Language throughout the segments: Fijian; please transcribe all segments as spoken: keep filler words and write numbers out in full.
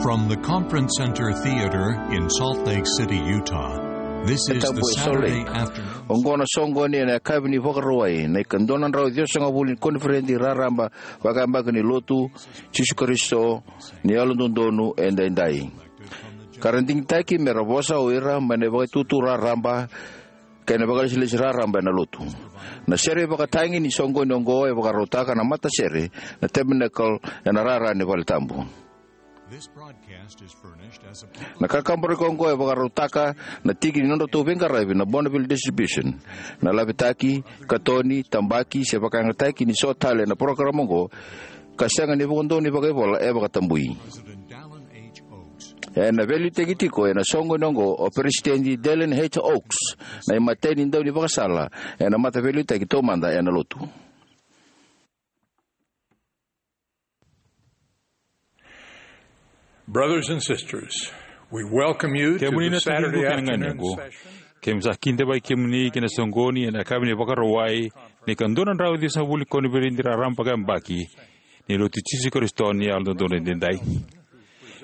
From the Conference Center Theater in Salt Lake City, Utah, this is the Saturday afternoon. Oqo na soqoni ena yakavi ni Vakarauwai, na ikadua na drau ciwasagavulu ni koniferedi raraba vakayabaki ni Lotu Jisu Karisito ni Yalododonu Edaidai. Ka ra digitaki me ra vosa o ira mai na ivakaitutu raraba kei na vakailesilesi raraba ena Lotu. Na sere ivakatagi ni soqoni oqo e vakarautaka na matasere na Tabernacle ena rara ni vale tabu. Na kakaburaki oqo e vakarautaka na tiki ni nodratou veiqaravi na Bonneville Distribution. Na lavetaki, katoni, tabaki se vakayagataki ni so tale ena parokaramu oqo ka sega ni vuqa donu ni vakaivola e vakatabui. Ena veiliutaki tiko ena soqoni oqo o Peresitedi Dallin H. Oaks, na imatai ni daunivakasala ena mataveiliutaki taumada ena Lotu. Brothers and sisters, we welcome you to the Saturday afternoon session. Kemuni na taciqu kei na ganequ, keimami sa kidavaki kemuni ki na soqoni ena yakavi ni Vakarauwai ni ikadua na drau ciwasagavulu ni koniferedi raraba vakayabaki ni Lotu Jisu Karisito ni Yalododonu Edaidai.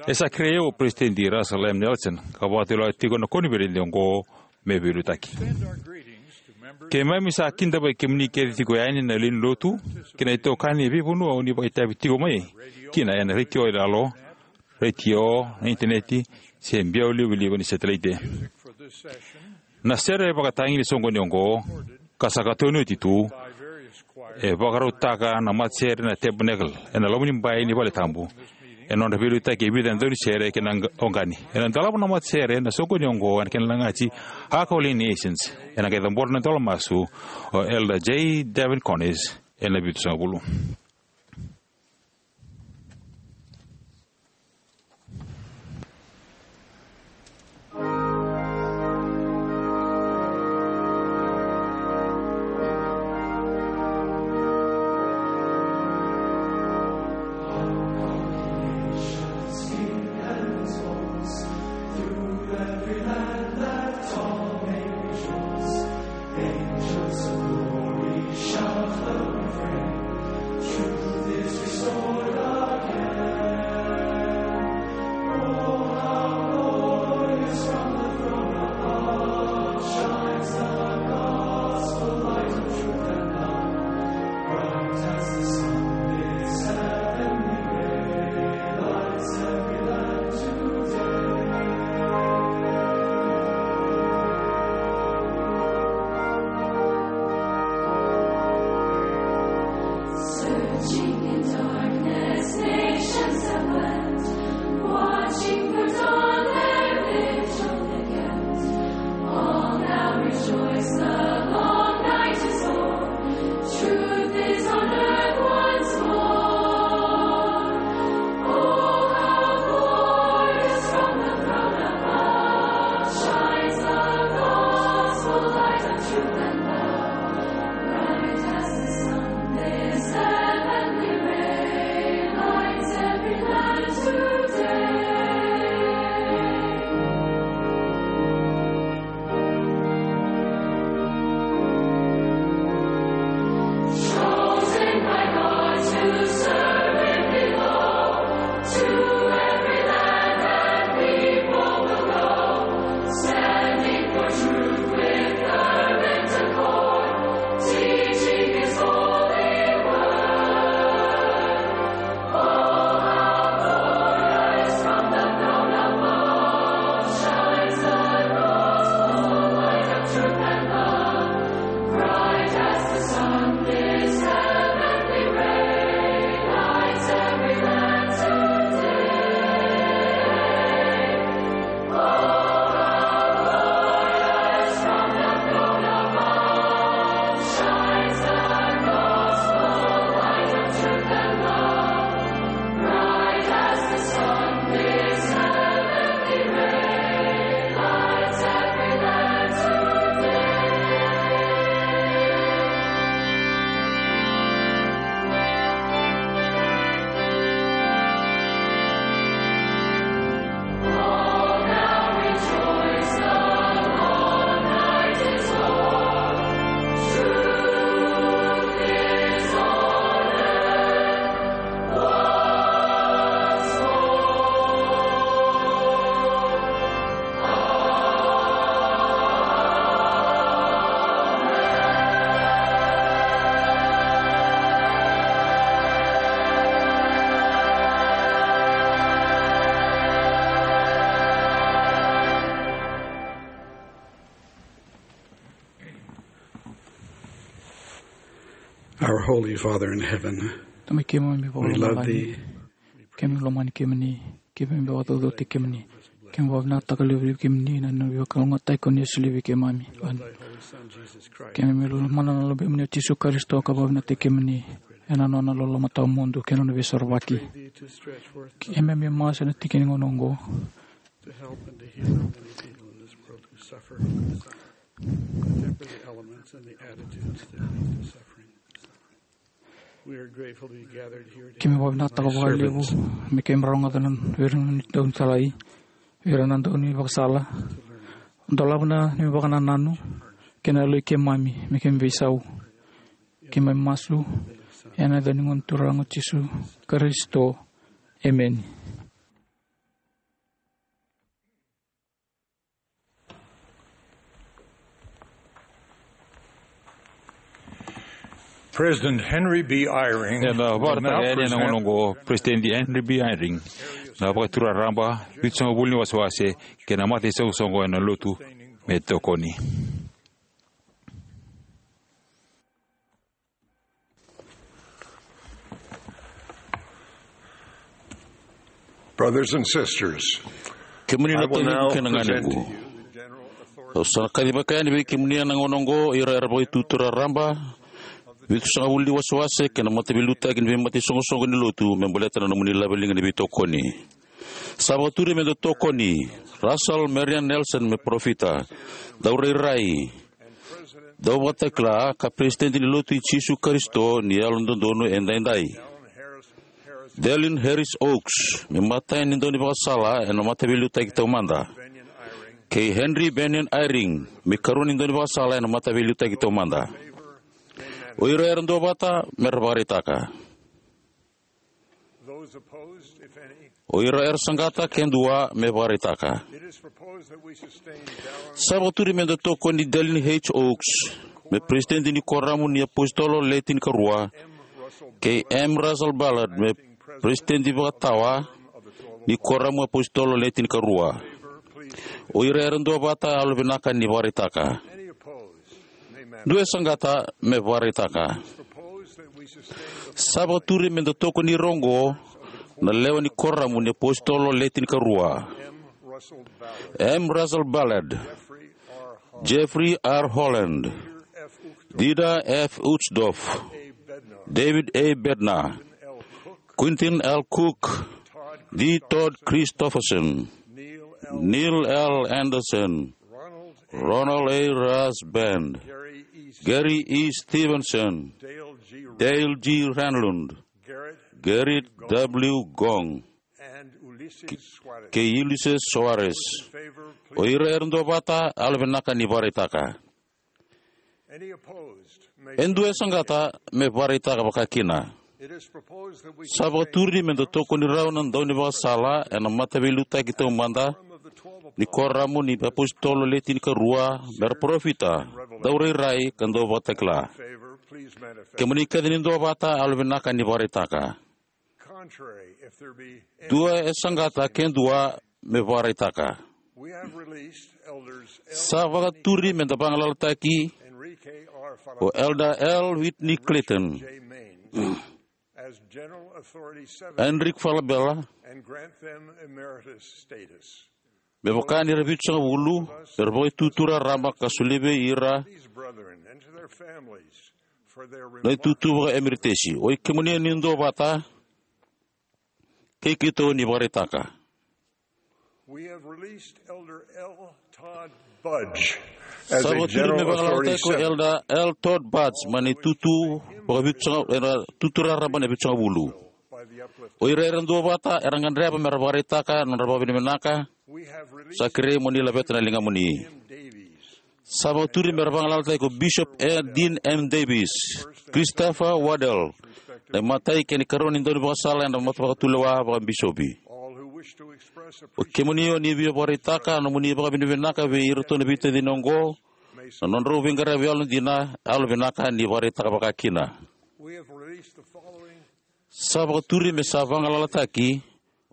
E sa kerei au o Peresitedi Russell M. Nelson ka vakatulewataka tiko na koniferedi oqo me veiliutaki. Keimami sa kidavaki kemuni kece tiko yani na lewe ni Lotu kei na itokani e veivanua o ni vakaitavi tiko mai kina ena retio yalo, retio, na initaneti se biau livaliva ni setelaite. Na sere ivakatagi ni soqoni oqo, ka sa katoni oti tu, e vakarautaka na matasere na Tabernacle ena loma ni bai ni vale tabu. Ena nodra veiliutaki e vica na daunisere kei na oqani, ena dolava na matasere na soqoni oqo ena kena lagati Akau Lane Nations. Ena qai cabora na idola masu o Elder J. Devin Connors ena vitusagavulu. Searching in darkness, nations have wept, watching for dawn, their vigil they kept. All now rejoice, the long night is o'er. Truth is on earth once more. Oh, how glorious from the throne above shines the gospel light of truth and love. Bright as the sun, this heavenly Our Holy Father in heaven, Tamai keimami we love vakalomalagi, thee. Keimami lomani kemuni, keimami vakacaucautaki kemuni, keimami vakavinavinakataka levu vei kemuni na nona veivakalougatataki ko ni a solia vei keimami. Keimami lomana na Luvemuni o Jisu Karisito ka vakavinavinakataki kemuni ena nona loloma tawamudu kei na nona veisorovaki. Keimami masu ena tiki ni gauna oqo. To help and to heal many people in this world who suffer, temper the elements and the attitudes that lead to suffering. We are grateful to be gathered here today. Keimami vakavinavinakataka vakalevu me keimami rogoca na vei ira na daunitalai, vei ira na daunivakasala. Dolava na neimami vakanananu kei na yaloi keimami me keimami veisau. Keimami masu ena yaca ni Gone Turaga o Jisu Karisito. Emeni. President Henry B. Eyring. Ena vakaraitaka yani ena gauna oqo o President Henry B. Eyring na Vakaitutu Raraba, Vitusagavulu ni Wasewase kei na Mataisoqosoqo ena Lotu me tokoni. Brothers and sisters, kemuni na taciqu kei na ganequ, au sa na kacivaka yani vei kemuni ena gauna oqo ira era Vakaitutu Raraba, Vitusagavulu ni Wasewase kei na Mataveiliutaki ni Veimataisoqosoqo ni Lotu me baleta na nomuni laveliga ni veitokoni. Sa vakaturi me da tokoni Russell Marion Nelson me parofita, daurairai, dauvakatakila ka Peresitedi ni Lotu i Jisu Karisito ni Yalododonu Edaidai. Dallin Harris Oaks me imatai ni daunivakasala ena Mataveiliutaki Taumada, kei Henry Bennion Eyring me ikarua ni daunivakasala ena Mataveiliutaki Taumada. O ira era duavata me ra vakaraitaka. Those opposed, if any. O ira era saqata, ke dua, me vakaraitaka. It is proposed that we sustain Dallin. Sa vakaturi me da tokoni Dallin H. Oaks me Peresitedi ni Kuoramu ni iApositolo Le Tinikarua, kei M. Russell Ballard me Peresitedi Vakatawa ni Kuoramu iApositolo Le Tinikarua. O ira era duavata, yalovinaka ni vakaraitaka. Any opposed? Dua e saqata me vakaraitaka. Sa vakaturi me da tokoni ira oqo na lewe ni Kuoramu ni iApositolo Le Tinikarua: M. Russell Ballard, Jeffrey R. Holland, Dieter F. Uchtdorf, David A. Bednar, Quentin L. Cook, D. Todd Christofferson, Neil L. Andersen, Ronald A. Rasband, Gary E. Stevenson, Dale G. Renlund, Gerrit W. Gong, kei Ulisses Soares. O ira era duavata, yalovinaka ni vakaraitaka. E dua e saqata me vakaraitaka vakakina. Sa vakaturi me da tokoni rau na daunivakasala ena Mataveiliutaki Taumada ni Kuoramu ni iApositolo Le Tinikarua me ra parofita, daurairai ka dauvakatakila. Kemuni kece ni duavata, yalovinaka ni vakaraitaka. Dua e saqata ke dua me vakaraitaka. Sa vakaturi me da vagalalataki o Elder L. Whitney Clayton, Enrique Falabella, me vaka ni ra vitusagavulu, me ra Vakaitutu Raraba ka solia vei ira na itutu vakaemeritesi. Oi kemuni ni duavata, kei keitou ni vakaraitaka. Sa vakaturi me vagalalataki ko Elder L. Todd Budge mai na itutu vakavitusagavulu, ena itutu raraba na vitusagavulu. O ira era duavata era gadreva me ra vakaraitaka na nodra vakavinavinaka. Sa kerei mo ni laveta na ligamuni. Sa vakaturi me ra vagalalataki ko Bishop Dean M. Davis, Christopher Waddell, na imatai kei na ikarua ni daunivakasala ena matavakatulewa vakabisopi. O kemuni o ni via vakaraitaka na nomuni vakavinavinaka vei iratou na veitacini oqo, na nodrau veiqaravi yalodina, yalovinaka ni vakaraitaka vakakina. Sa vakaturi me sa vagalalataki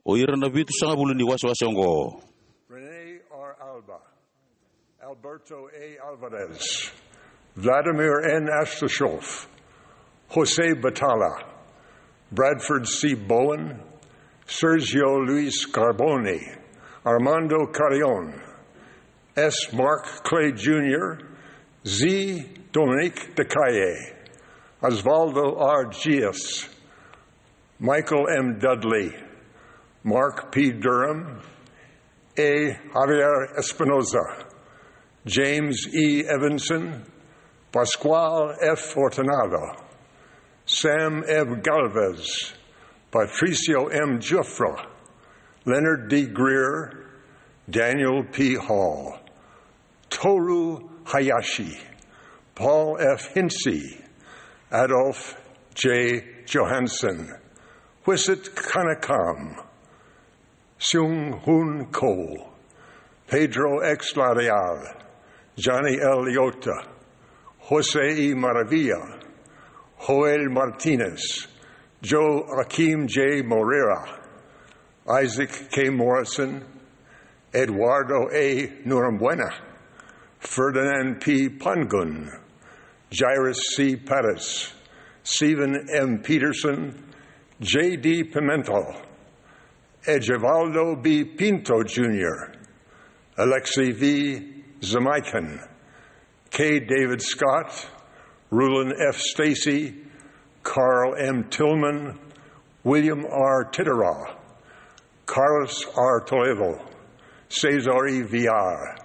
o ira na vitusagavulu ni wasewase oqo: Rene R. Alba, Alberto A. Alvarez, Vladimir N. Astashov, Jose Batalla, Bradford C. Bowen, Sergio Luis Carbone, Armando Carreon, S. Mark Clay Junior, Z. Dominique de Calle, Osvaldo R. Gias, Michael M. Dudley, Mark P. Durham, A. Javier Espinoza, James E. Evanson, Pascual F. Fortunato, Sam F. Galvez, Patricio M. Giuffra, Leonard D. Greer, Daniel P. Hall, Toru Hayashi, Paul F. Hinze, Adolf J. Johansson, Whisit Kanakam, Seung Hoon Ko, Pedro X. Lareal, Johnny L. Leota, Jose E. Maravilla, Joel Martinez, Joaquim J. Moreira, Isaac K. Morrison, Eduardo A. Norambuena, Ferdinand P. Pangun, Jairus C. Perez, Stephen M. Peterson, J. D. Pimentel, Egivaldo B. Pinto Junior, Alexei V. Zamaikin, K. David Scott, Rulon F. Stacey, Carl M. Tillman, William R. Titterall, Carlos R. Toledo, Cesar E. Villar,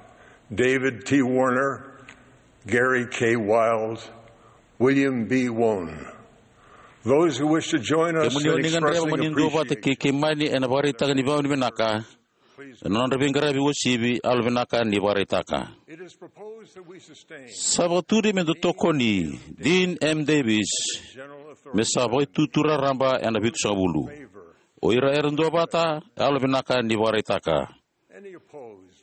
David T. Warner, Gary K. Wilde, William B. Wone. Those who wish to join us Kemuni o in ni gadreva expressing mo ni duavata appreciation kei keimami ena vakaraitaka ni vakavinavinaka ena nodra veiqaravi uasivi, yalovinaka ni vakaraitaka. Sa vakaturi me da tokoni Dean M. Davis me sa Vakaitutu Raraba ena Vitusagavulu. O ira era duavata, yalovinaka ni vakaraitaka.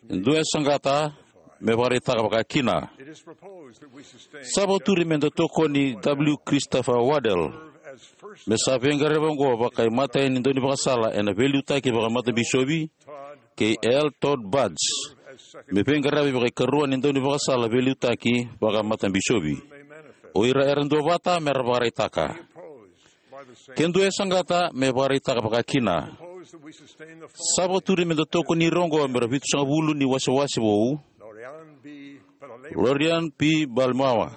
E dua e saqata, me vakaraitaka vakakina. Sa vakaturi me da tokoni W. Christopher Waddell me sa veiqaravi oqo vakaimatai ni daunivakasala ena veiliutaki vakamatabishovi, kei L. Todd Budge me veiqaravi vakaikarua ni daunivakasala veiliutaki vakamatabishovi. O ira era duavata me ra vakaraitaka. Ke dua e saqata, me vakaraitaka vakakina. Sa vakaturi me da tokoni ira oqo me ra Vitusagavulu ni wasewase vou: Lorian P. Balmawa,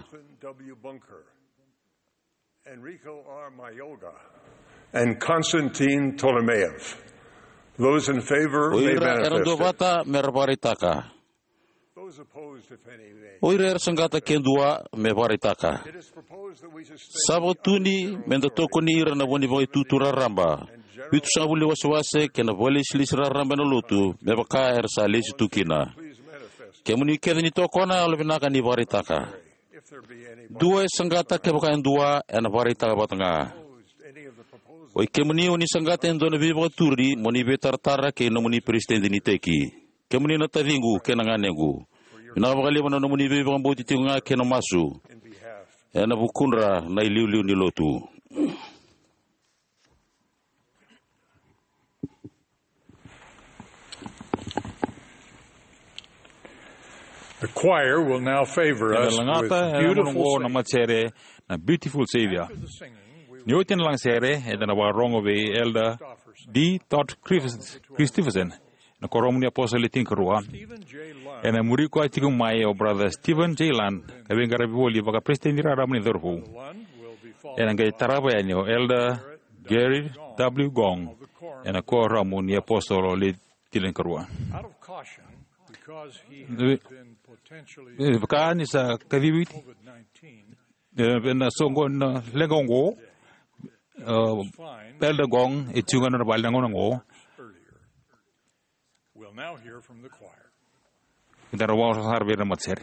Enrico R. Mayorga, and Konstantin Tolomeev. Those in favor O may ira era manifest. Duavata me ra vakaraitaka. Those opposed, if any, may. O ira era saqata, ke dua, me vakaraitaka. It is proposed that we sustain Sa vakaturi me da tokoni ira na vo ni Vakaitutu Raraba, Vitusagavulu ni wasewase kei na vakailesilesi raraba ena lotu, me vaka era sa lesi tu kina. Kemuni kece ni tokona, yalovinaka ni vakaraitaka. Dua e saqata, kevaka e dua, ena vakaraitaka vata ga. O i kemuni o ni saqata e dua na veivakaturi, mo ni veitaratara kei nomuni peresitedi ni iteki. Kemuni na taciqu kei na ganequ, vinaka vakalevu na nomuni veivakabauti tiko ga kei na masu ena vukudra na iliuliu ni lotu. The choir will now favor Ena us lagata with ena Beautiful gauna oqo na Savior. Matasere na Beautiful Savior. Ni oti na lagasere, eda na vakarogo vei Elder D. Todd Christopherson, na Kuoramu ni Apositolo Le Tinikarua. Ena muri koya tiko mai o Brother Stephen J. Lund, ka veiqaravi voli vakaperesitedi raraba ni cauravou. Ena qai tarava yani o Elder Gary W. Gong, ena Kuoramu ni Apositolo Le Tinikarua. E, vaka ni sa kacivi, e, ena soqo na leqa oqo, e, Elder Gong e tiko ga ena vale na gauna oqo. We'll now hear from the choir. Eda na vakarogo sara vei ira na matasere.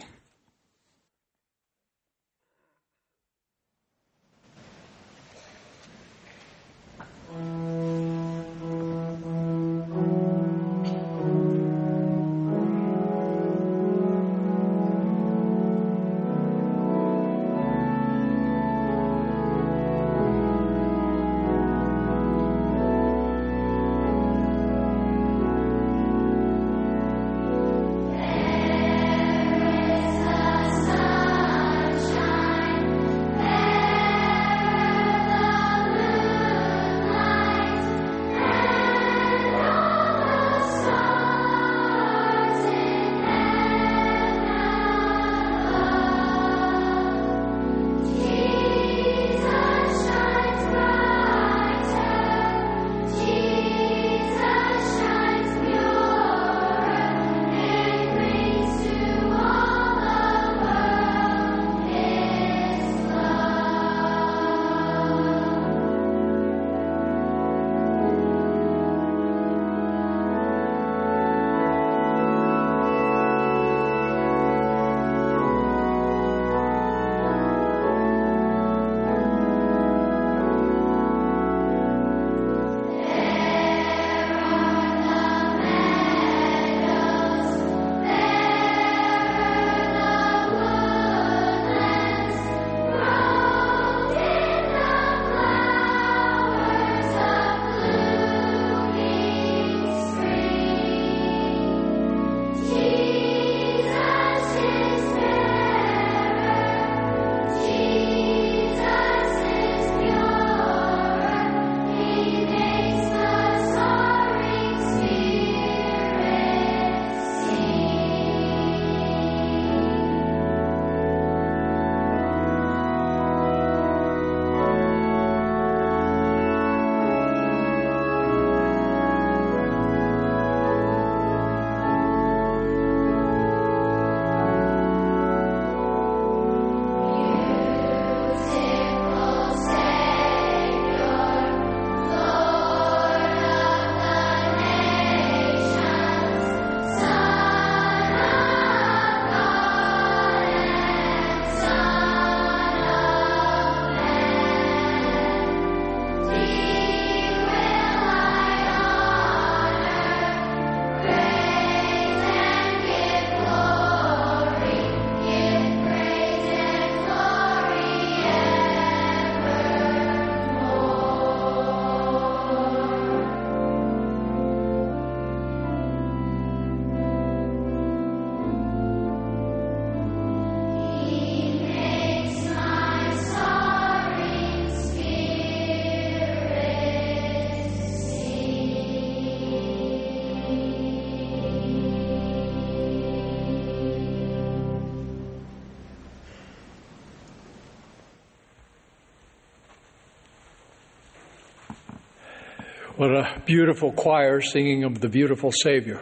What a beautiful choir singing of the beautiful Savior.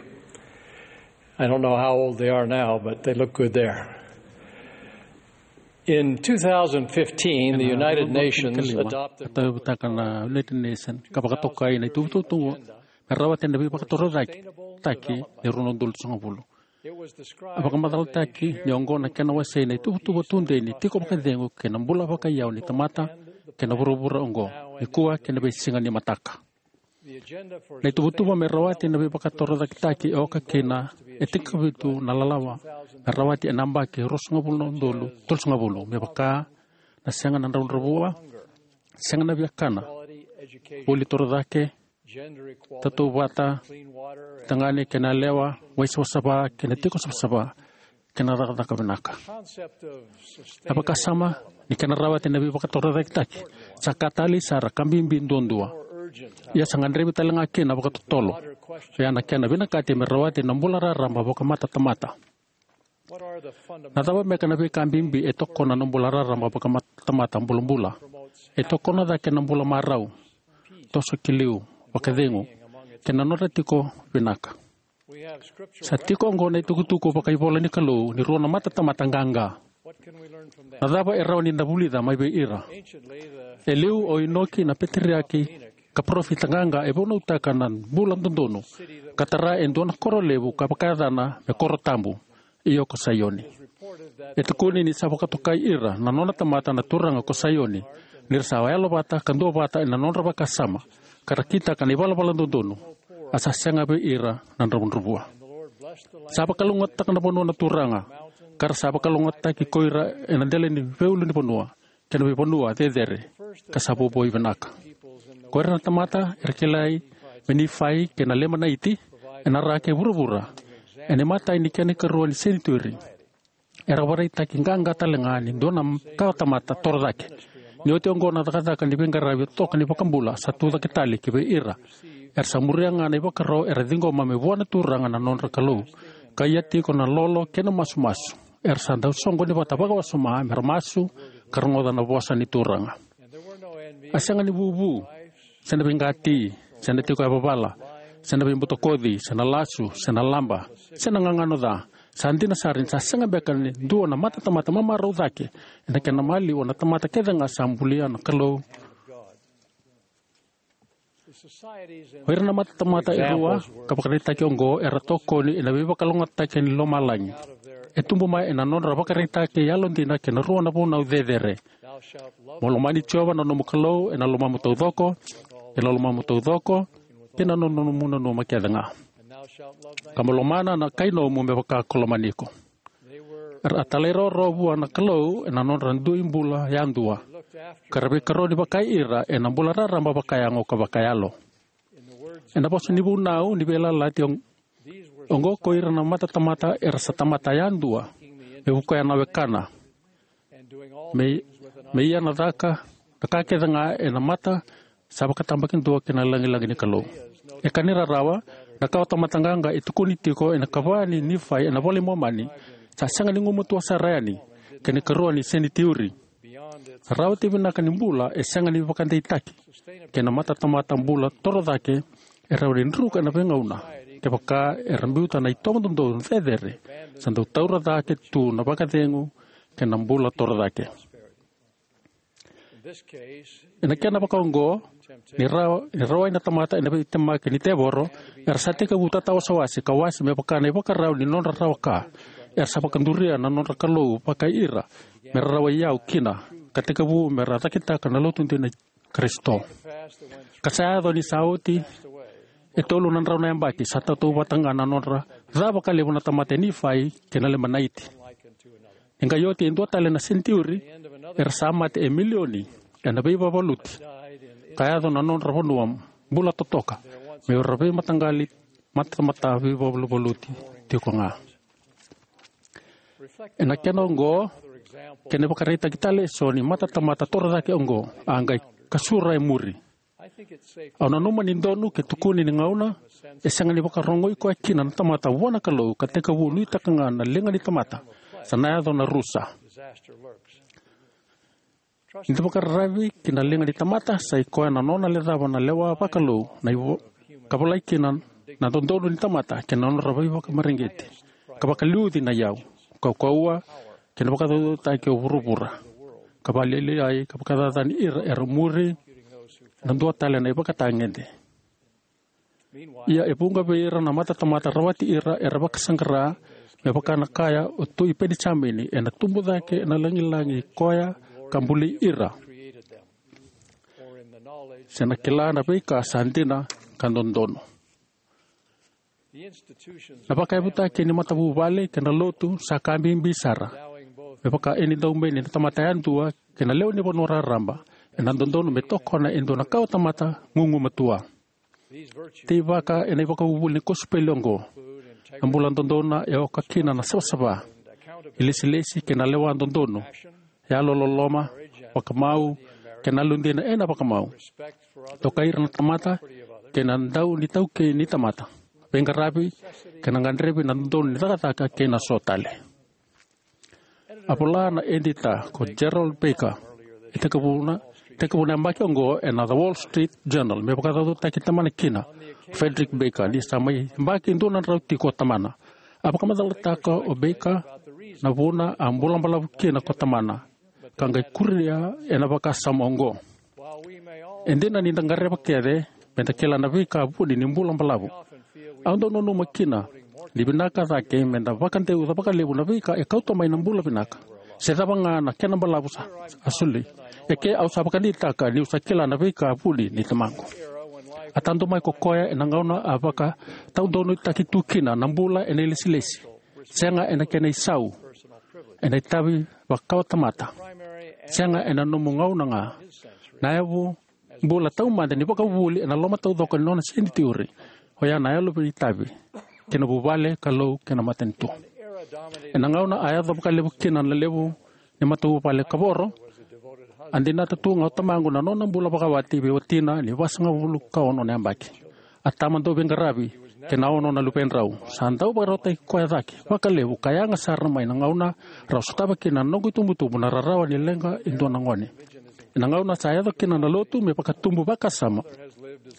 I don't know how old they are now, but they look good there. In two thousand fifteen, the United Nations adopted ka tauyavutaka na United Nations ka vakatokai na ituvatuva me rawati na veivakatorocaketaki ni rua na udolu sagavulu. A vakamacalataki ni oqo na kena wasei na ituvatuva tudei ni tiko vakacegu kei na bula vakaiyau ni tamata kei na vuravura oqo, nikua kei na veisiga ni mataka. Na ituvatuva me rawati na veivakatorocaketaki e oka kina e tinikavitu na lalawa me rawati ena yabaki ruasagavulu na udolu tolusagavulu, me vaka na sega na dravudravua, sega na viakana, vuli torocake, tautauvata, tagane kei na yalewa, wai savasava kei na tiko savasava, kei na cakacaka vinaka. Na vakasama ni kena rawati na veivakatorocaketaki sa ka talei sara ka bibi duadua. Ia sa gadrevi tale ga kina vakatotolo. Ia na kena vinakati me rawati na bula raraba vakamatatamata. Na cava beka na veika bibi e tokona na bula raraba vakamatatamata bulabula? E tokona cake na bula marau, toso ki liu, vakacegu, kei na nodra tiko vinaka. Sa tiko oqo na itukutuku vakaivola ni Kalou ni rua na matatamata qaqa. Na cava e rawa ni da vulica mai vei ira? E liu o Inoki na peteriaki ka parofita qaqa e vunautaka na bula dodonu ka tara e dua na koro levu ka vakayacana me koro tabu, io ko Saioni. E tukuni ni sa vakatokai ira na nona tamata na Turaga ko Saioni ni ra sa yalovata ka duavata ena nodra vakasama ka ra kitaka na ivalavala dodonu, a sa sega vei ira na dravudravua. Sa vakalougatataka na vanua na Turaga, ka ra sa vakalougatataki ko ira ena dela ni veiulunivanua kei na veivanua cecere, ka sa vouvoi vinaka. Ko ira na tamata era kilai me Nifai kei na Lemanaiti ena ra kei vuravura ena imatai ni kena ikarua ni senituri, era vakaraitaki qaqa tale ga ni dua na kawa tamata torocake. Ni oti oqo na cakacaka ni veiqaravi toka ni vakabula sa tucake tale ki vei ira. Era sa muria ga na ivakaro era ciqoma mai vua na Turaga na nodra Kalou, ka ia tiko na lolo kei na masumasu. Era sa dau soqoni vata vakawasoma me ra masu ka rogoca na vosa ni Turaga. A sega ni vuvu, se na veiqati, se na tiko yavavala, se na veibutakoci, se na lasu, se na laba, se na gagano ca. Sa dina sara ni sa sega beka ni dua na matatamata mamarau cake ena kena maliwa na tamata kece ga sa bulia na Kalou. O ira na matatamata e rua ka vakaraitaki oqo era tokoni ena veivakalougatataki ni lomalagi. E tubu mai ena nodra vakaraitaki yalodina kei na rua na vunau cecere. Mo lomani Jiova na nomu Kalou ena lomamu taucoko, ena lomamu taucoko, kei na nomu nanuma kece ga. Ka mo lomana na kai nomu me vaka ko lomani iko. Era a talairawarawa vua na Kalou ena nodra dui bula yadua, ka ra veikaroni vakai ira ena bula raraba vakayago ka vakayalo. Ena vosa ni vunau ni Veiyalayalati, oqo ko ira na matatamata era sa tamata yadua, me vukoya na wekana, me, me ia na caka na ka kece ga ena mata sa vakatabakidua kei na lagilagi ni Kalou. E ka ni rarawa, na kawa tamata qaqa e tukuni tiko ena ikava ni Nifai ena iVola i Momani sa sega ni gumatua sara yani ki na ikarua ni senitiuri. Na rawati vinaka ni bula e sega ni vakadeitaki kei na matatamata bula torocake e rawa ni druka ena veigauna kevaka era biuta na itovo dodonu cecere sa dau taura cake tu na vakacegu kei na bula torocake. Ena kena vakaoqo, ni rawa, ni rawai na tamata ena veitemaki ni tevoro, era sa tekivu tatawasewase ka wase me vaka na ivakarau ni nodra rawa ka. Era sa vakaduria na nodra Kalou vakai ira me ra rawai iyau kina, ka tekivu me ra cakitaka na lotu dina i Karisito. Ka sa yaco ni sa oti e tolu na drau na yabaki, sa tautauvata ga na nodra ca vakalevu na tamata e Nifai kei na Lemanaiti. Ni qai oti e dua tale na senitiuri, era sa mate e milioni ena veivavaluti, ka yaco na nodra vanua bula totoka me ra veimataqali matatamata veivavaluti tiko ga. Ena kena oqo, kena ivakaraitaki tale eso ni matatamata torocake oqo a qai kasura e muri. Au nanuma ni donu ke tukuni ni gauna e sega ni vakarogoi koya kina na tamata vua na Kalou ka tekivu nuitaka ga na liga ni tamata, sa na yaco na rusa. Ni da vakararavi ki na liga ni tamata, sa i koya na nona lecava na lewa vakalou, na ivo, ka volai kina na dodonu ni tamata kei na nodra veivakamareqeti, ka vakaliuci na iyau, kaukauwa, kei na vakacaucautaki o vuravura, ka vakalialiai ka vakacacani ira era muri na dua tale na ivakatagede. Ia e vuqa vei ira na matatamata rawati ira era vakasaqara, me vaka na kaya o Tui Penijamini, ena tubu cake ena lagilagi koya ka buli ira, se na kila na veika sa dina ka dodonu. Na vakayavutaki ni matavuvale kei na lotu sa ka bibi sara, me vaka e ni daumeni na tamata yadua kei na lewe ni vanua raraba, ena dodonu me tokona e dua na kawatamata gugumatua. Teivaka ena ivakavuvuli ni kosipeli oqo, na bula dodonu e oka kina na savasava, ilesilesi kei na lewa dodonu, yalololoma, vakamau, kei na yalodina ena vakamau, dokai ira na tamata, kei na dau ni taukei ni tamata, veiqaravi, kei na gadrevi na dodonu ni cakacaka kei na so tale. A vola na edita ko Gerald Baker, e tekivuna, tekivuna yabaki oqo ena The Wall Street Journal, me vakacaucautaki tamana kina, Frederick Baker, ni sa mai yabaki dua na drau tiko o tamana. A vakamacalataka o Baker na vuna a bula balavu kina ko tamana, ka qai kuria ena vakasama oqo. E dina ni da gadreva kece me da kila na veika vuni ni bula balavu, au dau nanuma kina ni vinaka cake me da vakadeuca vakalevu na veika e kauta mai na bula vinaka, se cava ga na kena balavu sa, a soli. E ke au sa vakadeitaka niu sa kila na veika vuni ni tamaqu. A tadu mai ko koya ena gauna a vakataudonutaki tu kina na bula ena ilesilesi, sega ena kena isau, ena itavi vakawatamata, sega ena nomu gauna ga, na yavu bula taumada ni vakavuvuli ena loma taucoko ni nona senitiuri, oya na yalo veiitavi ki na vuvale, Kalou kei na matanitu. Ena gauna a yaco vakalevu kina na levu ni matavuvale kavoro, a dinata tu ga o tamaqu na nona bula vakawati vei watina ni vasagavulu ka ono na yabaki. A tama dau veiqaravi kei na ono na luvedrau. Sa dau vakarautaki koya cake vakalevu ka yaga sara mai na gauna rau sotava kina na noqu itubutubu na rarawa ni leqa e dua na gone. Ena gauna sa yaco kina na lotu me vakatubu vakasama,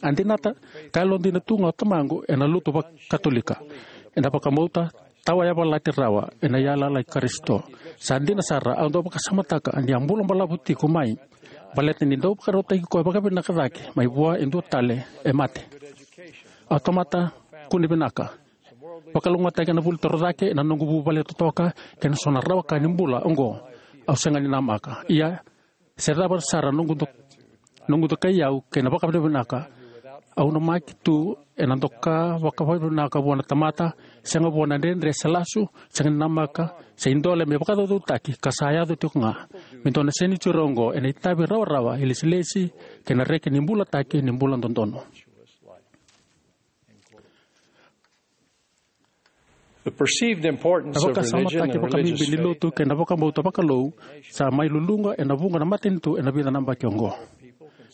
a dinata ka yalodina tu ga o tamaqu ena lotu vakaKatolika, ena vakabauta tawayavalati rawa ena yalayala i Karisito. Sa dina sara, au dau vakasamataka ni a bula balavu tiko mai, baleta ni dau vakarautaki koya vakavinaka cake mai vua e dua tale e mate. Au tamata kune vinaka, vakalougatataki ena vuli torocake ena noqu vuvale totoka kei na so na rawa ka ni bula oqo. Au sega ni namaka, ia se cava sara noqu do-, noqu dokai au kei na vakavinavinaka. Au namaki tu ena doka vakavinavinaka vua na tamata, sega vua na dredre se lasu, sega ni namaka se idole me vakacaucautaki, ka sa yaco tiko ga me dua na senitiuri oqo ena itavi rawarawa, ilesilesi, kei na reki ni bulataki ni bula dodonu. The perceived importance Na of religion vakasamataki and vakabibi religious ni faith lotu kei na vakabauta vakalou sa mai luluqa ena vuqa na matanitu ena vica na yabaki oqo.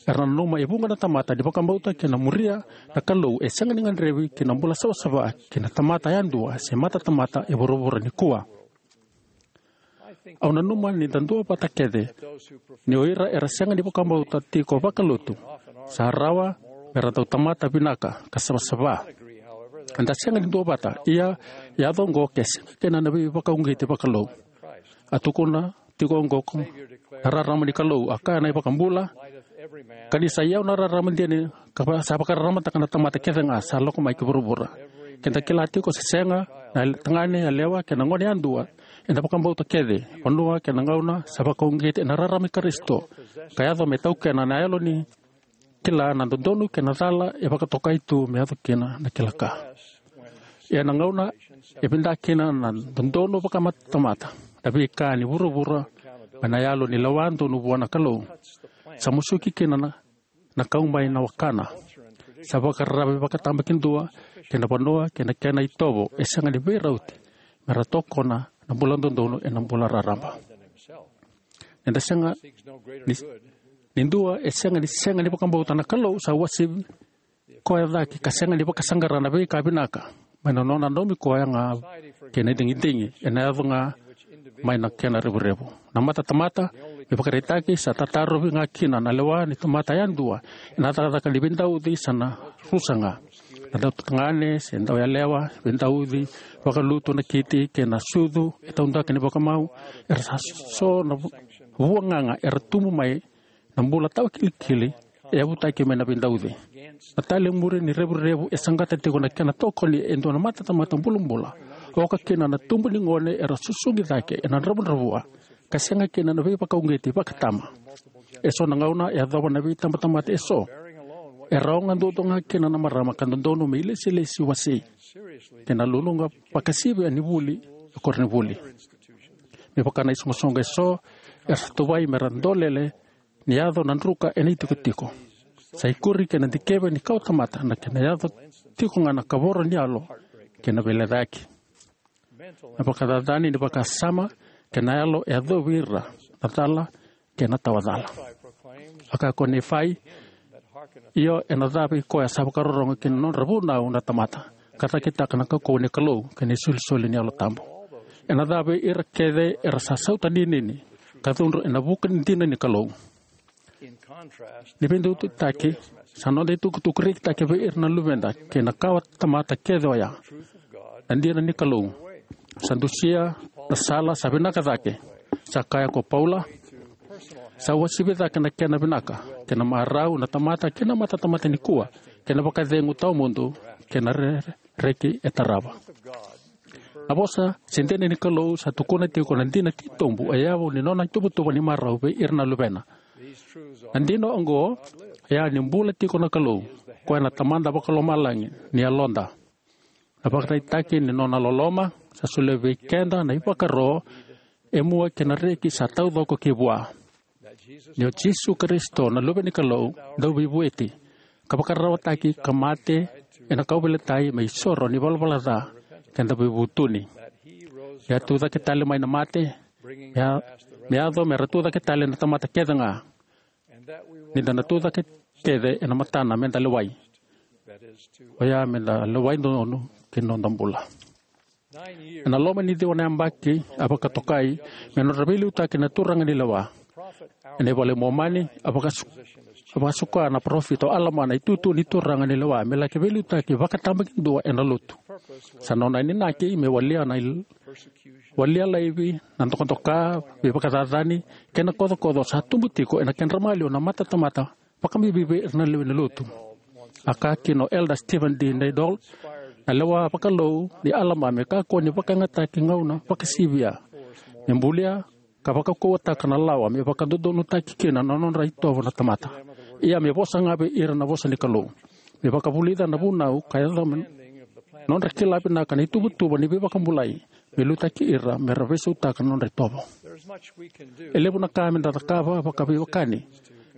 Era nanuma e vuqa na tamata ni vakabauta kei na muria na Kalou e sega ni gadrevi ki na bula savasava ki na tamata yadua se matatamata e vuravura nikua. Au nanuma ni da duavata kece ni o ira era sega ni vakabauta tiko vakalotu sa rawa me ra dau tamata vinaka ka savasava. Eda sega ni duavata, ia e yaco oqo ke sega kina na veivakauqeti vakalou. A tukuna tiko oqo ko na rarama ni Kalou, a kaya na iVakabula, ka ni sa i au na rarama dina, ka va-, sa vakararamataka na tamata kece ga sa lako mai ki vuravura. Keda kila tiko se sega na tagane, yalewa kei na gone yadua ena vakabauta kece, vanua kei na gauna sa vakauqeti ena rarama i Karisito, ka yaco me taukena na yalo ni kila na dodonu kei na cala e vakatokai tu me yaco kina na kila ka. Ia na gauna e vinaka kina na dodonu vakamatamata na veika ni vuravura mai na yalo ni lewa donu vua na Kalou, sa musuki kina na na kau mai na wakana. Sa vakararavi vakatabakidua kei na vanua kei na kena itovo e sega ni veirauti me ra tokona na bula dodonu ena bula raraba. Eda sega ni, ni dua e sega ni, sega ni vakabauta na Kalou sa uasivi koya cake ka sega ni vakasaqara na veika vinaka mai na nona nanumi koya ga kei na digidigi ena yaco ga mai na kena revurevu. Na matatamata Me vakaraitaki, sa tatarovi ga kina na lewa ni tamata yadua ena cakacaka ni veidauci sa na rusa ga. Na dautagane se dauyalewa veidauci, vakalutu na kiti kei na sucu e taudaku ni vakamau, era sa so na vu-, vuagaga era tubu mai na bula tawakilikili e yavutaki mai na veidauci. Na talemuri ni revurevu e saqata tiko na kena tokoni e dua na matatamata bulabula, oka kina na tubu ni gone era susugi cake ena dravudravua ka sega kina na veivakauqeti vakatama. E so na gauna e yacova na veitabatamata e so, e rawa ga duadua ga kina na marama ka dodonu me ilesilesi wasei kei na luluqa vakasivia ni vuli e koronivuli. Me vaka na isoqosoqo e so, era sa tuvai me ra dolele ni yaco na druka ena itikotiko. Sa ikuri kei na dikeva ni kawatamata na kena yaco tiko ga na kavoro ni yalo kei na veilecayaki. Na vakacacani ni vakasama kei na yalo e yacovi ira na cala kei na tawacala. A kaya ko Nifai, io, ena ca vei koya sa vakarorogo ki na nodra vunau na tamata, ka cakitaka na kaukauwa ni Kalou kei na isolisoli ni Yalo Tabu. Ena ca vei ira kece era sa sautaninini ka cudru ena vuku ni dina ni Kalou. Ni veiduitaki, sa noda itukutuku rekitaki vei ira na luveda kei na kawatamata kece oya na dina ni Kalou. Sa dusia na sala sa vinaka cake. Sa kaya ko Paula, sa uasivi cake na kena vinaka kei na marau na tamata kei na matatamata nikua, kei na vakacegu tawamudu kei na re-, reki e tarava. Na vosa se dina ni Kalou sa tukuna tiko na dina titobu e yavu ni nona ituvatuva ni marau vei ira na luvena. Na dina oqo, e a ni bula tiko na Kalou, koya na Tamada vakalomalagi ni yaloda. Na vakaraitaki ni nona loloma sa solia vei keda na ivakaro e mua kei na reki sa taucoko ki vua. Ni o Jisu Karisito na Luve ni Kalou dauveivueti, ka vakararawataki ka mate ena kauveilatai me isoro ni valavala ca keda veivutuni. Ni a tucake tale mai na mate, me a, me yaco me ra tucake tale na tamata kece ga. Ni da na tucake kece ena matana me da lewai. Oya me da lewai dodonu ki na noda bula. Ena loma ni ciwa na yabaki a vakatokai me nodra veiliutaki na turaga ni lewa. Ena iVola i Momani, a vakasu-, a vakasuka na parofita o Alama na itutu ni turaga ni lewa me laki veiliutaki vakatabakidua ena lotu. Sa nona inaki me walia na il-, walia laivi, na dokadoka, veivakacacani kei na kocokoco sa tubu tiko ena kedra maliwa na matatamata vakabibi vei ira na lewe ni lotu. A kaya kina o Elder Stephen D. Needell, na lewa vakalou ni Alama me kakua ni vakayagataki gauna vakasivia me bulia ka vakaukauwataka na lawa me vakadodonutaki kina na nodra itovo na tamata. Ia me vosa ga vei ira na vosa ni Kalou, me vakavulica na vunau ka yaco me nodra kila vinaka na ituvatuva ni veivakabulai, me liutaki ira me ra veisautaka na nodra itovo. E levu na ka me da cakava vakaveiwekani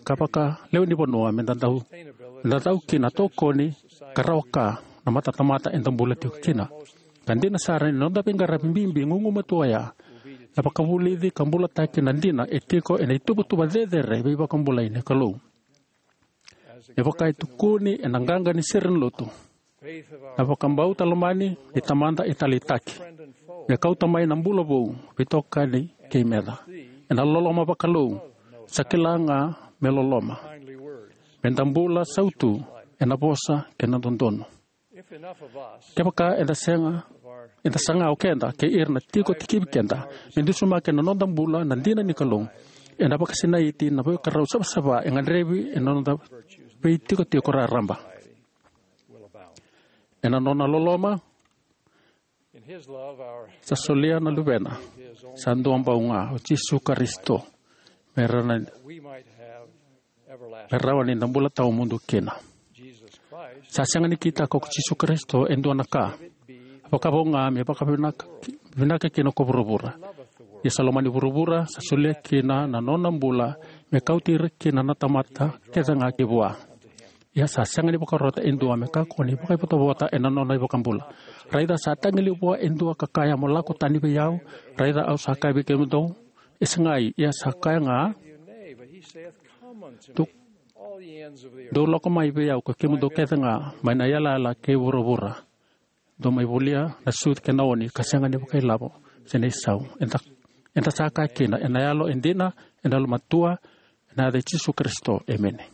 ka vakalewe ni vanua me da dau, me da dau kina tokoni ka rawa ka na matatamata eda bula tiko kina. Ka dina sara ni noda veiqaravi bibi gugumatua oya na vakavulici ka bulataki na dina e tiko ena ituvatuva cecere veivakabulai ni Kalou. Me vaka e tukuni ena qaqa ni sere ni lotu, na vakabauta lomani ni Tamada e taleitaki me kauta mai na bula vou, veitokani kei meca. Ena loloma vakalou, sa kila ga me loloma. Me da bula sautu ena vosa kei na dodonu. Kevaka eda sega, eda saga o keda kei ira na tiko tikivi keda me dusimaki ena noda bula na dina ni Kalou, ena vakasinaiti na veikarau savasava e gadrevi ena noda veitikotiko raraba. Ena nona loloma, sa solia na Luvena sa duabau ga, o Jisu Karisito, me ra na, me rawa ni da bula tawamudu kina. Sa sega ni kitaka ko Jisu Karisito e dua na ka, a vakavo ga me vakavinaka, vinaka kina ko vuravura. Ia sa lomani vuravura, sa solia kina na nona bula me kauti ira kina na tamata kece ga ki vua. Ia sa sega ni vakarota e dua me kakua ni vakaivotavota ena nona iVakabula. Raica sa tagilei vua e dua ka kaya, mo lako tani vei au. Raica au sa kaya vei kemudou, e segai. Ia sa kaya ga, dou, dou lako mai vei au ko kemudou kece ga mai na iyalayala kei vuravura. Dou mai volia na sucu kei na oni ka sega ni vakailavo se na isau. Eda, Eda sa kaya kina ena yalo e dina, ena yalomatua, ena yaca i Jisu Karisito. Emeni.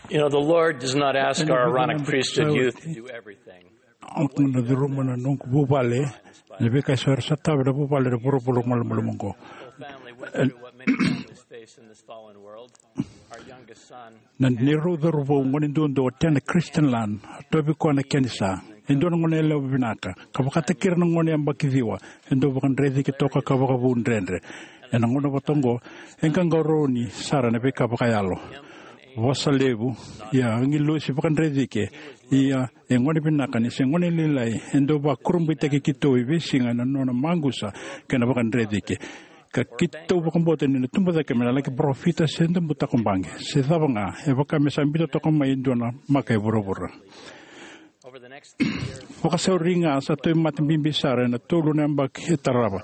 You know, the Lord does not ask our Aaronic priesthood youth to do everything. Au na curuma na noqu vuvale na veika eso era sotava na vuvale ena vuravura malumalumu oqo. Family went through what many families face in this fallen world. Our youngest son Na neirau cauravou gone duadua o Tena Christensen, a tauvi koya na kenisa. E dua na gone yalewa vinaka ka vakataki ira na gone yabaki ciwa. E dau vakadrecike toka ka vakavou dredre. Ena gauna vata oqo e qaqarauni sara ena veika vakayalo. Vosa levu, ia agilosi vakadrecike. Ia e gone vinaka ni se gone lailai, e dau vakurabuitaki keitou e veisiga ena nona maqusa kei na vakadrecike. Ka keitou vakabauta ni na tubu cake me na laki parofita se dabu takobaqi se cava ga, e vaka me sa biuta toka mai e dua na maka e vuravura. Vakasauri ga sa tauvimate bibi sara ena tolu na yabaki e tarava.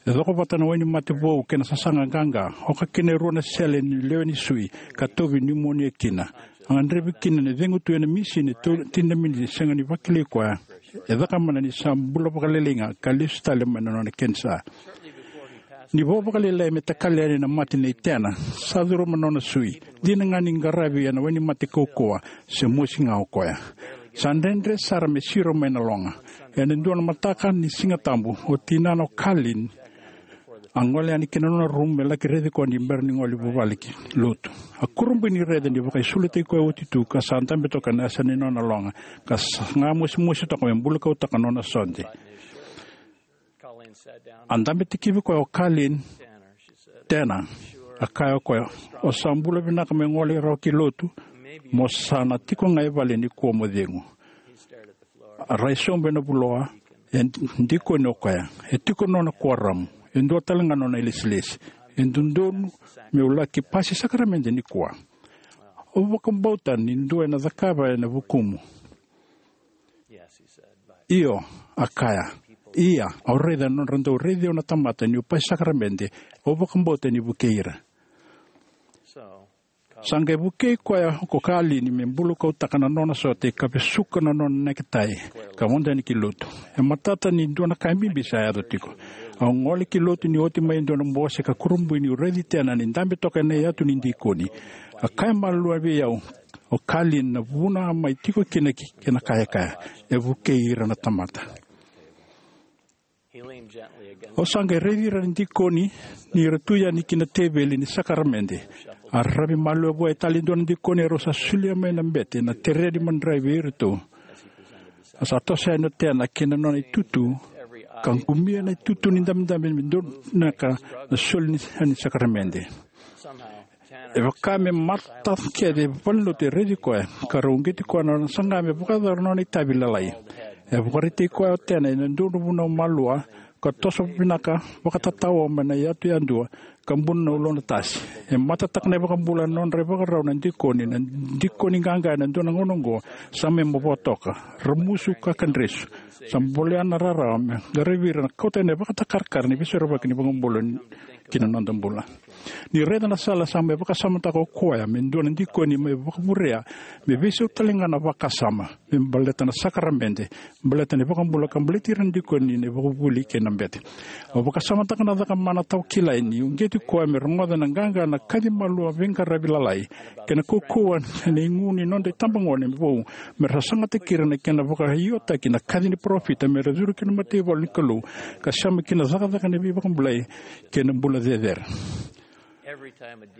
E coko vata na wainimate vou kei na sasaga qaqa, oka kina e rua na sele ni lewe ni sui, ka tauvi niumonia kina. A gadrevi kina ni cegu tu ena misini e tini na miniti sega ni vakilai koya. E cakamana ni sa bula vakalailai ga ka lesu tale mai na nona kenisa. Ni vo vakalailai me takali yani na mate nei Tena, sa curuma na nona sui. Dina ga ni qaravi ena wainimate kaukauwa se mosi ga o koya. Sa dredre sara me siro mai na loga. Ena dua na mataka ni Siga Tabu, o tinana o Kalin a gole yani ki na nona rumu me laki raici koya ni bera ni gole i vuvale ki lotu. A kurabui ni raica ni vakaisulatai koya oti tu ka sa dabe toka ena yasa ni nona loga, ka sa ga mosimosi toka me bulukautaka na nona sode. A dabe tikivi koya o Kalin. Tena, a kaya o koya, o sa bula vinaka me gole rawa ki lotu? Mo sa na tiko ga e vale nikua mo cegu. A rai sobu ena vuloa. E dikoni o koya. E tiko nona kuoramu. E dua tale ga nona ilesilesi. E dodonu meu laki pasi sakaramede nikua. Au vakabauta ni dua ena cakava ena vukumu. Io, a kaya. Ia, au raica na nodra dau raici au na tamata niu pasi sakaramede. Au vakabauta ni vukei ira. Sa qai vukei koya ko Kalini me bulukautaka na nona sote ka vesuka na nona neketai ka vodo yani ki lotu. E matata ni dua na ka bibi sa yaco tiko. Au gole ki lotu ni oti mai e dua na bose ka kurabui niu raici Tena ni dabe toka ena iyatu ni dikoni. A kaya malua vei au o Kalini na vuna a mai tiko kina ki, kei na kayakaya. E vukei ira na tamata. Au sa qai raici ira na dikoni ni ra tu yani ki na teveli ni sakaramede. A raravi malua vua e tale e dua na dikoni, erau sa solia mai na bete na tere ni madrai vei iratou. A sa toso yani o Tena kei na nona itutu ka qumia na itutu ni dabedabe me dua na ka na soli ni, ni sakaramede. E vaka me mata kece e valenilotu e raici koya ka rau uqeti koya na nona saga me vakayacora na nona itavi lalai. E vakaraitaki koya o Tena ena dua na vunau malua ka toso vinaka vakatatao mai na iyatu yadua ka buna na uluna tasi. E matataka na iVakabula ena nodra ivakarau na dikoni, na dikoni qaqa ena dua na gauna oqo sa mai mavoa toka. Ramusu ka kadresu. Sa bolea na rarawa me qaravi ira na kauta ena ivakatakarakara ni veisorovaki ni iVakabula ki na noda bula. Ni raica na sala sa mai vakasamataka o koya me dua na dikoni mai vakavurea, me veisau tale ga na vakasama me baleta na sakaramede, baleta na iVakabula ka baleti ira na dikoni na ivakavuvuli kei na bete. Au vakasamataka na cakamana tawa kilai ni uqeti koya me rogoca na qaqa na kaci malua veiqaravi lalai kei na kaukauwa ena igu ni noda itabagone vou me ra sagataki ira na kena vakaiotaki na kaci ni parofita me ra curu ki na mataivalu ni Kalou ka sema ki na cakacaka ni veivakabulai kei na bula cecere.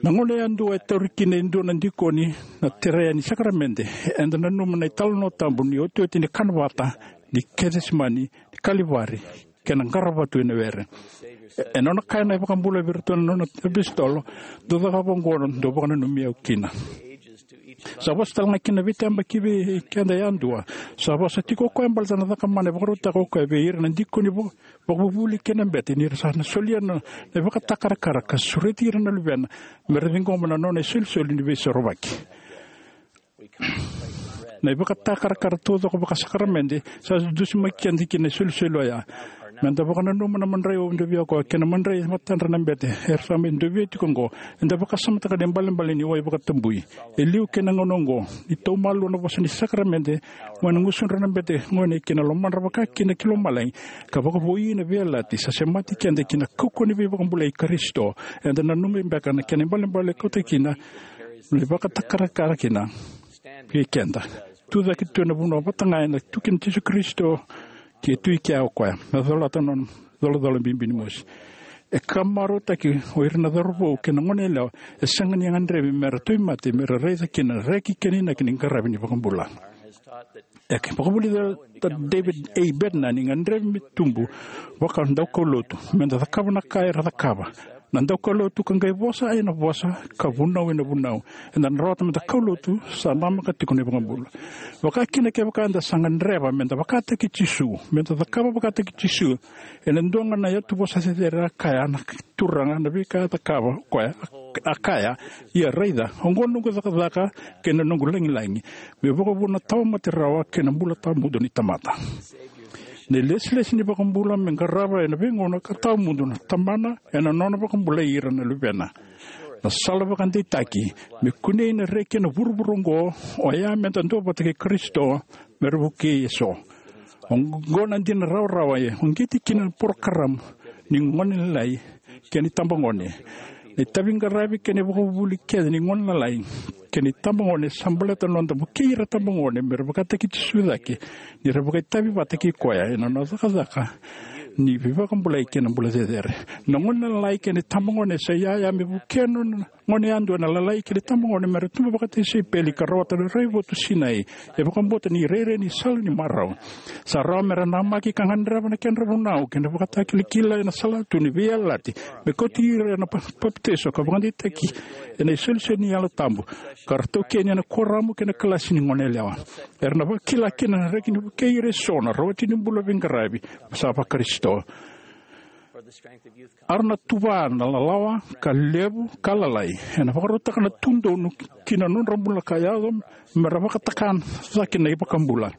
Na gauna yadua e tauri kina e dua na dikoni na tere ni sakaramede, eda nanuma na italanoa tabu ni otioti ni kanavata ni Kecisemani, ni Kalivari kei na qaravatu ena were. E, e nona kaya na iVakabula vei iratou na nona apositolo, dou cakava oqo dou vakananumi au kina. Sa vosa tale ga kina na veitayabaki vei keda yadua. Sa vosa tiko o koya baleta na cakamana e vakarautaka o koya vei ira na dikoni vaka, vakavuvuli kei na bete ni ra sa na solia na, na ivakatakarakara ka sureti ira na luvena me ra ciqoma na nona isolisoli ni veisorovaki. Na ivakatakarakara taucoko vakasakaramede sa dusimaki keda ki na isolisoli oya. Meda vakananuma na madrai au dovia koya kei na madrai matadra na bete era sa mai dovia tiko oqo. Eda vakasamataka na ibalebale ni wai vakatabui e liu kei na gauna oqo, ni taumalu na vosa ni sakaramede mai na gusudra na bete gone kei na lomadra vakakina ki lomalagi, ka vakavoui na veiyalayalati sa semati keda ki na kaukauwa ni veivakabulai i Karisito. Eda nanumi beka na kena ibalebale e kauta kina na ivakatakarakara kina vei keda. Tucake tu ena vanua vata ga ena tu kina Jisu Karisito, ke tu i kea o koya. Na colata na nona colacola bibi ni mosi. E ka marautaki o ira na cauravou kei na goneyalewa e sega ni gadrevi mera tauvimate, mera raica kina na reki kei na inaki ni qaravi ni vakabula. E ka vakavulica o David A. Bednar ni gadrevi me tubu vakadaukaulotu, meda cakava na ka era cakava na daukaulotu ka qai vosa ena vosa ka vunau ena vunau. Eda na rawata meda kaulotu sa namaka tiko na ivakabula. Vakakina kevaka eda sa gadreva meda vakataki Jisu, meda cakava vakataki Jisu. Ena dua ga na iyatuvosa cecere a kaya na Turaga na veika e cakava o koya, a kaya, ia raica, oqo noqu cakacaka kei na noqu lagilagi, me vakavuna na tawa mate rawa kei na bula tawamudu ni tamata. Na ilesilesi ni vakabula me qarava ena veigauna ka tawamudu na Tamana ena nona vakabulai ira na luvena. Na sala vakadeitaki me kunei na reki ena vuravura oqo oya meda duavata kei Karisito mera vukei eso. Oqo na dina rawarawa e uqeti kina na porokaramu ni gone lalai kei na itabagone. Na itavi qaravi kei na ivakavuvuli kece ni gone lalai kei na itabagone sa baleta na noda vukei ira itabagone mera vakataki Jisu cake, ni ra vakaitavi vata kei koya ena nona cakacaka ni veivakabulai kei na bula cecere. Na gone lalai kei na itabagone sa iyaya me vukea na gone yadua na lalai kei na itabagone mera tubu vakatisaipeli ka rawata na raivotu sinai e vakabauta ni rairai ni sala ni marau. Sa rawa mera namaki ka gadreva na kedra vunau kei na vakatakilakila ena salatu ni veiyalayalati me kauti ira ena pa-, papitaiso ka vakadeitaki ena isolisoli ni Yalo Tabu, ka ra taukeni ena kuoramu kei na kalasi ni goneyalewa. Era na vakila kina na reki ni vukei ira eso na rawati ni bula veiqaravi sa vaKarisito. Era na tuva na lalawa ka levu ka lalai ena vakarautaka na tudonu ki na nodra bula ka yaco mera vakataka cake na iVakabula.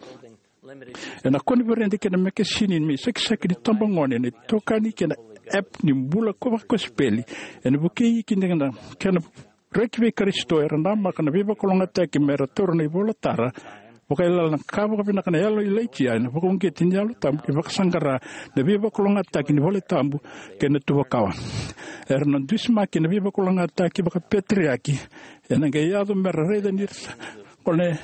Ena koniferedi kei na mekesini me isakisaki ni tabagone, na itokani kei na app ni bula ko vakosipeli ena vukei kina na kena reki vei Karisito. Era namaka na veivakalougatataki mera taura na ivolatara vakayalayala, na ka vakavinaka na yalo i Ilaija ena vakauqeti ni Yalo Tabu ni vakasaqara na veivakalougatataki ni valetabu kei na tuvakawa. Era na dusimaki na veivakalougatataki vakapeteriaki ena qai yaco mera raica ni ra sa gone.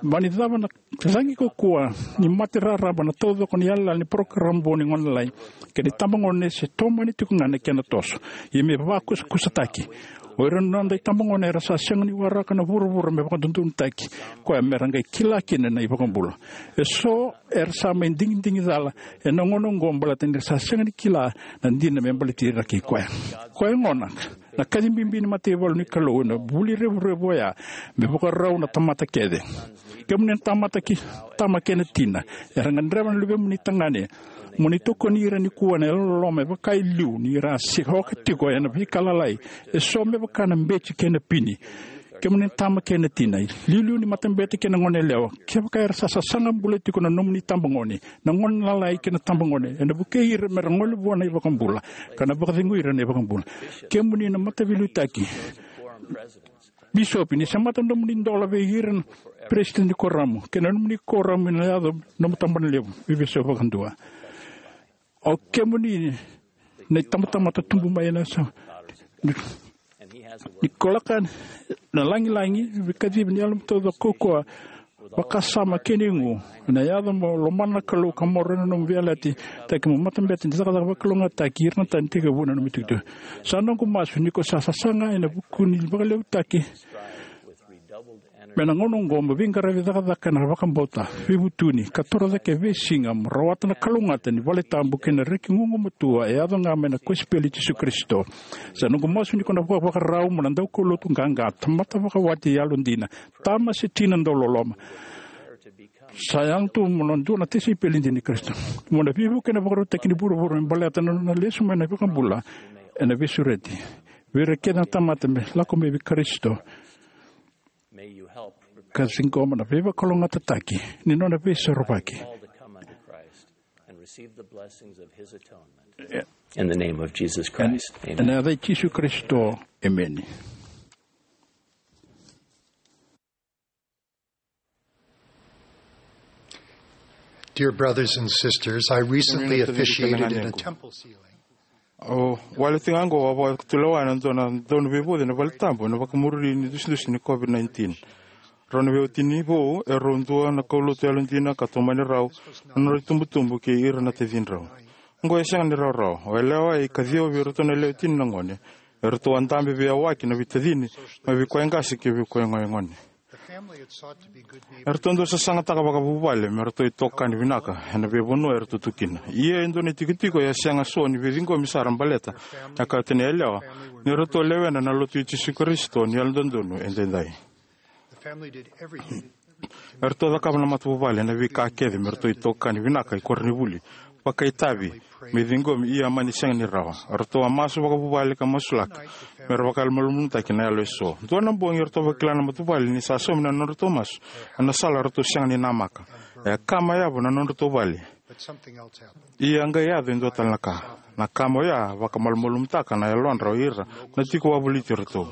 Mani cava na cagi kaukaua ni mate raraba na taucoko ni yalayala ni porokaramu vou ni gone lalai kei na itabagone se tomani tiko ga na kena toso, ia me vakusakusataki. O ira na noda itabagone era sa sega ni waraka na vuravura me vakadodonutaki koya mera qai kila kina na iVakabula. Eso era sa mai digidigi cala ena gauna oqo baleta ni ra sa sega ni kila na dina me baleti ira kei koya. Koya gona na kaci bibi ni mataivalu ni Kalou ena vuli revurevu oya me vakarau na tamata kece. Kemuni na tamata ki, tama kei na tina, era gadreva na luvemuni tagane, mo ni tokoni ira nikua ena yalololoma e vaka e liu ni ra se oka tiko ena veika lalai, eso me vaka na beti kei na pini. Kemuni na tama kei na tina, iliuliu ni matabete kei na goneyalewa, kevaka era sa sasaga bula tiko na nomuni tabagone, na gone lalai kei na tabagone, ena vukei ira mera gole vua na iVakabula ka na vakacegui ira na iVakabula. Kemuni na mataveiliutaki, bisopi, ni semata na nomuni dola vei ira na peresitedi ni kuoramu kei na nomuni kuoramu ena yaco na nomu tabanalevu veiveisau vakadua. O kemuni na itabatamata tubu mai ena sa ni kolaka na lagilagi, veikacivi ni yalomu taucoko kaukaua, vakasama kei na igu. Ena yaco mo lomana na Kalou ka maroroya na nomu veiyalayalati taki mo matabete ni cakacaka vakalougatataki ira na tani tekivu na nomu itukutuku. Sa noqu masu ni ko sa sasaga ena vuku ni vakaliutaki me na gauna oqo mo veiqaravi cakacaka ena vakabauta, veivutuni ka torocake e veisiga mo rawata na kalougata ni valetabu kei na reki gugumatua e yaco ga mai na kosipeli i Jisu Karisito. Sa noqu masu ni ko na vakavakarau mo na daukaulotu qaqa, tamata vakawati yalodina, tama se tina dauloloma. Sa yaga tu mo na dua na tisaipeli dina i Karisito. Mo na veivuke ena vakarautaki ni vuravura me baleta na nona lesu mai na iVakabula ena veisureti vei ira kece na tamata me lako mai vei Karisito ka ciqoma na veivakalougatataki ni nona veisorovaki. Receive the blessings of his atonement. In the name of Jesus Christ. Amen. Ena yaca i Jisu Karisito. Emeni. Dear brothers and sisters, I recently officiated in a temple ceiling. O wale tiko ga oqo au vakatulewa ena dua na dau ni veivuci ena vale tabu ena vakamuri ni dusidusi ni COVID nineteen. Rau na veiwatini vou e rau dua na kaulotu yalodina ka tomani rau na nodra itubutubu kei ira na tacidrau. Oqo e sega ni rawarawa. O yalewa e ikaciwa vei iratou na lewe tini na gone. E ratou a dabe veiyawaki na veitacini mai vei koya e qase kei vei koya e gone. E ratou dau sasagataka vakavuvale me ratou itokani vinaka ena veivanua e ratou tu kina. Ia e dua na itikotiko e a sega so ni veiciqomi sara baleta na kauta ni yalewa ni ratou lewena na Lotu i Jisu Karisito ni Yalododonu Edaidai. E ratou cakava na matavuvale na veika kece me ratou itokani vinaka i koronivuli, vakaitavi, me ciqomi, ia mani sega ni rawa. Ratou a masu vakavuvale ka masulaka me ra vakamalumalumutaki na yalo eso. Dua na bogi ratou vakila na matavuvale ni sa saumi na nodratou masu ena sala ratou sega ni namaka. E a kama yavu na nodratou vale. Ia qai yaco e dua tale na ka. Na kama oya a vakamalumalumutaka na yalodra o ira na tiko wavoliti iratou.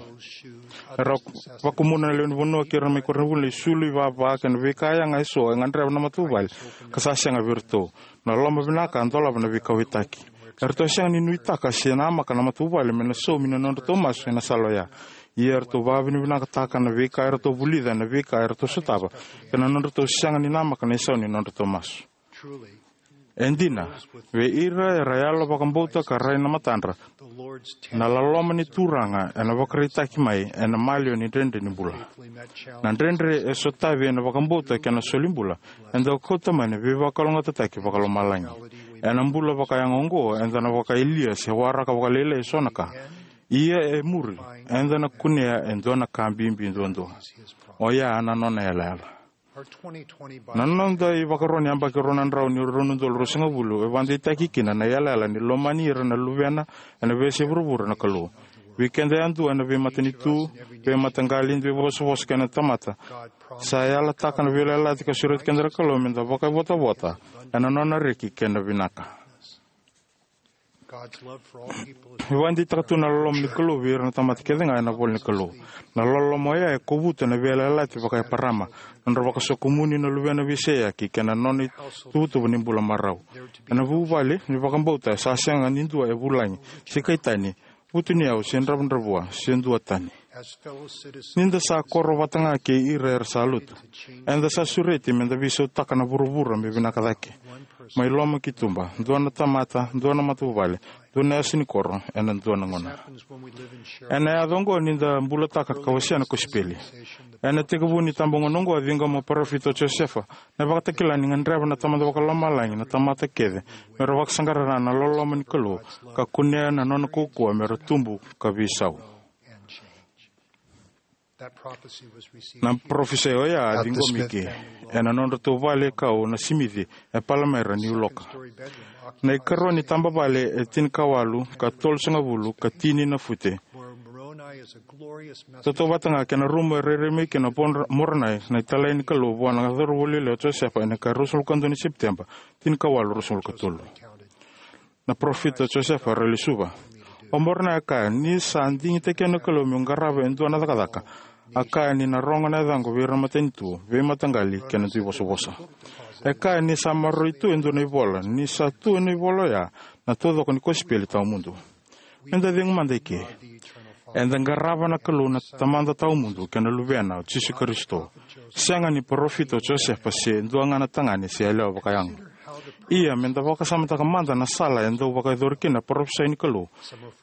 Era vakumuna na lewe ni vanua kei ira mai koronivuli na isulu, ivava kei na veika yaga eso e gadreva na matavuvale ka sa sega vei iratou. Na loloma vinaka a dolava na veikauwaitaki. Eratou a sega ni nuitaka se namaka na matavuvale me na saumi na nodratou masu ena sala oya. Ia eratou vakavinavinakataka na veika eratou vulica ena veika eratou sotava kei na nodratou sega ni namaka na isau ni nodratou masu. E dina, vei ira era yalo vakabauta ka rai na matadra, na loloma ni Turaga ena vakaraitaki mai ena maliwa ni dredre ni bula. Na dredre e sotavi ena vakabauta kei na solibula e dau kauta mai na veivakalougatataki vakalomalagi. Ena bula vakayago oqo eda na vakayalia se waraka vakalailai eso na ka. Ia e muri eda na kunea e dua na ka bibi duadua. Oya na nona yalayala. Na noda ivakaro ni yabaki rua na drau ni rua na udolu ruasagavulu e vakadeitaki kina na yalayala ni lomani ira na luvena ena veiyasai vuravura na Kalou. Vei keda yadua ena veimatanitu, veimataqali, duivosavosa kei na tamata, sa yalataka na veiyalayalati ka sureti keda na Kalou meda vakaivotavota ena nona reki kei na vinaka. E vakadeitaka tu na loloma ni Kalou vei ira na tamata kece ga ena ivola ni Kalou. Na loloma oya e kovuta na veiyalayalati vaka-Eparama, na nodra vakasokomuni na luvena veiseyaki kei na nona ituvatuva ni bula marau. Ena vuvale ni vakabauta sa sega ni dua e vulagi se kai tani, vutuniyau se dravudravua se duatani. Ni da sa koro vata ga kei ira era sa lotu, eda sa sureti meda veisautaka na vuravura me vinaka cake, mai loma ki tuba, dua na tamata, dua na matavuvale, dua na yasa ni koro, ena dua na gauna. Ena yaco oqo ni da bulataka ka wasea na kosipeli. Ena tekivu ni tabagauna oqo a ciqoma o parofita o Josefa na ivakatakila ni gadreva na Tamada Vakalomalagi na tamata kece me ra vakasaqara na loloma ni Kalou ka kunea na nona kaukauwa me ra tubu ka veisau. Na parofisai oya a ciqomi eke ena nodratou vale kau na Simici e Palamaira, Niu Loka. Na ikarua ni tabavale e tinikawalu ka tolusagavulu ka tini na fute, tautauvata ga kei na rumu e rairai mai kina o Moronai na italai ni Kalou vua na cauravou lailai o Josefa ena ika ruasagavulu ka dua ni Sepiteba, tinikawalu ruasagavulu ka tolu. Na parofita o Josefa Ralesuva. O Moronai a kaya ni sa digitaki au na Kalou meu qarava e dua na cakacaka. A kaya ni na rogo na yacaqu vei ira na matanitu, veimataqali kei na duivosavosa. E kaya ni sa maroroi tu e dua na ivola, ni sa tu ena ivola oya na taucoko ni kosipeli tawamudu. Eda cegu mada eke. Eda qarava na Kalou na Tamada tawamudu kei na Luvena o Jisu Karisito. Sega ni parofita o Josefa se dua ga na tagane se yalewa vakayago. Ia, meda vakasamataka mada na sala e dau vakayacori kina na parofisai ni Kalou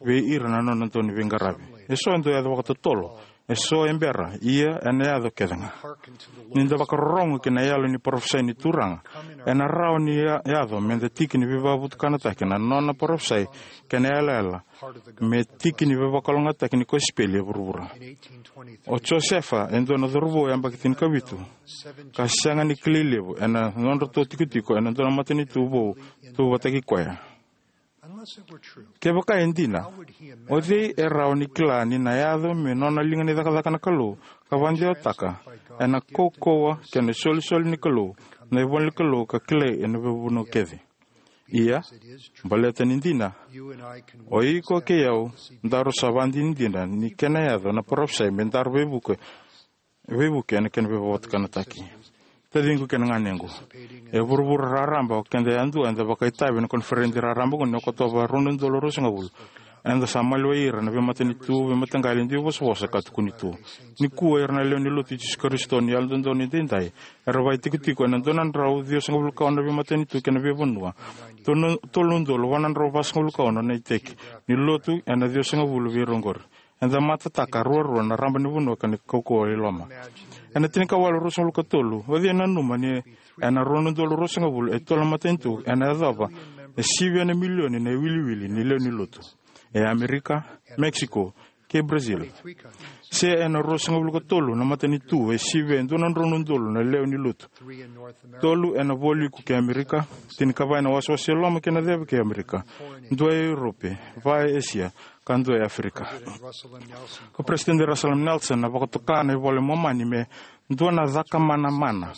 vei ira na nona dau ni veiqaravi. Eso e dau yaco vakatotolo, eso e bera, ia ena yaco kece ga. Ni da vakarorogo ki na yalo ni parofisai ni Turaga, ena rawa ni ya-, yaco meda tiki ni veivakavutukanataki na nona parofisai kei na yalayala me tiki ni veivakalougatataki ni kosipeli e vuravura. O Josefa e dua na cauravou yabaki tinikavitu ka sega ni kilai levu ena nodratou tikotiko ena dua na matanitu vou tu vata kei koya. Kevaka e dina, o cei e rawa ni kila ni na yaco me nona liga ni cakacaka na Kalou ka vakadewataka ena kaukauwa kei na isolisoli ni Kalou na ivola ni Kalou ka kilai ena veivanua kece? Ia, baleta ni dina, o iko kei au daru sa vakadinadina ni kena yaco na parofisai me daru veivuke, veivuke ena kena veivakatanataki. Taciqu kei na ganequ, e vuravura raraba, o keda yadua eda vakaitavi ena koniferedi raraba oqo ni Okotova rua na udolu ruasagavulu. Eda sa maliwai ira na veimatanitu, veimataqali, duivosavosa ka tukuni tu. Nikua ira na lewe ni Lotu i Jisu Karisito ni Yalododonu Edaidai era vakaitikotiko ena dua na drau ciwasagavulu ka ono na veimatanitu kei na veivanua, tolu, tolu na udolu va na drau vasagavulu ka ono na iteki ni Lotu ena ciwasagavulu vei ira oqori. Eda matataka ruarua na raba ni vanua kei na kaukauwa i loma. Ena tinikawalu ruasagavulu ka tolu, o cei e nanuma ni ena rua na udolu ruasagavulu e tolu na matanitu ena yacova e sivia na milioni na iwiliwili ni lewe ni Lotu? E Amerika, Mexico, kei Brazil. Se ena ruasagavulu ka tolu na matanitu e sivia e dua na drau na udolu na lewe ni Lotu. Tolu ena vualiku kei Amerika, tinikava ena wasewase e loma kei na ceva kei Amerika, dua e Europe, va e Asia, ka dua e Afrika. Ko President Russell M. Nelson a vakatoka na iVola i Momani me dua na cakamana mana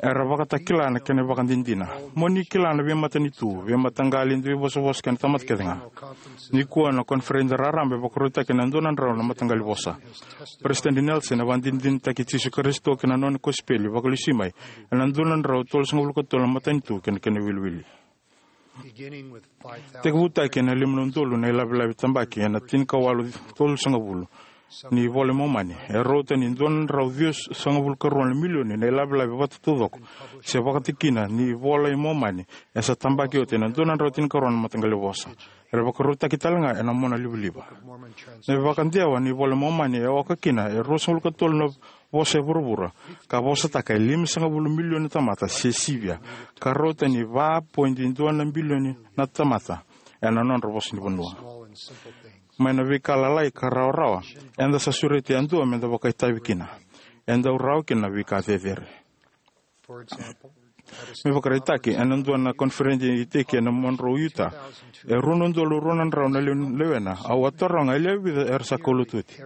era vakatakila na kena ivakadinadina. Mo ni kila na veimatanitu, veimataqali, duivosavosa kei na tamata kece ga. Nikua na koniferedi raraba e vakarautaki ena dua na drau na mataqali vosa. President Nelson a vakadinadinataki Jisu Karisito kei na nona kosipeli vakalesui mai ena dua na drau tolusagavulu ka tolu na matanitu kei na kena iwiliwili. Tekivutaki ena lima na udolu na ilavelave tabaki ena tinikawalu tolusagavulu ni iVola i Momani, e rauta ni dua na drau ciwasagavulu ka rua na milioni na ilavelave vata taucoko se vakatikina ni iVola i Momani e sa tabaki oti ena dua na drau tinikarua na mataqali vosa. Era vakarautaki tale ga ena monalivaliva. Na ivakadewa ni iVola i Momani e oka kina e ruasagavulu ka tolu na vosa e vuravura, ka vosataka e limasagavulu milioni na tamata se sivia, ka rauta ni va poidi dua na bilioni na tamata ena nodra vosa ni vanua. Mai na veika lalai ka rawarawa, eda sa sureti yadua meda vakaitavi kina. E dau rawa kina na veika cecere. Me vakaraitaki, ena dua na koniferedi iteki ena Monroe, Utah, e rua na udolu rua na drau na lewe, lewena, au a taroga e lewe vica era sa kaulotu oti.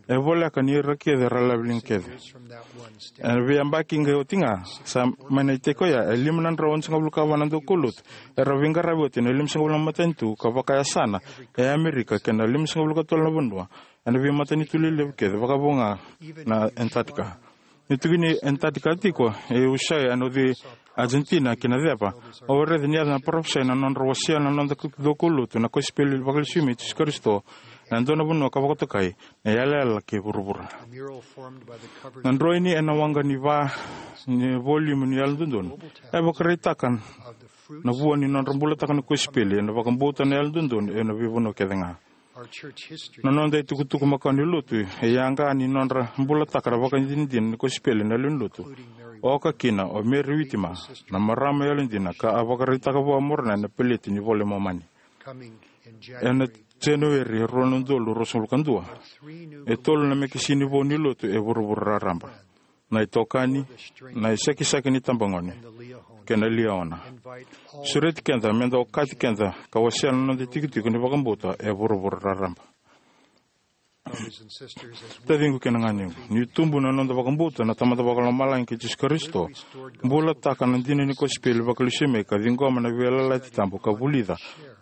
E voleka ni ira kece era laveliga kece. Ena veiyabaki qai oti ga, sa mai na iteki oya, e lima na drau onosagavulu ka va na daukaulotu era veiqaravi oti ena limasagavulu na matanitu ka vakayasana e Amerika kei na limasagavulu ka tolu na vanua ena veimatanitu lelevu kece, vakavo ga na Antarctica. Ni tukuni Antarctica tiko, e Ushuaia ena uci Argentina ki na ceva, au raica ni yaco na parofisai na nodra wasea na noda daukaulotu na kosipeli vakalesui mai Jisu Karisito ena dua na vanua ka vakatokai na iyalayala kei vuravura. Na droini ena waqa ni va ni voliumu ni Yalododonu e vakaraitaka na vua ni nodra bulataka na kosipeli ena vakabauta na Yalododonu ena veivanua kece ga. Na noda itukutuku makawa ni lotu e yaqa ni nodra bulataka na vakadinadina ni kosipeli na lewe ni lotu, oka kina o Mary Whitmer, na marama yalodina ka a vakaraitaka vua o Moroni na peleti ni iVola i Momani. Ena Janueri rua na udolu ruasagavulu ka dua, e tolu na mekesini vou ni lotu e vuravura raraba: na itokani, na iSakisaki ni iTabagone, kei na Liahona. Sureti keda meda okati keda ka wasea na noda itikotiko ni vakabauta e vuravura raraba. Taciqu kei na ganequ, ni tubu na noda vakabauta na Tamada Vakalomalagi kei Jisu Karisito, bulataka na dina ni kosipeli vakalesui mai ka ciqoma na veiyalayalati tabu ka vulica,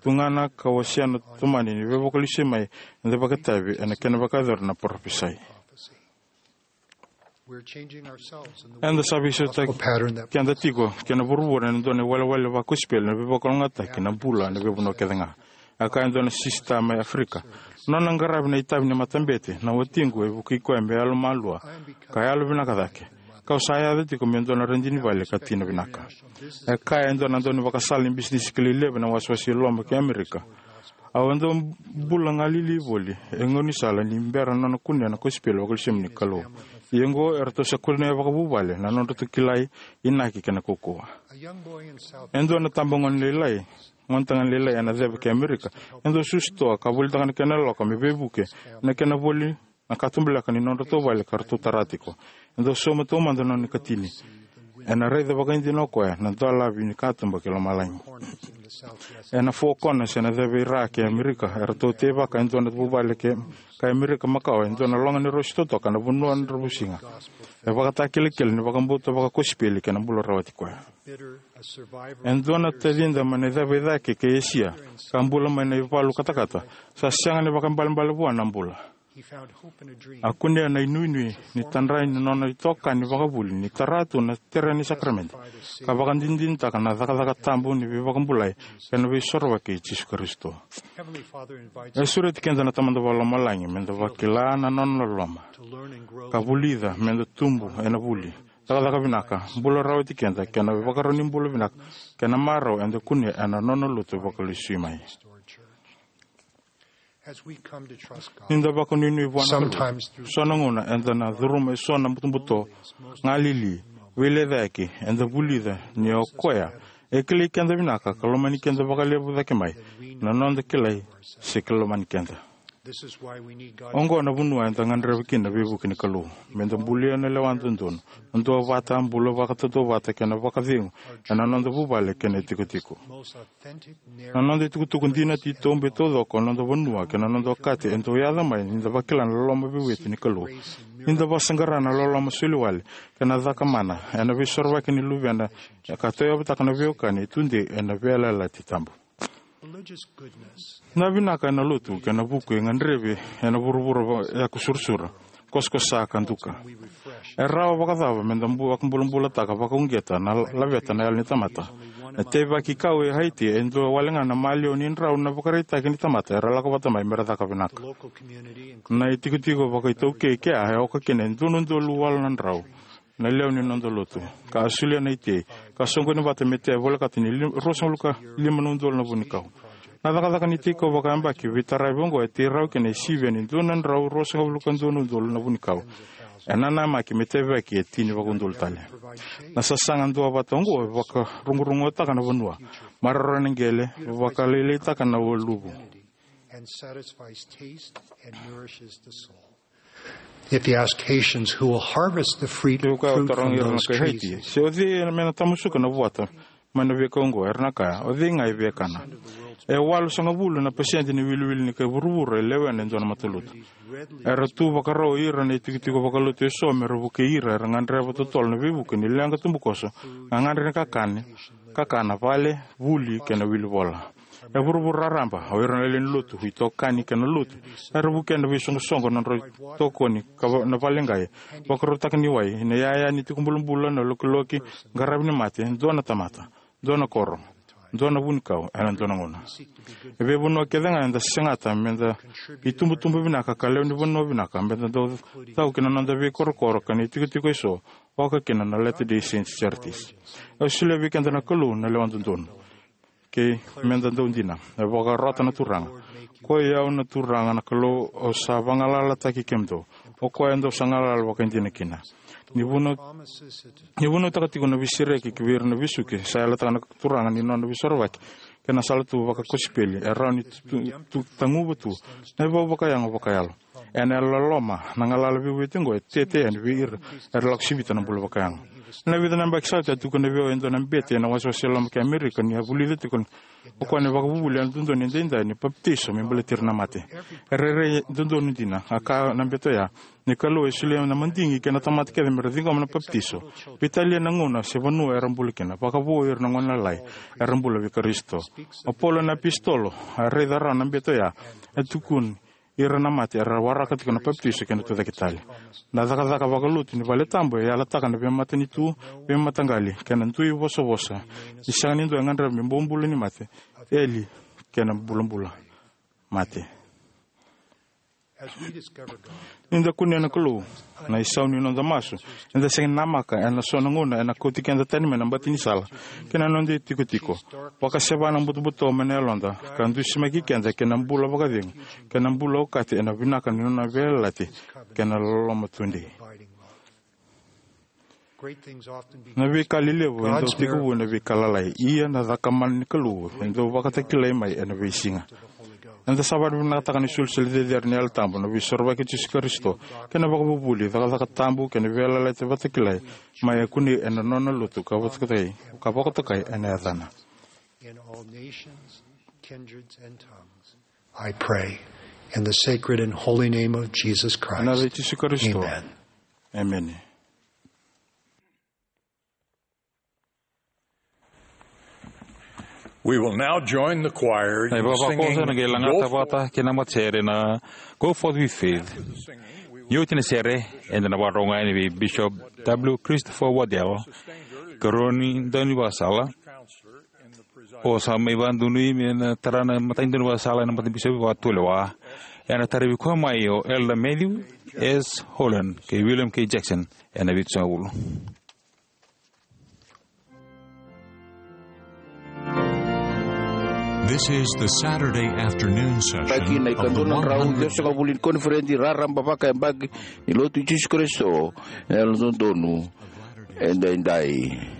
tugana ka wasea na tomani ni veivakalesuimai eda vakaitavi ena kena vakayacori na parofisai. Eda sa veisautaki keda tiko kei na vuravura ena dua na iwalewale vakosipeli na veivakalougatataki na bula ena veivanua kece ga. E kaya e dua na sisita mai Aferika: "Nona qaravi na itavi ni matabete na watiqu e vukei koya me yalomalua ka yalovinaka cake, kau sa yaco tiko me dua na radini vale ka tina vinaka." E kaya e dua na daunivakasala ni bisinisi kilai levu ena wasewase i loma ki Amerika: "Au a dau bula galili voli e gaunisala ni bera nona kunea na kosipeli vakalesui mai ni Kalou. Ia oqo eratou sa kunea vakavuvale na nodratou kilai, inaki kei na kaukauwa." E dua na itabagone lailai, gonetagane lailai ena ceva ki Amerika, e dau susu toa ka volitaka na kena yaloka me veivuke ena kena voli na katubaleka ni nodratou vale ka ratou tara tiko. E dau sauma taumada na nona ikatini. Ena raica vakaidina o koya na dolavi ni katuba ki lomalagi. Ena Four Corners ena ceva i ra kei Amerika, eratou teivaka e dua na vuvale kei Amerika makawa e dua na loga ni rosi totoka na vanua dravuisiga. E vakatakilakila ni vakabauta vakakosipeli kei na bula rawati koya. E dua na tacida mai na ceva i cake kei Esia, ka bula mai na ivalu katakata, sa sega ni vakaibalebale vua na bula. A kunea na inuinui ni tadra ni nona itokani vakavuli ni tara tu na tere ni sakaramede, ka vakadinadinataka na cakacaka tabu ni veivakabulai kei na veisorovaki i Jisu Karisito. E sureti keda na Tamada Vakalomalagi meda vakila na nona loloma, ka vulica meda tubu ena vuli, cakacaka vinaka, bula rawati keda kei na ivakarau ni bula vinaka kei na marau eda kunea ena nona lotu vakalesui mai. Ni da vakanuinui vua na Kalou, so na gauna eda na curuma eso na butobuto, galili, veilecayaki, eda vulica ni o koya e kilai keda vinaka ka lomani keda vakalevu cake mai na noda kilai se kilai lomani keda. Oqo na vanua eda gadreva kina na veivuke ni Kalou, meda bulia na lewa dodonu, na duavata, bula vakatautauvata kei na vakacegu ena noda vuvale kei na itikotiko. Na noda itukutuku dina, titobu e taucoko, na noda vanua kei na noda okati e dau yaco mai ni da vakila na loloma veivueti ni Kalou, ni da vakasaqara na loloma soliwale kei na cakamana ena veisorovaki ni Luvena, ka tauyavutaka na veiwekani e tudei ena veiyalayalati tabu. Na vinaka ena lotu kei na vuku e gadrevi ena vuravura yaku surasura, kosakosa ka duka. E rawa vakacava meda bu- vakabulabulataka vakauqeta na laveta na yalo ni tamata? Na teivaki kau e Haiti e dua wale ga na maliwa ni drau na vakaraitaki ni tamata era lako vata mai mera caka vinaka. Na itikotiko vakaitaukei kea e oka kina e dua na udolu walu na drau na lewe ni noda lotu, ka a solia na itei, ka soqoni vata me tea volekata ni lim- ruasagavulu ka lima na udolu na vunikau. Na cakacaka ni tiko vakayabaki veitaravi oqo e tei rawa kina e sivia ni dua na drau ruasagavulu ka dua na udolu na vunikau. E nanamaki me tevaki e tini vakaudolu tale. Na sasaga duavata oqo e vakarogorogotaka na vanua, maroroya na qele, vakalailaitaka na waluvu. And satisfies taste and nourishes the soul. If you ask Haitians who will harvest the fruit, Kevaka o fruit from tarogi ira na those kai trees, Haiti se o cei me na tamusuka na vuata mai na veika oqo, era na kaya, o cei ga e via kana. E walusagavulu na pasede ni wiliwili ni kai vuravura e lewena e dua na matalotu. Era tu vakarau o ira na itikotiko vakalotu eso mera vukei ira era gadreva totolo na veivuke ni leqa tubukoso, gagadre ni kakana, kakana, vale, vuli kei na wilivola. E vuravura raraba, o ira na lewe ni lotu, itokani kei na lotu, era vukea na veisoqosoqo, na nodra itokoni ka va- na vale qai vakarautaka ni wai, na iyaya ni tiko bulabula, na lokiloki, qaravi ni mate, dua na tamata, dua na koro, dua na vunikau ena dua na gauna. E veivanua kece ga eda segata meda itubutubu vinaka ka lewe ni vanua vinaka, meda dau tau ki na noda veikorokoro kei na itikotiko eso, oka kina na Latter-day Saints Charities. E solia vei keda na Kalou na lewa dodonu. Kei meda dau dina. E vakarota na Turaga: Koi au na Turaga na Kalou, au sa vagalalataki kemudou. O koya dou sa galala vakaidina kina. Ni vunau- ni vunautaka tiko na veisereki ki vei ira na vesuki, sa yalataka na Turaga ni nona veisorovaki kei na sala tu vakakosipeli e rawa ni tu- tu- taguva tu na ivau vakayago vakayalo. Ena yalololoma, na galala veivueti oqo e tete yani vei ira era lako sivita na bula vakayago. Ena vica na yabaki sa oti, a tukuna vei au e dua na bete ena wasewase loma ki Amerika ni a vulica tiko o koya na ivakavuvuli yalododonu edaidai ni papitaiso me baleti ira na mate. E rairai dodonu dina, a kaya na bete oya, ni Kalou e solia na madigi kei na tamata kece mera ciqoma na papitaiso, veitalia na gauna se vanua era bula kina, vakavo ira na gonelalai era bula vei Karisito. O Paula na apositolo, a raica rawa na bete oya, e tukuni ira na mate era waraka tiko na papitaiso kei na tucake tale. Na cakacaka vakalotu ni valetabu e yalataka na veimatanitu, veimataqali kei na dui vosavosa ni sega ni dua e gadreva me bobula ni mate, eli kei na bulabula mate. Ni da kunea na Kalou, na isau ni noda masu eda sega ni namaka ena so na gauna ena kauti keda tani mai na bati ni sala kei na noda itikotiko, vakaseva na butobuto mai na yaloda, ka dusimaki keda ki na bula vakacegu kei na bula okati ena vinaka ni nona veiyalayalati kei na loloma tudei. Na veika lelevu e dau tekivu ena veika lalai, ia na cakamana ni Kalou e dau vakatakilai mai ena veisiga. Eda sa vakavinavinakataka na isolisoli cecere ni Yalo Tabu, na Veisorovaki i Jisu Karisito, kei na ivakavuvuli, cakacaka tabu kei na Veiyalayalati Vakatakilai mai e kunei ena Nona Lotu ka vakatokai, ka vakatokai ena Yacana. In all nations, kindreds, and tongues, I pray in the sacred and holy name of Jesus Christ. Ena yaca i Jisu Karisito. Amen. Emeni. We will now join the choir in singing Go Forth with Faith. Na ivavakoso ena qai lagata vata kei na matasere na Go Forth with Faith. Ni oti na sere, eda na vakarorogo yani vei Bishop W Christopher Waddell, karua ni daunivakasala, o sa mai vakadonui me na tara na imatai ni daunivakasala ena Matabisopi Vakatulewa. Ena tarai koya mai o Elder Matthew S Holland kei William K Jackson ena vitusagavulu. This is the Saturday afternoon session of the one hundred. Taki na ikadua na drau ciwasagavulu ni koniferedi raraba vakayabaki ni Lotu i Jisu Karisito na Yalododonu Edaidai.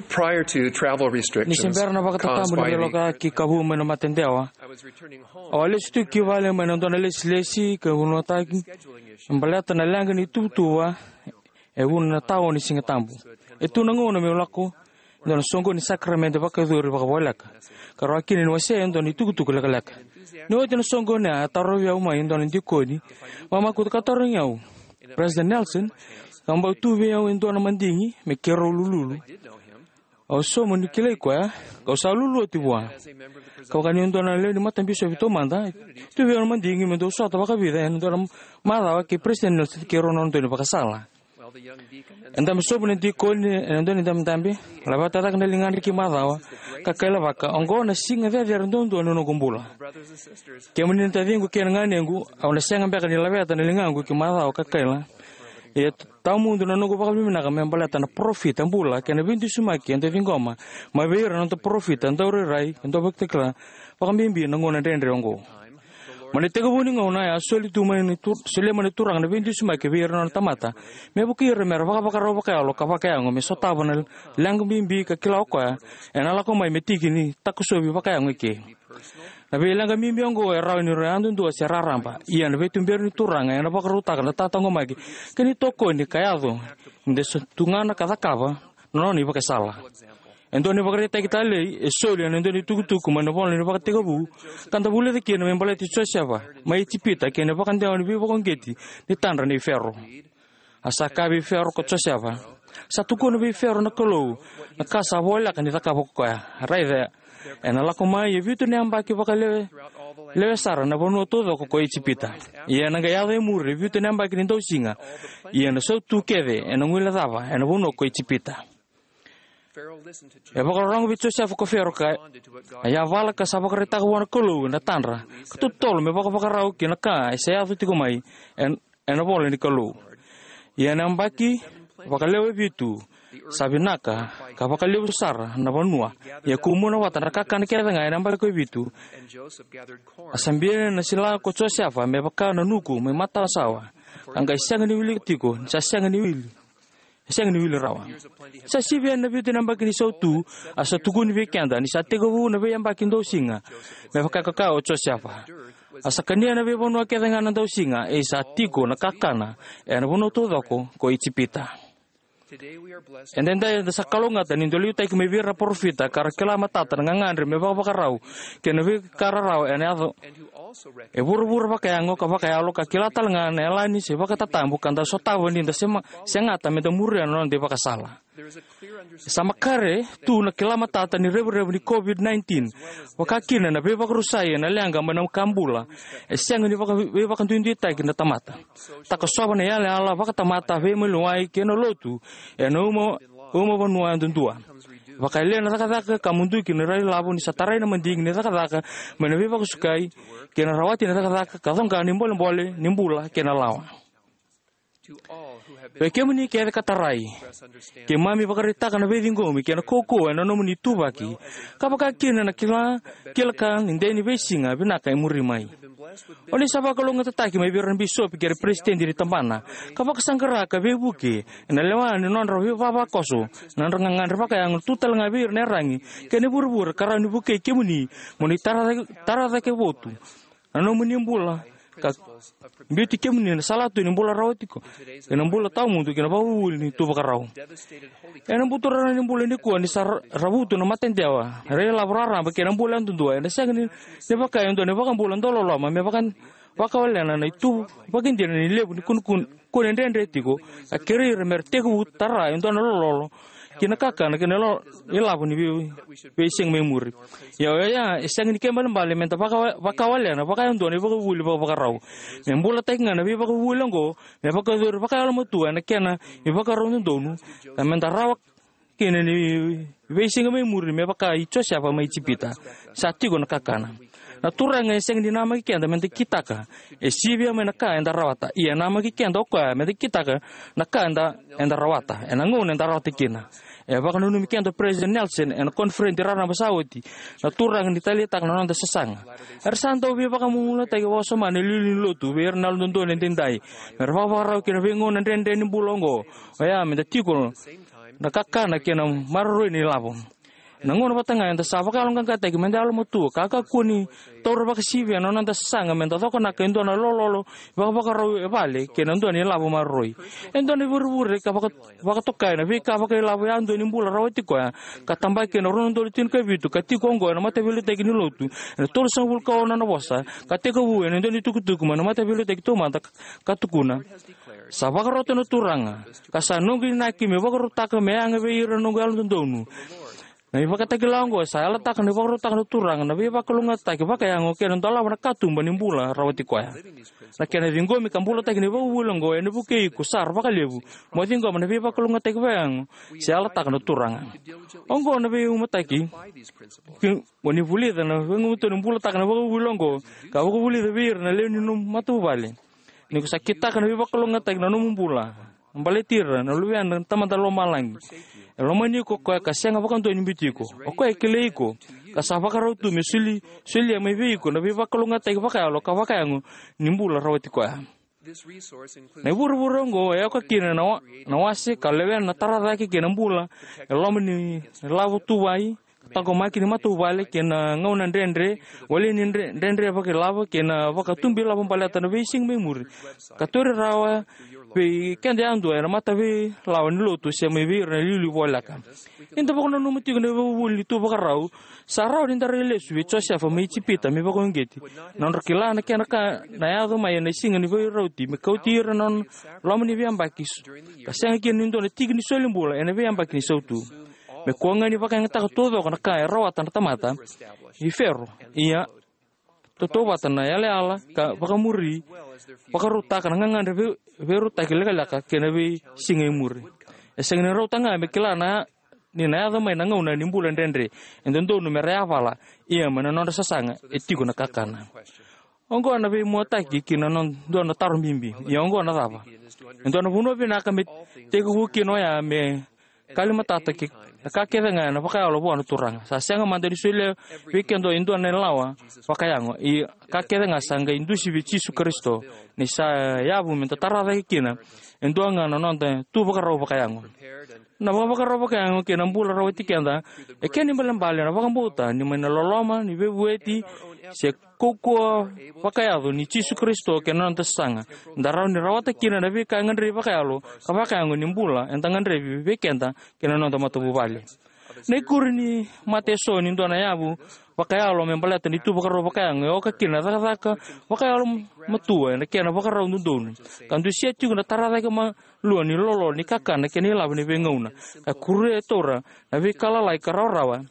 Prior to travel restrictions caused by the Ni se bera na vakatatabu ni veiloka ki Kavu mai na matadewa, I was returning home. Au a lesu tu ki vale mai na dua na lesilesi ka vunautaki me baleta na leqa ni tuvatuva e vuna na tawa ni Siga Tabu. E tu na gauna meu lako e dua na soqoni ni sakaramede vakayacori vakavoleka, ka rawa kina ni wasea e dua na itukutuku lekaleka. Ni oti na soqoni ya, a tarovi au mai e dua na dikoni vakaMakutu ka tarogi au, "President Nelson, ka bau tu vei au e dua na madigi me keirau lululu?" Au sauma niu kilai koya, kau sa lululu oti vua. Ka vaka niu dua na lewe ni Matabisopi taumada, e tu vei au na madigi me dau sota vakavica ena dua na macawa kei President Nelson kei rau na nona daunivakasala. E dabe sobu na dikoni ena dua na idabedabe, laveta cake na ligadra ki macawa, ka kailavaka, "Oqo na siga cecere duadua ni noqu bula. Kemuni na taciqu kei na ganequ, au na sega beka ni laveta na ligaqu ki macawa ka kaila. Ia tawamudu na noqu vakavinavinaka me baleta na parofita bula kei na veidusimaki eda ciqoma mai vei ira na noda parofita daurairai ka dauvakatakila, vakabibi na gauna dredre oqo." Mai na itekivu ni gauna, e a soli tu mai na tu, solia mai na Turaga na veidusimaki vei ira na nona tamata, me vukei ira me ra vakavakarau vakayalo ka vakayago me sotava na leqa bibi ka kila o koya ena lako mai me tiki ni takosovi vakayago eke. Na veileqa bibi oqo e rawa ni ra yadudua se raraba, ia na veituberi ni Turaga ena vakarautaka na tataqomaki kei na itokoni ka yaco ni da sa tugana ka cakava na nona ivakasala. E dua na ivakaraitaki talei e soli ena dua na itukutuku mai na ivola ni Vakatekivu, ka da vulica kina me baleti Josefa mai Ijipita kei na vakadewa ni veivakauqeti ni tadra nei Fero. A sa kaya vei Fero ko Josefa, sa tukuna vei Fero na Kalou na ka sa voleka ni cakava ko koya. Raica, ena lako mai e vitu na yabaki vakalewe, lewe sara na vanua taucoko ko Ijipita. Ia ena qai yaco e muri e vitu na yabaki ni dausiga, ia na sautu kece ena guilecava ena vanua ko Ijipita. E vakarorogo vei Josefa ko Fero ka a yavala ka sa vakaraitaka vua na Kalou na tadra ka totolo me vakavakarau ki na ka e sa yaco tiko mai en, ena vola ni Kalou. Ia ena yabaki vakalewe vitu, sa vinaka ka vakalevu sara na vanua, ia kumuna vata na kakana kece ga ena yabaki ko vitu. A sa bia na sila ko Josefa me vaka na nuku mai matasawa, ka qai sega ni wilika tiko, ni sa sega ni wili, sega ni wili rawa. Sa sivi yani na vitu na yabaki ni sautu, a sa tukuni vei keda ni sa tekivu na veiyabaki dausiga, me vaka ka kaya o Josefa. A sa kania na veivanua kece ga na dausiga, e sa tiko na kakana ena vanua taucoko ko Ijipita. Edaidai eda sa kalougata ni da liutaki mai vei ira na parofita ka ra kila matata na gagadre me vakavakarau kei na veika rarawa ena yaco e vuravura vakayago ka vakayalo, ka kila tale ga na yalani se vakatatabu ka da sotava ni da sema, segata me da muria na noda ivakasala. Sa makare tu na kila matata ni revurevu ni COVID nineteen, vaka kina na veivakarusai ena leqa mai na ka bula e sega ni vaka, veivakaduiduitaki na tamata. Takosova na yalayala vakatamata, veimaliwai kei na lotu ena uma, uma vanua yadudua. Vakayalia na cakacaka ka muduki na railavu ni sa tarai na madigi ni cakacaka mai na veivakasukai, kei na rawati na cakacaka ka coqa na ibolebole ni bula kei na lawa. Vei kemuni kece ka tarai, keimami vakaraitaka na veiciqomi kei na kaukauwa ena nomuni ituvaki, ka vaka kina na kila, kila ka ni dei ni veisiga vinaka e muri mai. O ni sa vakalougatataki mai vei ira na bisopi kei ira na peresitedi ni tabana, ka vakasaqara ka veivuke ena lewa ni nodra veivavakoso, na nodra gagadre vakayago, tu tale ga vei ira na iyaragi kei na ivurevure ka rawa ni vukei kemuni mo ni tara cake, tara cake votu na nomuni bula, ka biuti kemuni na salatu ni bula rawa tiko, kei na bula tawamudu kei na vakavuvuli ni tu vakarau. Ena buturara ni bula nikua ni sa ra-, ravutu na matadewa, railavu raraba kei na bula yadudua, ena sega ni, ni vaka e dua na iVakabula dauloloma me vaka, vakawalena na itu vakaidina ni levu ni kunekune, kune dredre tiko, ka kerei ira me ra tekivu tara e dua na lololo ki na kakana kei na lo-, ilavo ni vei, veisiga mai muri. Ia oya e sega ni kena ibalebale me da vaka, vakawalena vakayadua na ivakavuvuli vakavakarau. Me bulataki ga na veivakavuvuli oqo, me vakayacori vakayalomatua ena kena ivakarau dodonu, ka me da rawa kina ni veisiga mai muri me vaka i Josefa mai Ijipita. Sa tiko na kakana. Na Turaga e sega ni namaki keda me da kitaka, e sivia mai na ka eda rawata. Ia e namaki keda o koya me da kitaka na ka eda, eda rawata ena gauna eda rawata kina. E vakananumi keda o President Nelson ena koniferedi raraba sa oti, na Turaga ni taleitaka na noda sasaga. Era sa dau veivakamumunataki vakawasoma na iliuliu ni lotu vei ira na Yalododonu edaidai, me ra vakavakarau ki na veigauna dredre ni bula oqo, oya me da tiko na kakana kei na maroroi ni lavo. Na gauna vata ga eda sa vakayaloqaqataki me da yalomatua ka kakua ni taura vakasivia na noda sasaga me da cokonaka e dua na lololo vakavakarau e vale kei na dua na ilavo maroroi. E dua na ivurevure ka vaka, vakatokai na veika vakailavo yadua ni bula rawati koya, ka tabaki ena rua na udolu tinikavitu, ka tiko oqo ena mataveiliutaki ni lotu ena tolusagavulu ka ono na vosa, ka tekivu ena dua na itukutuku mai na mataveiliutaki taumada ka, ka tukuna: Sa vakarota na Turaga, ka sa noqu inaki me vakarautaka me yaga vei ira na noqu yalododonu. Na ivakatakila oqo sa yalataka na ivakarautaka na Turaga na veivakalougatataki vakayago kei na dolava na katuba ni bula rawati koya. Na kena ciqomi ka bulataki na ivakavuvuli oqo ena vukei iko sara vakalevu mo ciqoma na veivakalougatataki vakayago sa yalataka na Turaga. Oqo na veimauataki, ke o ni vulica na veigumatua ni bulataka na ivakavuvuli oqo, ka vakavulica vei ira na lewe ni nomu matavuvale. Ni ko sa kitaka na veivakalougatataki na nomu bula, baleti ira na luveda na Tamada Lomalagi. E lomani iko o koya ka sega vakadua ni biuti iko. O koya e kilai iko. ka sa vakarau tu me soli, solia mai vei iko na veivakalougatataki vakayalo ka vakayago ni bula rawati koya. Na ivurevure oqo e oka kina na wa-, na wase ka lewena na tara cake kei na bula e loma ni lavo tuvai, taqomaki ni matavuvale kei na gauna dredre, wale ni dre-, dredre vakailavo kei na vakatubu ilavo baleta na veisiga mai muri, ka tauri rawa vei keda yadua ena mataveilawa ni lotu se mai vei ira na iliuliu voleka. Eda vakananuma tiko na ivakavuvuli ni tu vakarau sa rawa ni da rai lesu vei Josefa mai Ijipita me vakauqeti. Na nodra kila na kena ka na yaco mai ena siga ni veirauti me kauti ira na nona loma ni veiyabaki, ka sega kina ni dua na tiki ni solibula ena veiyabaki ni sautu. Me kua ga ni vakayagataka taucoko na ka e rawata na tamata i Fero, ia tautauvata na yalayala ka vakamuri, vakarautaka na gagadre vei-, veirautaki lekaleka kei na veisiga i muri. E sega ni rauta ga me kila na, ni na yaco mai na gauna ni bula dredre e dodonu me ra yavala, ia mai na nodra sasaga e tiko na kakana. Oqo na veimuataki ki na no-, dua na taro bibi, ia oqo na cava? E dua na vanua vinaka me tekivu kina oya me kalimatata ki na ka kece ga ena vakayalo vua na Turaga. Sa sega mada ni solia vei keda e dua na lawa vakayago, ia ka kece ga sa qai dusi vei Jisu Karisito, ni sa yavu me da tara cake kina e dua ga na noda tu vakarau vakayago. Na vakavakarau vakayago kei na bula rawati keda e kena ibalebale na vakabauta ni mai na loloma ni veivueti se kaukauwa vakayaco ni Jisu Karisito kei na noda sasaga, da rawa ni rawata kina na veika e gadrevi vakayalo ka vakayago ni bula eda gadrevi vei keda kei na noda matavuvale. Na ikuri ni mata eso ni dua na yavu vakayalo me baleta ni tu vakarau vakayago e oka kina na cakacaka vakayalo matua ena kena vakarau dodonu, ka dusia tiko na tara cake malua ni lolo ni kakana kei na ilavo ni veigauna, ka kuria e taura na veika lalai ka rawarawa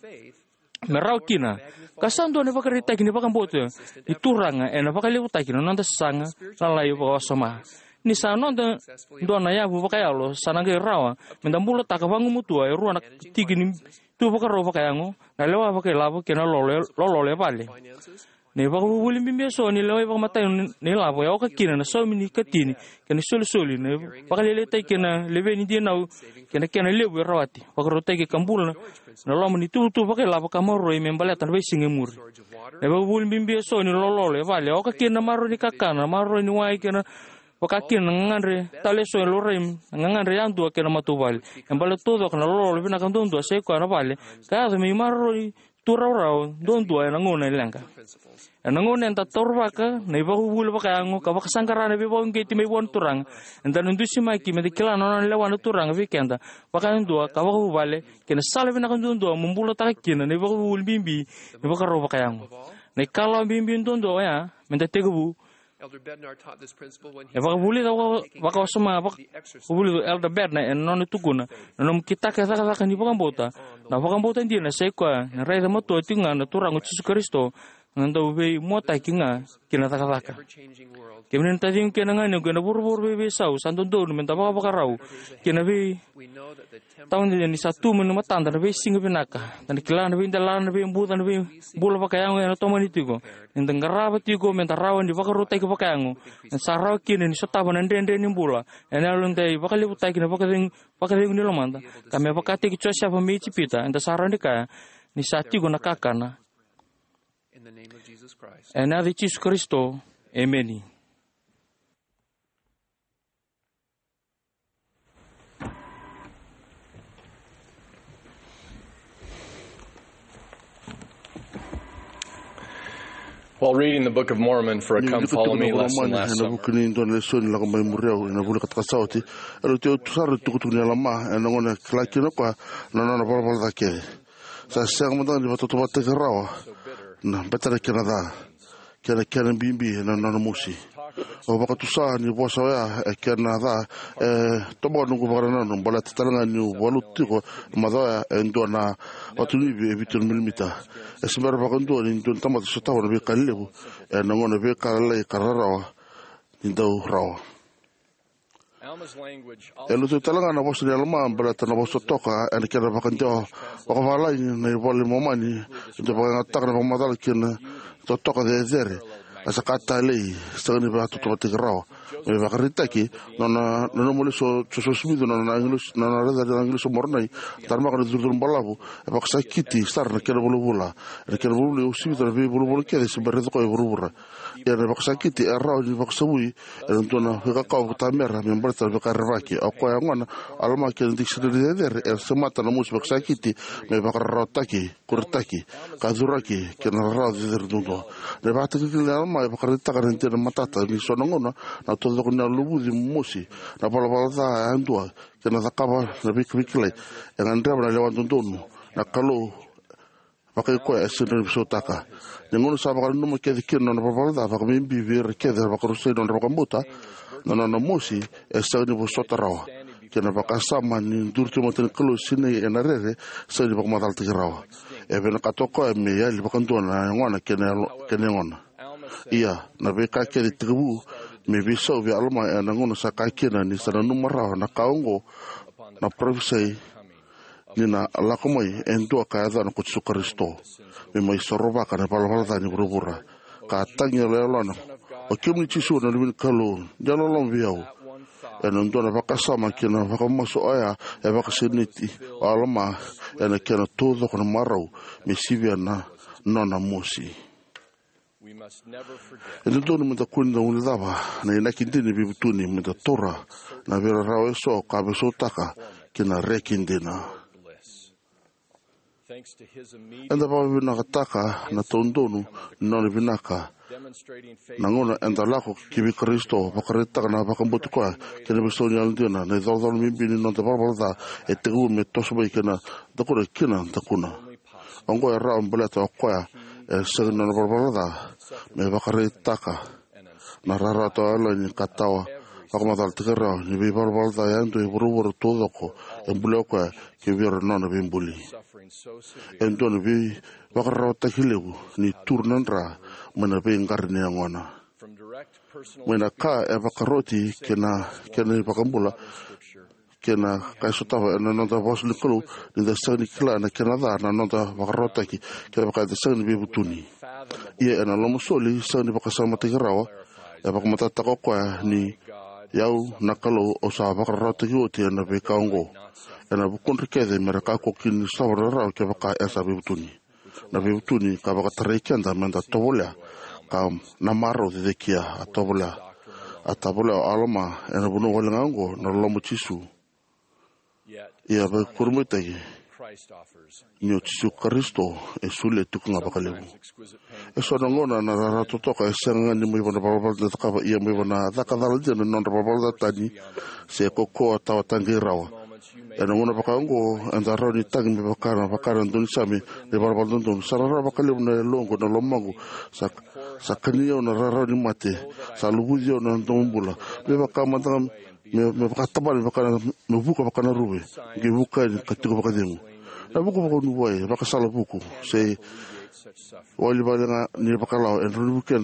me rawa kina, ka sa dua na ivakaraitaki ni vakabauta ni Turaga ena vakalevutaki na noda sasaga lalai vakawasoma. Ni sa noda dua na yavu vakayalo, sa na qai rawa me da bulataka vagumatua e rua na tiki ni tu vakarau vakayago, na lewa vakailavo kei na lolo, lololo e vale. Na ivakavuvuli bibi eso ni lewai vakamatau ni, ni ilavo e oka kina na saumi ni katini kei na isolisoli, na vakalailaitaki kei na levu ni dinau kei na kena levu e rawati, vakarautaki ka bula na loma ni tuvatuva vakailavo ka maroroi me baleta na veisiga e muri. Na ivakavuvuli bibi eso ni lololo e vale e oka kina na maroroi ni kakana, na maroroi ni wai kei na vaka kina na gagadre tale eso e laurai, na gagadre yadua kei na matavuvale. E baleta taucoko na lololo vinaka duadua sai koya na vale ka yaco me imaroroi tu rawarawa duadua ena gauna e leqa. Ena gauna eda taurivaka na ivakavuvuli vakayago ka vakasaqara na veivakauqeti mai vua na Turaga, eda na dusimaki me da kila na nona lewa na Turaga vei keda vakayadua ka vakavuvale, kei na sala vinaka duadua mo bulataka kina na ivakavuvuli bibi ni vakarau vakayago. Na ikalawa bibi duadua oya me da tekivu. Elder Bednar taught this principle when he E vakavulica vaka-, vakawasoma vaka-, vulica o Elder Bednar ena nona tukuna, na nomu kitaka e cakacaka ni vakabauta. Na vakabauta dina sai koya na raica matua tiko ga na Turaga o Jisu Karisito, na dau veimuataki ga ki na cakacaka. Kemuni na taciqu kei na ganequ ena vuravura veiveisau, sa dodonu me da vakavakarau ki na vei Tawa ni sa tu mai na matada na veisiga vinaka. Da na kila na veidelana, na veibuca, na veibula vakayago ena tomani tiko. Ni da qarava tiko me da rawa ni vakarautaki vakayago, eda sa rawa kina ni sotava na dredre ni bula ena yalo ni dau vakalevutaki na vakacegu, vakacegu ni lomada. Ka me vakataki Josefa mai Ijipita, eda sa rawa ni kaya ni sa tiko na kakana. Ena yaca i Jisu Karisito, emeni. While reading the Book of Mormon for a Come Follow Me lesson last summer, ena vuku ni dua na lesoni lako mai muri au ena vula ka taka sa oti, e rauti au tu sara na itukutuku ni Alama ena gauna e kila kina o koya na nona valavala ca kece. Sa sega mada ga ni vakatautauvatataki rawa na bete na kena ca kei na kena bibi na nona mosi. Au vakatusa ni vosa oya e kena ca e tobo noqu vakanananu baleta tale ga niu valuta tiko e macawa oya e dua na vatunuivi e vitu na milimita. E se bera vakadua ni dua na tamata sotava na veika lelevu ena gauna veika lailai ka rarawa ni dau rawa. E lutu tale ga na vosa ni Alama baleta na vosa totoka ena kena vakadewa vakavalagi na iVola i Momani, e dau vakayagataka na vakamacala kei na totoka cecere, a sa ka talei, sega ni vakatautauvatataki rawa. Me vakaraitaki, nona nanuma lesu o Josefa Simici, nona agilosi, nona raica na agilosi o Moronai, taramaka na curucuru balavu, e vakasakiti sara na kena vulavula. Ena kena vulavula e uasivi na veivulavula kece se bera ni raica o koya e vuravura. Ia na vakasakiti e rawa ni vakasavui ena dua na veika kau tamera me baleta na veika rerevaki. O koya gona o Alama kei na dikisinari cecere era semata na mosi vakasakiti me vakararawataki, kuretaki, kacuraki kei na rarawa cecere duadua. Na ivakatakilakila nei Alama e vakaraitaka na dina matata ni so na gauna na taucoko ni yalo luvuci, mosi, na valavala ca yadua kei na cakava na veika veikilai. E gadreva na lewa dodonu na Kalou vakai koya e sega ni veisautaka. Ni gauna sa vakananuma kece kina na nona valavala ca, vakabibi vei ira kece era vakarusai na nodra vakabauta, na nona mosi e sega ni vosota rawa kei na vakasama ni duri tu e mata ni Kalou Sinai ena rere, sega ni vakamacalataki rawa. E vinakata o koya me yali vakadua na yagona kei na yalo, kei na yagona. Ia, na veika kece e tekivu me veisau vei Alama ena gauna sa kaya kina ni sa nanuma rawa na ka oqo na parofisai ni na lako mai e dua ka yacana ko Jisu Karisito me mai sorovaka na ivalavala ca ni vuravura. Ka tagi yaloyalona, "O kemuni Jisu na Luve ni Kalou, ni yalololoma vei au." Ena dua na vakasama kei na vakamasu oya e vakasinaiti o Alama ena kena taucoko na marau me sivia na nona mosi. E dodonu meda kua ni da guilecava na inaki dina ni veivutuni, meda taura na veirarawa eso ka veisautaka ki na reki dina. Eda vakavinakataka na taudonu ni nona vinaka na gauna eda lako ki vei Karisito, vakaraitaka na vakabauti koya kei na veisau ni yalodina. Na icolacola bibi ni noda valavala ca e tekivu me toso mai kei na dakuna ki na dakuna. Oqo e rawa baleta o koya e sega ni nona valavala ca me vakaraitaka na rarawa tawayalani ka tawa vakamacalataki rawa ni veivalavala ca yadua e vuravura taucoko e bulia o koya kei vei ira na nona veibuli. E dua na veivakararawataki levu ni turu na dra mai na veiqara ni yagona. Mai na ka e vakaroti kei na kena iVakabula, kei na ka e sotava ena noda vosa ni Kalou, ni da sega ni kila na kena ca na noda vakararawataki, kevaka eda sega ni veivutuni. Ia ena lomasoli sega ni vakasamataki rawa, e vakamatatataka o koya ni, "Au na Kalou, au sa vakararawataki oti ena veika oqo." Ena vukudra kece me ra kakua kina ni sotava na rarawa kevaka era sa veivutuni. Na veivutuni ka vakatarai keda meda tovolea ka na marau cecekia. A tovolea, a tovolea o Alama ena vanua wale ga oqo na loloma o Jisu. Ia vakarurumitaki ni o Jisu Karisito e solia tiko ga vakalevu. E so na gauna na rarawa totoka e sega ga ni mai vei na valavala da cakava, ia mai vei na caka cala dina ni nodra valavala ca tani se kaukaua tawa taqei rawa. Ena gauna vaka oqo eda rawa ni tagi me vaka na, vaka na daunisame ni valavala dodonu. Sa rarawa vakalevu na yaloqu, na lomaqu. Sa, sa kani au na rarawa ni mate. Sa luvuci au na domobula. Me vaka mada ga, me, me vaka tabana, me vaka na, me vuka vaka na ruve. Qai vuka yani ka tiko vakacegu. Na vuku vakanuwai, vakasala vuku, se wali vale ga ni vakalawa, e rawa ni vukea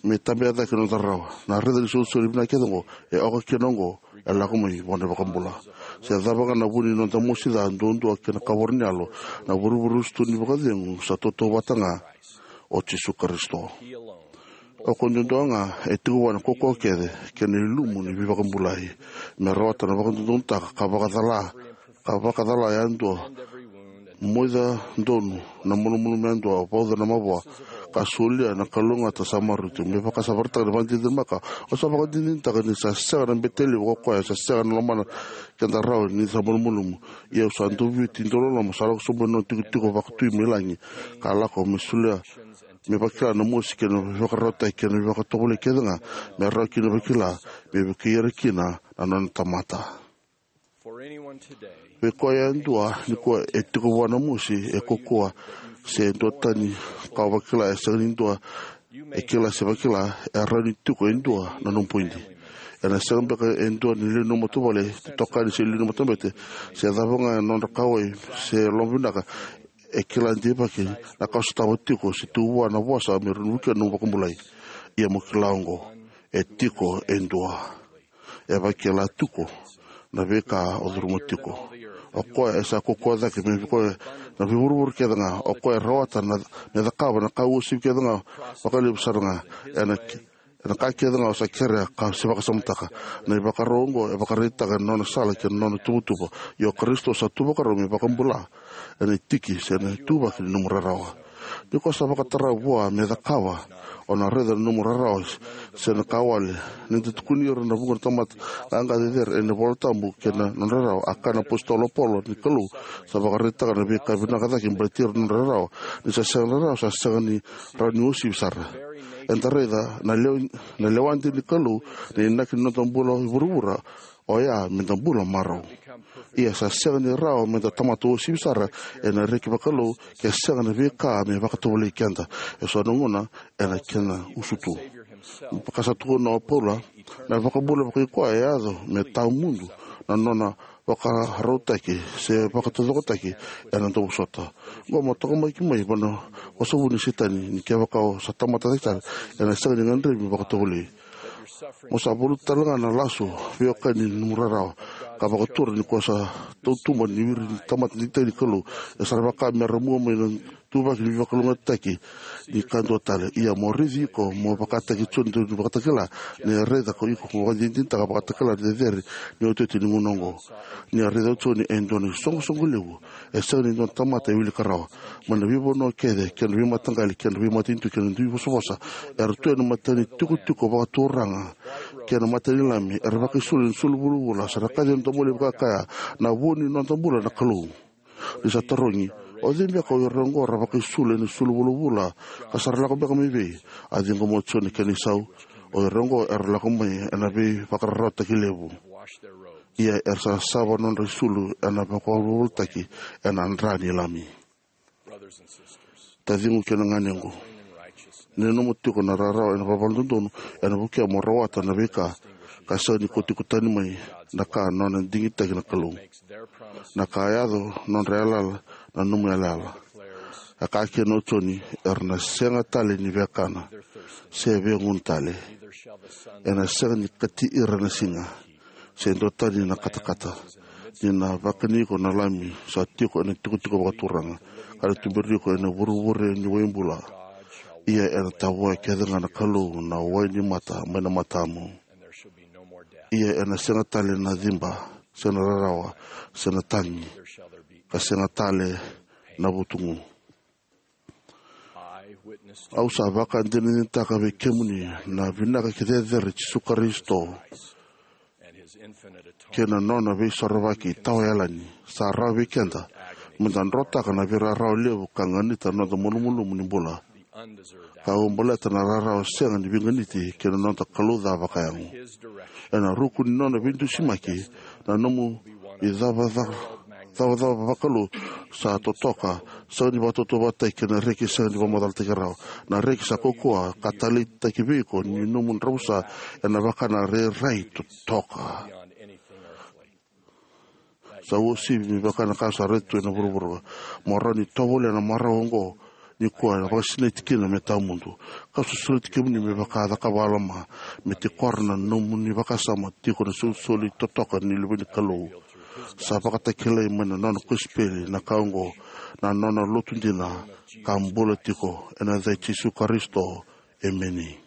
me tabea cake na noda rarawa. Na raica ni solisoli vinaka kece oqo e oka kina oqo e lako mai vua na iVakabula. Se cava ga na vu ni noda mosi ca duadua kei na kavoro ni yalo, na vurevure usutu ni vakacegu sa tautauvata ga o Jisu Karisito. O koya duadua ga e tiko vua na kaukaua kece kei na ilumu ni veivakabulai me rawata na vakadodonutaka ka vakacala, ka vakacala yadua, moica donu na malumalumu yadua, vauca na mavoa, ka solia na kalougata sa maroroi tu. Me vaka sa vakaraitaka na vakadinadina makawa, au sa vakadinadinataka ni sa sega na bete levu ko koya sa sega na lomana keda rawa ni sa malumalumu. Ia au sa doviti dauloloma, sa lako sobu ena nona itikotiko vakatui mai lagi, ka lako me solia, me vakila na mosi kei na veivakararawataki kei na veivakatovolei kece ga me rawa kina vakila, me vukei ira kina na nona tamata. Vei koya yadua nikua e tiko vua na mosi, e kaukaua, se duatani ka o vakila, e sega ni dua e kila se vakila, e rawa ni tiko e dua na nomu poidi. Ena sega beka e dua ni lewe ni nomu matavuvale, itokani se lewe ni matabete, se cava ga na nodra kauwai se lomavinaka, e kila deivaki na ka o sotava tiko se tu vua na vosa me rawa ni vukea na nomu vakabulai. Ia mo kila oqo, e tiko e dua. E vakila tiko na veika o curuma tiko. O koya e sa kaukaua cake me vei koya na veivurevure kece ga. O koya e rawata na, me cakava na ka uasivi kece ga, vakalevu sara ga. Ena ki-, Ena ka kece ga o sa kerea ka se vakasamataka. Na ivakarau oqo e vakaraitaka ena nona sala kei na nona tuvatuva. Ia o Karisito sa tu vakarau me vakabula ena itiki se na ituvaki ni nomu rarawa. Ni ko sa vakatara vua me cakava, o na raica na nomu rarawa se na ka wale. Ni da tukuni ira na vuqa na tamata qaqa cecere ena iVola Tabu kei na nodra rarawa, a kaya na apositolo o Paula ni Kalou sa vakaraitaka na veika vinaka cake baleti ira na nodra rarawa. Ni sa sega na rarawa, sa sega ni rawa ni uasivi sara. Eda raica na lewa, na lewa dina ni Kalou, na inaki ni noda bula i vuravura, oya me da bula marau. Ia sa sega ni rawa me da tamata uasivi sara ena reki vakalou ke sega na veika me vakatovolei keda. E so na gauna ena kena usutu. Vaka sa tukuna o Paula, na vakabula vakaikoya e yaco me tawamudu na nona vakarautaki se vakataucokotaki ena dau vosota. Qo mo toka mai ki mai vana vosa vuni Setani ni kevaka o sa tamata cake sara, ena sega ni gadrevi me vakatovolei. Mo sa valuta tale ga na lasu veiwekani ni nomu rarawa ka vakatura ni ko sa tautuba ni wiri ni tamata digitaki ni Kalou. E sa ra vaka me ra mua mai na ituvaki ni veivakalougatataki ni ka dua tale. Ia mo raici iko mo vakataki Joni ni Vakatakila, ni raica ko iko mo vakadinadinataka vakatakila ni cecere ni iotioti ni gauna oqo. Ni a raica o Joni e dua na isoqosoqo levu. E sega ni dua na tamata e wilika rawa. Mai na veivanua kece kei na veimataqali kei na veimatanitu kei na dui vosavosa, era tu ena mata ni tikotiko vakaturaga kei na mata ni Lami, era vakaisulu ena sulu vulavula, sa ra kaci ena domoli vakakaya, na vu ni noda bula na Kalou. Ni sa tarogi, o cei beka o ira oqo ra vakaisulu ena sulu vulavula, ka sa ra lako beka mai vei? A ciqoma o Joni kei na isau, o ira oqo era lako mai ena veivakararawataki levu. Ia era sa sava nodra isulu ena vakavolivolitaki ena dra ni Lami. Taciqu kei na ganequ, ni nomu tiko na rarawa ena vakavalododonu ena vukea mo rawata na veika ka sega ni ko tiko tani mai na ka nona digitaki na Kalou. Na ka yaco nodra yalayala na nomu yalayala. A kaya kina o Joni, era na sega tale ni vekana se vegunu tale. Ena sega ni kati ira na siga se dua tani na katakata. Ni na vakani iko na Lami sa tiko ena tikotiko vakaturaga, ka na tuberi iko ena vurevure ni waibula. Ia ena tavoya kece ga na Kalou na wai ni mata mai na matamu. Ia ena sega tale na ciba se na rarawa se na tagi, ka sega tale na vutugu. Au sa vakadinadinataka vei kemuni na vinaka kei cecere i Jisu Karisito kei na nona veisorovaki tawayalani. Sa rawa vei keda me da drotaka na veirarawa levu ka ganita na noda malumalumu ni bula, ka au baleta na rarawa sega ni veiganiti kei na noda Kalou ca vakayago. Ena ruku ni nona veidusimaki, na nomu icavacava, cavacava vakalou sa totoka, sega ni vakatautauvatataki kei na reki sega ni vakamacalataki rawa. Na reki sa kaukauwa ka taleitaki vei iko ni nomu dravusa ena vaka na rairai totoka. Sa uasivi me vaka na ka sa raica tu ena vuravura. Mo rawa ni tovolea na marau oqo nikua, ena vakasinaiti kina me tawamudu. Ka sosoleiti kemuni me vaka a cakava o Alama, me tikora na nomuni vakasama tiko na solisoli totoka ni luve ni Kalou. Sa vakatakilai mai na nona kosipeli na ka oqo na nona lotu dina ka bula tiko, ena yaca i Jisu Karisito. Emeni.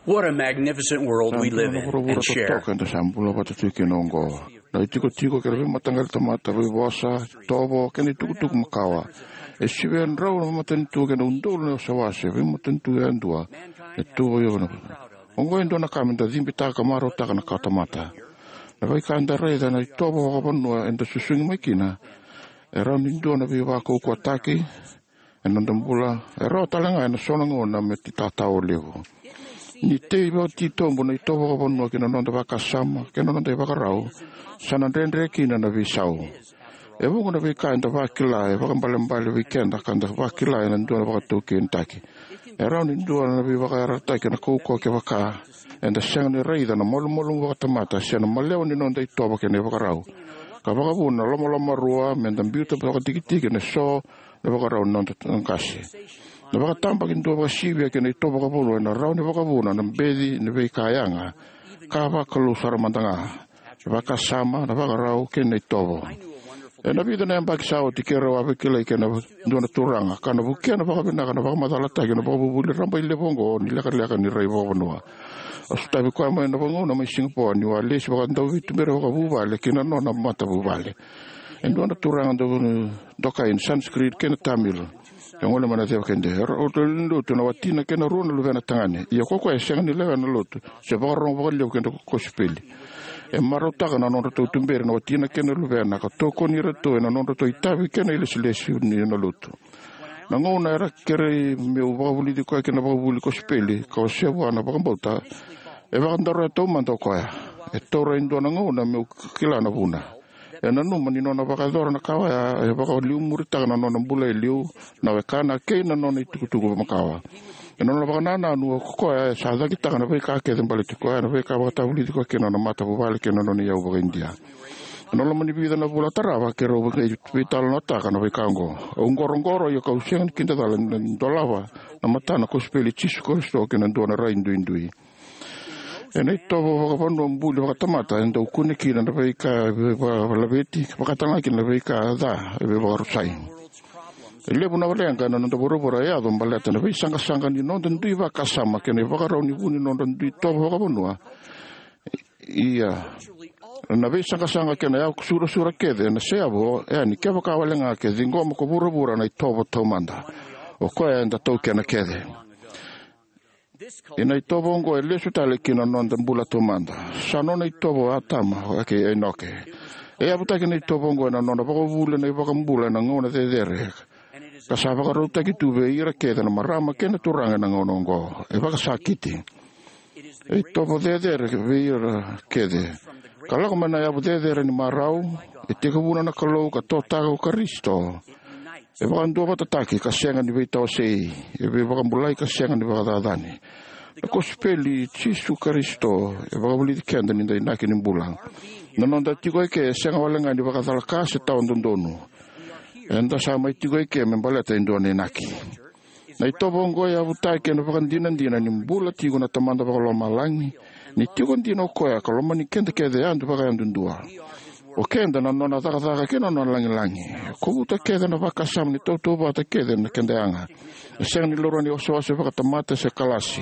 What a magnificent world we live in and share. Sa dua na vuravura totoka eda sa bula vata tu kina oqo. Na itikotiko kei na veimataqali tamata, veivosa, itovo kei na itukutuku makawa. E sivia na drau na veimatanitu kei na udolu na wasewase, veimatanitu yadua e tu vei au na. Oqo e dua na ka me da cibitaka ka marautaka na kawatamata. Na veika eda raica na itovo vakavanua eda susugi mai kina, e rawa ni dua na veivakaukauwataki ena noda bula, e rawa tale ga ena so na gauna me itatao levu. Ni tei vakatitobu na itovo vakavanua ki na noda vakasama kei na noda ivakarau, sa na dredre kina na veisau. E vuqa na veika eda vakila e vakaibalebale vei keda ka da vakila ena dua na vakataukeitaki. E rawa ni dua na veivakayarayarataki ena kaukauwa kevaka eda sega ni raica na malumalumu vakatamata se na malewa ni noda itovo kei na ivakarau, ka vakavuna na lomalomarua me da biuta vakatikitiki ena so na ivakarau ni noda qase. Na vakatabakidua vakasivia kei na itovo vakavanua ena rawa ni vakavuna na beci ni veika yaga, ka vakalou sara mada ga, na vakasama, na ivakarau kei na itovo. Ena vica na yabaki sa oti, keirau a vakilai kei na dua na turaga ka na vukea na vakavinaka na vakamacalataki na vakavuvuli rabailevu oqo ni lekaleka ni rai vakavanua. A sotavi koya mai na vagauna mai Singapore niu a lesi vakadauveituberi vakavuvale ki na nona matavuvale. E dua na turaga dau dokai na Sanskrit kei na Tamil. E gole mai na ceva kede. Era, o ratou lewe ni lotu na watina kei na rua na luvena tagane. Ia ko koya e sega ni lewena na lotu se vakarorogo vakalevu ki na kosipeli. E marautaka na nodratou tuberi na watina kei na luvena ka tokoni iratou ena nodratou itavi kei na ilesilesi ni na lotu. Na gauna era kerei meu vakavulici koya ki na vakavuvuli kosipeli ka wasea vua na vakabauta, e vakadaroya taumada o koya. E taura e dua na gauna meu kila na vuna. E nanuma ni nona vakayacora na ka oya e vakaliumuritaka na nona bula e liu, na wekana kei na nona itukutuku makawa. E nona vakanananu o koya e sa cakitaka na veika kece baleti koya, na veika vakatavulici koya kei na nona matavuvale kei na nona iyau vaka-Idia. E na loma ni vica na vula tarava keirau vei- veitalanoataka na veika oqo. Au qoroqoro ia kau sega ni kidacala ni dolava na matana kosipeli i Jisu Karisito kei na dua na rai duidui. Ena itovo vakavanua buli vakatamata e dau kune kina na veika e veivakalaveti, vakatalega kina na veika ca e veivakarusai. E levu na leqa ena noda vuravura e yaco baleta na veisaqasaqa ni noda dui vakasama kei na ivakarau ni vu ni noda dui tovo vakavanua. Ia, na veisaqasaqa kei na yavu surasura kece ena seyavu yani kevaka walega ke ciqoma ko vuravura na itovo taumada o koya eda taukena kece. Ia na itovo oqo e lesu tale ki na noda bula taumada. Sa nona itovo o Atama kei Enoke. E yavutaki na itovo oqo ena nona vakavuvuli na iVakabula ena gauna cecere, ka sa vakarautaki tu vei ira kece na marama kei na turaga ena gauna oqo. E vakasakiti. E itovo cecere vei ira kece, ka lako mai na yavu cecere ni marau. E tekivuna na Kalou ka totaka ko Karisito. E vakaduavatataki ka sega ni veitawasei. E veivakabulai ka sega ni vakacacani. Na kosipeli i Jisu Karisito e vakavulici keda ni da inaki ni bula. Na noda tiko eke e sega walega ni vakacalaka se tawa dodonu. Eda sa mai tiko eke me baleta e dua na inaki. Na itovo oqo e yavutaki ena vakadinadina ni bula tiko na Tamada Vakalomalagi, ni tiko dina o koya ka lomani keda kece yadu vakayadudua. O keda na nona cakacaka kei na nona lagilagi. E kovuta kece na vakasama ni tautauvata kece na keda yaga. E sega ni laurai ni osooso vakatamata se kalasi.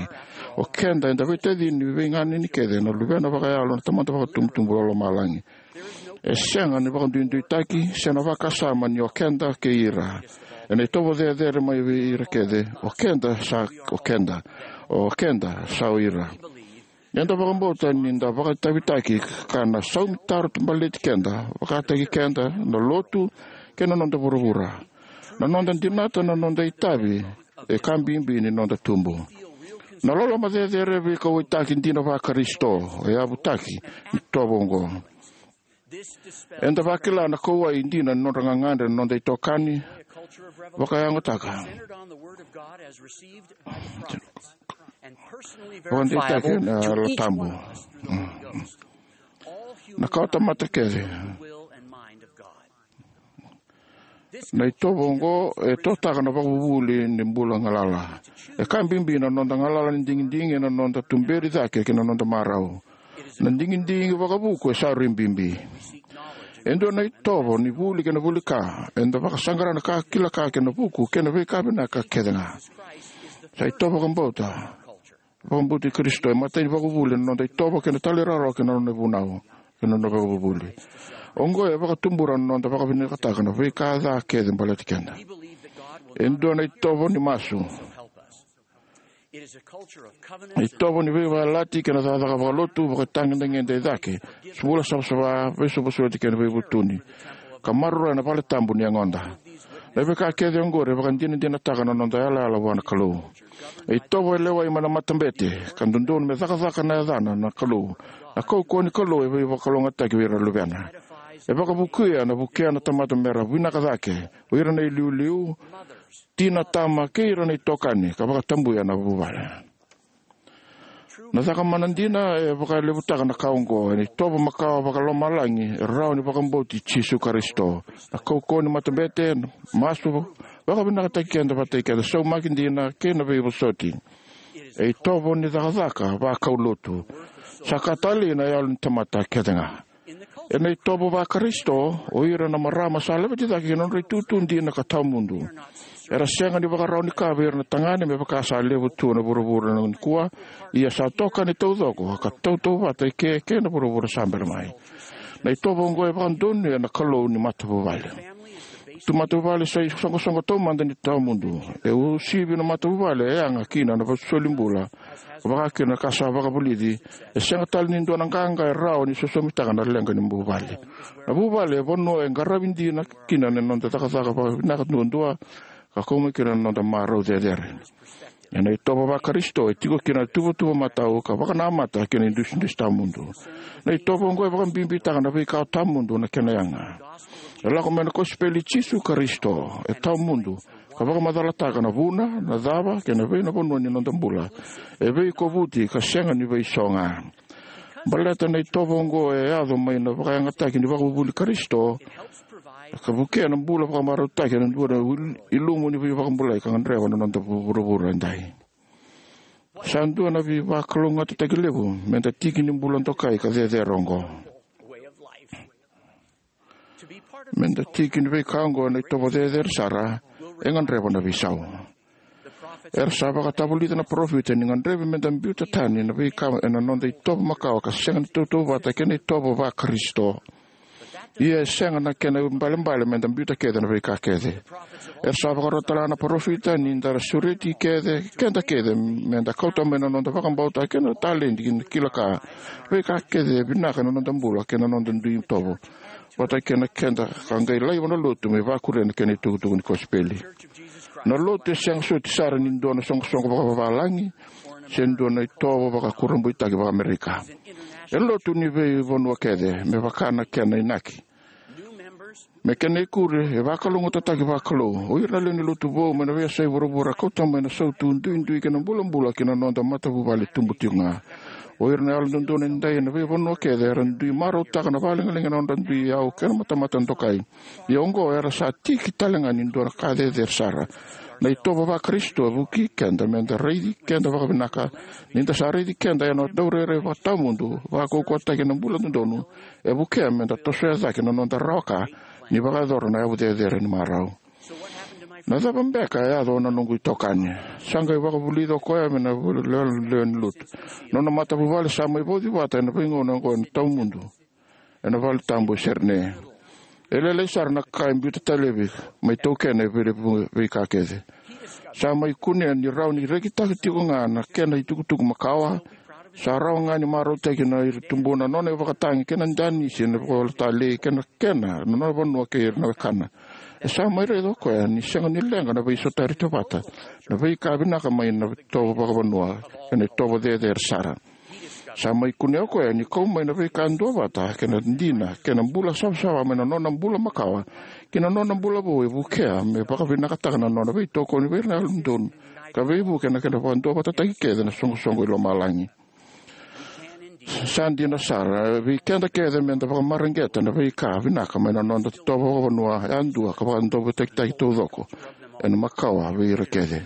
O keda eda veitacini veiganeni kece na luvena vakayalo na Tamada Vakatubutubu Vakalomalagi. E sega ni vakaduiduitaki se na vakasama ni o keda kei ira. Ena itovo cecere mai vei ira kece, o keda sa o keda, o keda sa o ira. Eda vakabauta ni da vakaitavitaki ka na saumi taro baleti keda, vakataki keda, na lotu, kei na noda vuravura. Na noda dinata na noda itavi e ka bibi ni noda tubu. Na loloma cecere e veikauwaitaki dina vaKarisito e yavutaki ni itovo oqo. Eda vakila na kauwai dina ni nodra gagadre na noda itokani vakayagataka. Vakadeitaki na Yalo Tabu. Na kawatamata kece. Na itovo oqo e totaka na vakavuvuli ni bula galala. E ka bibi na noda galala ni digidigi ena noda tuberi cake kei na noda marau. Na digidigi vakavuku e sa rui bibi. E dua na itovo ni vuli kei na vuli ka, eda vakasaqara na ka kila ka kei na vuku kei na veika vinaka kece ga. Sa itovo vakabauta. Vakabauti Karisito e matai ni vakavuvuli ena noda itovo kei na talairawarawa kei na nona vunau kei na nona vakavuvuli. Oqo e vakatubura na noda vakavinakataka na veika ca kece baleti keda. E dua na itovo ni masu. Itovo ni veivalati kei na cakacaka vakalotu, vakatagedegede e cake, bula savasava, veisovosoti kei na veivutuni, ka maroroya na vale tabu ni yagoda. Na veika kece oqori e vakadinadinataka na noda yalayala vua na Kalou. E itovo e lewai mai na matabete ka dodonu me cakacaka na yacana na Kalou. Na kaukauwa ni Kalou e veivakalougatataki vei ira na luvena. E vakavukuya na vukea na tamata mera vinaka cake, o ira na iliuliu, tina, tama, kei ira na itokani, ka vakatabuya na vuvale. Na cakamana dina e vakalevutaka na ka oqo, ena itovo makawa vakalomalagi e rawa ni vakabauti Jisu Karisito. Na kaukauwa ni matabete, masu, vakavinakataki keda vata kei keda, saumaki dina kei na veivosoti. E itovo ni cakacaka vakaulotu. Sa ka talei na yalo ni tamata kece ga. Ena itovo vaKarisito, o ira na marama sa laveti cake ki na nodra itutu dina ka tawamudu. Era sega ni vakarau ni ka vei ira na tagane me vaka sa levu tu ena vuravura nikua, ia sa tokani taucoko ka tautauvata eke kei na vuravura sa bera mai. Na itovo oqo e vakadonuya na Kalou ni matavuvale. Tu matavuvale sa isoqosoqo taumada ni tawamudu. E uasivi na matavuvale e yaga kina na veisolibula, vaka kina na ka sa vakavulici. E sega tale ni dua na qaqa e rawa ni sosomitaka na leqa ni vuvale. Na vuvale e vanua e qaravi dina kina na noda cakacaka vakavinaka duadua, ka kau mai kina na noda marau cecere. Ena itovo vaKarisito e tiko kina na tuvatuva matau ka vakanamata kei na idusidusi tawamudu. Na itovo oqo e vakabibitaka na veika tawamudu na kena yaga. E lako mai na kosipeli i Jisu Karisito, e tawamudu, ka vakamacalataka na vuna, na cava, kei na vei na vanua ni noda bula. E veikovuti ka sega ni veiso ga. Baleta na itovo oqo e yaco mai na vakayagataki ni vakavuvuli Karisito, ka vukea na bula vakamarautaki ena dua na il-, ilumu ni veivakabulai ka gadreva na noda vu-, vuravura edai. Sa dua na veivakalougatataki levu meda tiki ni bula dokai ka cecere oqo. Meda tiki ni veika oqo ena itovo cecere sara, e gadreva na veisau. Era sa vakatavulica na parofita ni gadrevi meda biuta tani na veika ena noda itovo makawa ka sega ni tautauvata kei na itovo vaKarisito. Ia e sega na kena ibalebale meda biuta kece na veika kece. Era sa vakarota tale ga na parofita ni da na sureti kece, keda kece, meda kauta mai na noda vakabauta kei na taledi ki na kila ka, veika kece e vinaka ena noda bula kei na noda dui itovo, vata kei na keda ka qai laiva na lotu me vakuria na kena itukutuku ni kosipeli. Na lotu e sega soti sara ni dua na soqosoqo vakavavalagi se dua na itovo vakakurabuitaki vakaAmerika. E lotu ni veivanua kece, me vaka na kena inaki. Me kena ikuri, e vakalougatataki vakalou. O ira na lewe ni lotu vou mai na veiyasai vuravura kauta mai na sautu duidui kei na bulabula ki na noda matavuvale tubu tiko ga. O ira na yalododonu edai ena veivanua kece era dui marautaka na vakalegalegi ena nodra dui yau kei na matamata dokai. Ia oqo era sa tiki tale ga ni dua na ka cecere sara. Na itovo vaKarisito e vukei keda meda raici keda vakavinaka. Ni da sa raici keda ena daurairai vakatawamudu, vakaukauwataki ena bula dodonu, e vukea meda tosoya cake na noda rawa ka ni vakayacora na yavu cecere ni marau. Na cava beka e yaco na noqu itokani? Sa qai vakavulica o koya mai na lewe ni lotu. Nona matavuvale sa mai vauci vata ena veigauna oqo ena tawamudu ena valetabu e Sydney. E lailai sara na ka e biuta tale mai taukena e vei, veika kece. Sa mai kunea ni rawa ni rekitaki tiko ga na kena itukutuku makawa. Sa rawa ga ni marautaki na ira tubuna na nona ivakatagi kei na danisi ena vakawele talei kei na kena na nona vanua kei ira na wekana. E sa mai raica o koya ni sega ni leqa na veisotari tauvata, na veika vinaka mai na itovo vakavanua ena itovo cecere sara. Sa mai kunea o koya ni kau mai na veika duavata kei na dina kei na bula savasava mai na nona bula makawa ki na nona bula vou e vukea me vakavinakataka na nona veitokoni vei ira na yalododonu ka veivuke ena kena vakaduavatataki kece na soqosoqo i lomalagi. Sa dina sara, vei keda kece meda vakamareqeta na veika vinaka mai na noda itovo vakavanua yadua ka vakaduavatataki taucoko ena makawa vei ira kece.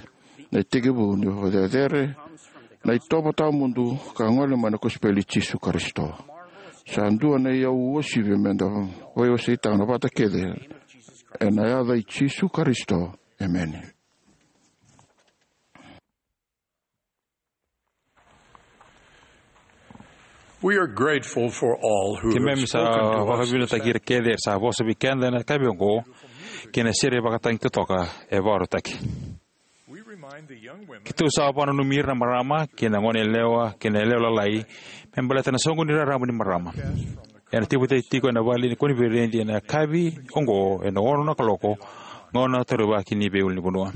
Na itekivu ni vakacecere, na itovo tawamudu ka gole mai na kosipeli i Jisu Karisito. Sa dua na iyau uasivi meda veiwaseitaka na vata kece ena yaca i Jisu Karisito. Emeni. We are grateful for all who have Keimami sa spoken to us this vakavinakataki ira kece era sa vosa vei keda ena yakavi oqo kei na sere vakatagi totoka e vakarautaki. We remind the young women Keitou sa vakananumi ira na marama kei na goneyalewa kei na yalewa lalai me baleta na soqoni raraba ni marama ena teivaki tiko ena vale ni koniferedi ena yakavi oqo ena ono na kaloko, gauna taurivaki ni veiulunivanua.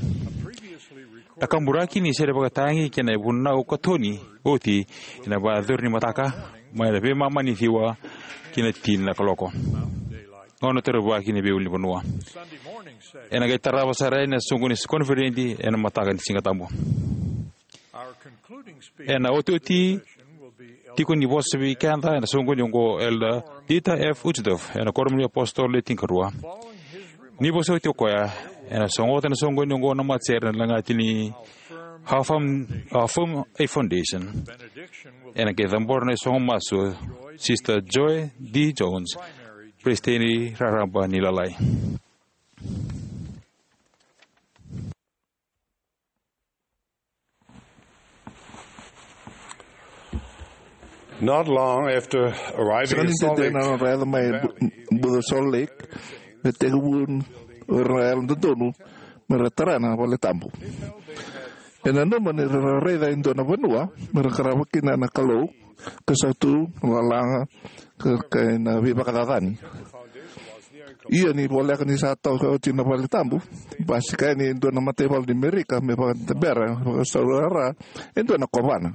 Na kaburaki ni sere vakatagi kei na ivunau katoni oti ena vakayacori ni mataka mai na veimama ni ciwa ki na tini na kaloko, gauna taurivaki ni veiulunivanua. Ena qai tarava sara yani na soqoni ni koniferedi ena mataka ni Sigatabu. Ena otioti tiko ni vosa vei keda ena soqoni oqo o Elder Dieter F. Uchtdorf ena Kuoramu ni iApositolo Le Tinikarua. Ni vosa oti o koya, ena sogota na soqoni oqo na matasere ena lagati ni How Firm, How Firm a Foundation. Ena qai cabora na isogo masu o Sister Joy D. Jones Peresitedi Raraba ni Lalai. Not long after arriving Sega ni in Salt dede Lake, na nodra yaco mai Valley, Bu-, Buca Salt Lake, me tekivu o ira na yalododonu me ra tara na vale tabu. E nanuma ni ra raica e dua na vanua me ra qarava kina na Kalou, ka sautu na lalaga ka, ka na veivakacacani. Ia ni voleka ni sa toka oti na vale tabu, basika yani e dua na mataivalu ni Merika me vakadabera, vakasaurara e dua na kovana.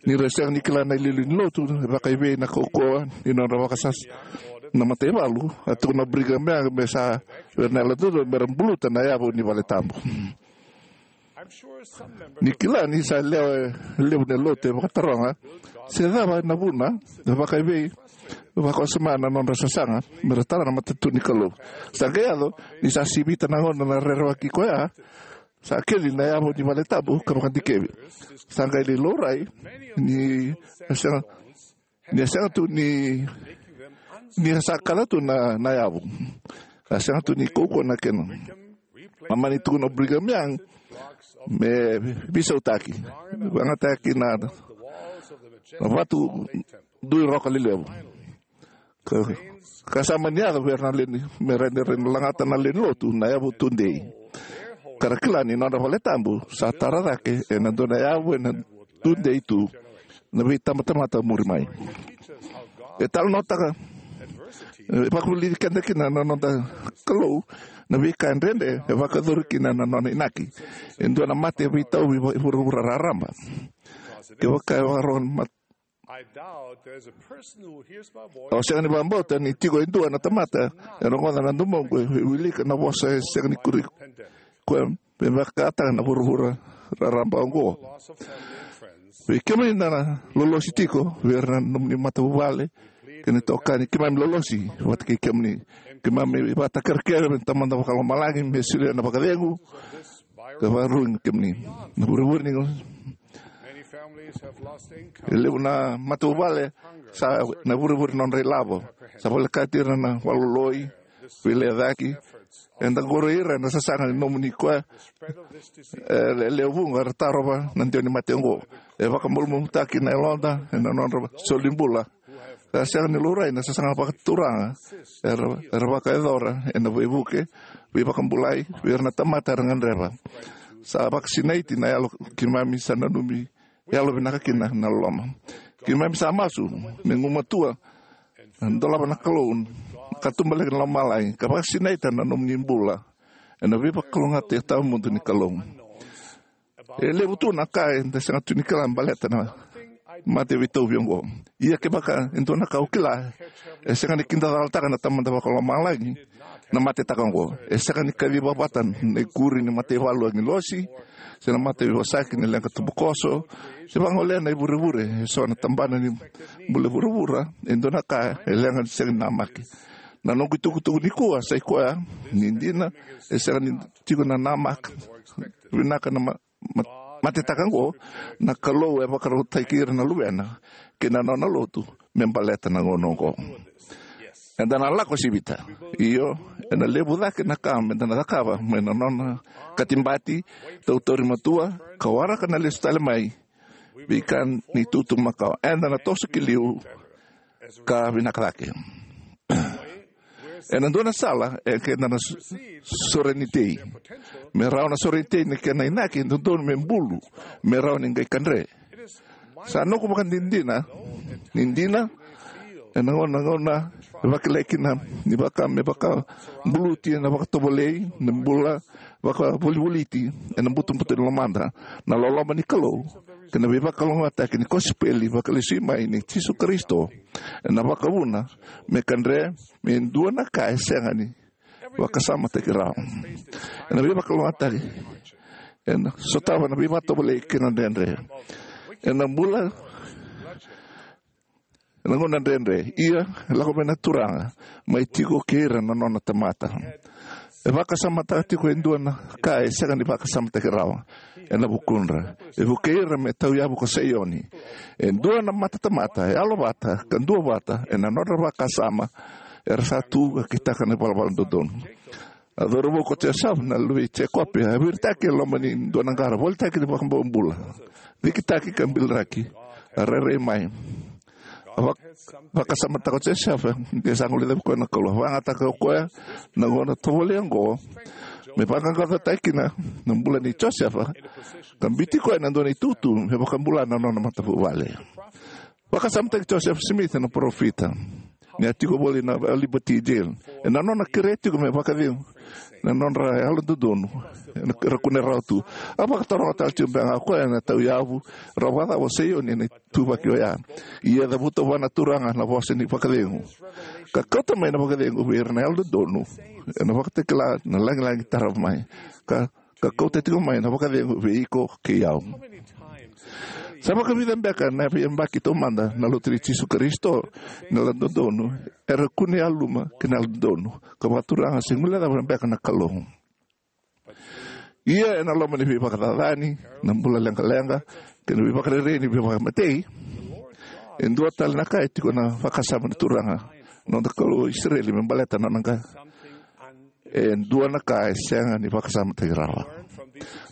Ni ra sega ni kila na iliuliu ni lotu, e vakaivei na kaukauwa ni nodra vakasasa na mataivalu, a tukuna o Brigham Young me sa vei ira na yalododonu me ra buluta na yavu ni vale tabu. Ni kila ni sa lewe levu na lotu e vakataroga se cava na vuna, e vakaivei, vakawasoma na nodra sasaga me ra tara na matanitu ni Kalou. Sa qai yaco ni sa sivita na gauna na rerevaki koya, sa keli na yavu ni vale tabu ka vakadikevi. Sa qai lai laurai ni a sega, ni a sega tu ni, ni a sa kaca tu na, na yavu. A sega tu ni kaukauwa na kena. A mani tukuna o Brigham Young me veisautaki, vakayagataki na, na vatu dui roka lelevu. Ka, ka sa mani yaco vei ira na lewe ni, me ra ni, ra ni lagata na lewe ni lotu na yavu tudei. Ka ra kila ni nodra vale tabu sa tara cake ena dua na yavu ena tudei tu na veitabatamata muri mai. E talanoataka, e vakavulici keda kina na noda Kalou na veika dredre e vakayacori kina na nona inaki. E dua na mate veitauvi va-, vuravura raraba. Kevaka e vakarogo na mat-, I doubt there's a person who hears my voice. Au sega ni vakabauta ni tiko e dua na tamata e rogoca na domona e wilika na vosa e sega ni kuri koya me vakataka na vuravura raraba oqo. Vei kemuni na lolosi tiko, vei ira na nomuni matavuvale kei na itokani, keimami lolosi vata kei kemuni. Keimami vakatakekere vei Tamada Vakalomalagi me solia na vakacegu ka vakarurugi kemuni. Na vurevure ni, e levu na matavuvale sa na vurevure nodra ilavo. Sa volekati ira na valoloi, veilecayaki. Eda qori ira ena sasaga ni nomuni koya, e, le-, lewe vuqa era tarova na dewa ni mate oqo. E vakamalumalumutaki na yaloda ena nodra soli bula. Ka sega ni laurai na sasaga vakaturaga era, era vakayacora ena veivuke, veivakabulai vei ira na tamata era gadreva. Sa vakasinaiti na yalo, keimami sa nanumi yalovinaka kina na loloma. Keimami sa masu me gumatua, dolava na Kalou, ka tubu leka na lomalagi, ka vakasinaita na nomuni bula ena veivakalougatataki tawamudu ni Kalou. E levu tu na ka eda sega tu ni kila baleta na mate veitauvi oqo. Ia kevaka e dua na ka au kila, e sega ni kidacalataka na Tamada Vakalomalagi na matetaka oqo. E sega ni kaciva vata na ikuri ni mataivalu agilosi, se na mataveivosaki ni leqa tubukoso, se vagolea na ivurevure e so na tabana ni bula vuravura e dua na ka e leqa ni sega ni namaki. Na noqu itukutuku nikua sa i koya ni dina e sega ni tiko na namaka vinaka na ma-, ma-, matetaka oqo, na Kalou e vakarautaki ira na luvena kei na nona lotu me baleta na gauna oqo. Eda na lako sivita. Io, ena levu cake na ka meda na cakava mai na nona katibati, tautauri matua, ka waraka na lesu tale mai veika ni tutu makawa. Eda na toso ki liu ka vinaka cake. Ena dua na sala e keda na s-, sorenitei. Me rawa na sorenitei na kena inaki e dodonu me bulu, me rawa ni qai kadre. Sa noqu vakadinadina ni dina ena gauna, gauna e vakilai kina ni vaka me vakabuluti ena vakatovolei na bula vakavolivoliti ena butobuto ni lomada, na loloma ni Kalou kei na veivakalougatataki ni kosipeli vakalesui mai nei Jisu Karisito ena vakavuna me kadre me dua na ka e sega ni vakasamataki rawa. Ena veivakalougatataki ena sotava na veivakatovolei kei na dredre. Ena bula ena gauna dredre, ia e lako mai na Turaga mai tiko kei ira na nona tamata. E vakasamataka tiko e dua na ka e sega ni vakasamataki rawa ena vukudra. E vukei ira me tauyavu ko Saioni. E dua na matatamata e yalovata ka duavata ena nodra vakasama Era sa tu ka kitaka na ivalavala dodonu. A cauravou ko Josefa, na luve i Jekope, a viritaki e loma ni dua na qara, volitaki ni vakabobula, cikitaki ka biliraki. A rairai mai. A vak- vakasamataka o Josefa ni sa guilecavi koya na Kalou. A vakayagataka o koya na gauna tovolei oqo me vaqaqacotaki kina na bula nei Josefa, ka biuti koya ena dua na itutu me vakabula na nona matavuvale. Vakasamataki Joseph Smith na parofita ni a tiko voli na Liberty Jail, ena nona kerea tiko me vakacegu na nodra yalododonu, era kune rawa tu. A vakataroga tale tiko beka ga o koya na tauyavu, rawa vakacava o Saioni ena ituvaki oya. Ia cavuta vua na Turaga na vosa ni vakacegu, ka kauta mai na vakacegu vei ira na yalododonu, ena vakatakila na lagilagi tarava mai, ka ka kauta tiko mai na vakacegu vei iko kei au. Sa vakavica beka na veiyabaki taumada na Lotu i Jisu Karisito ni yalododonu era kune yaluma kei na yalododonu, ka vakaturaga se guilecava beka na Kalou. Ia ena loma ni veivakacacani, na bula leqaleqa, kei na veivakarerei ni veivakamatei, e dua tale na ka e tiko na vakasama na Turaga, noda Kalou o Isireli, me baleta na nona qa- e dua na ka e sega ni vakasamataki rawa.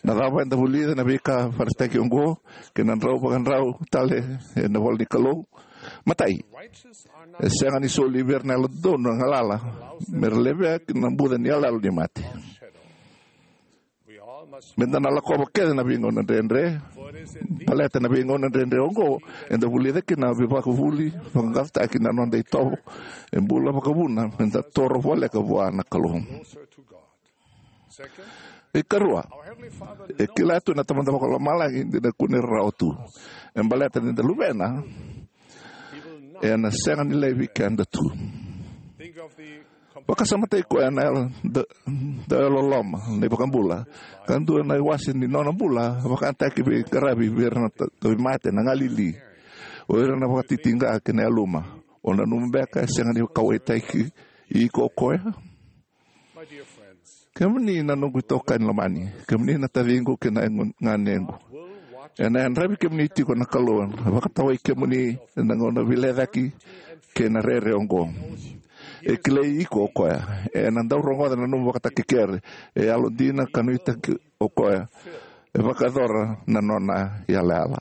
Na cava eda vulica na veika vakaraitaki oqo kei na drau vakadrau tale ena ivola ni Kalou? Matai, e sega ni soli vei ira na yalododonu na galala me ra levea ki na buca ni iyaloyalo ni mate. Meda na lakova kece na veigauna dredre, baleta na veigauna dredre oqo eda vulica kina na veivakavuvuli, vaqaqacotaki na noda itovo e bula vakavuna meda toro voleka vua na Kalou. Ikarua, e kila tu na Tamada Vakalomalagi ni da kune rawa tu. E baleta ni da luvena, ena sega ni laivi keda tu. Vakasamataki koya na yalo da, da yalololoma na iVakabula, ka dua na iwase ni nona bula vakayagataki veiqaravi vei ira na ta- tauvimate, na galili, o ira na vakatitiqa kei na yaluma. O nanuma beka e sega ni kauwaitaki iko o koya? Kemuni na noqu itokani lomani, kemuni na taciqu kei na ganequ, ena yadravi kemuni tiko na Kalou, ena vakatawai kemuni ena gauna veilecayaki kei na rere oqo. E kilai iko o koya, ena dau rogoca na nomu vakatakekere, e yalodina ka nuitaki o koya, e vakayacora na nona yalayala.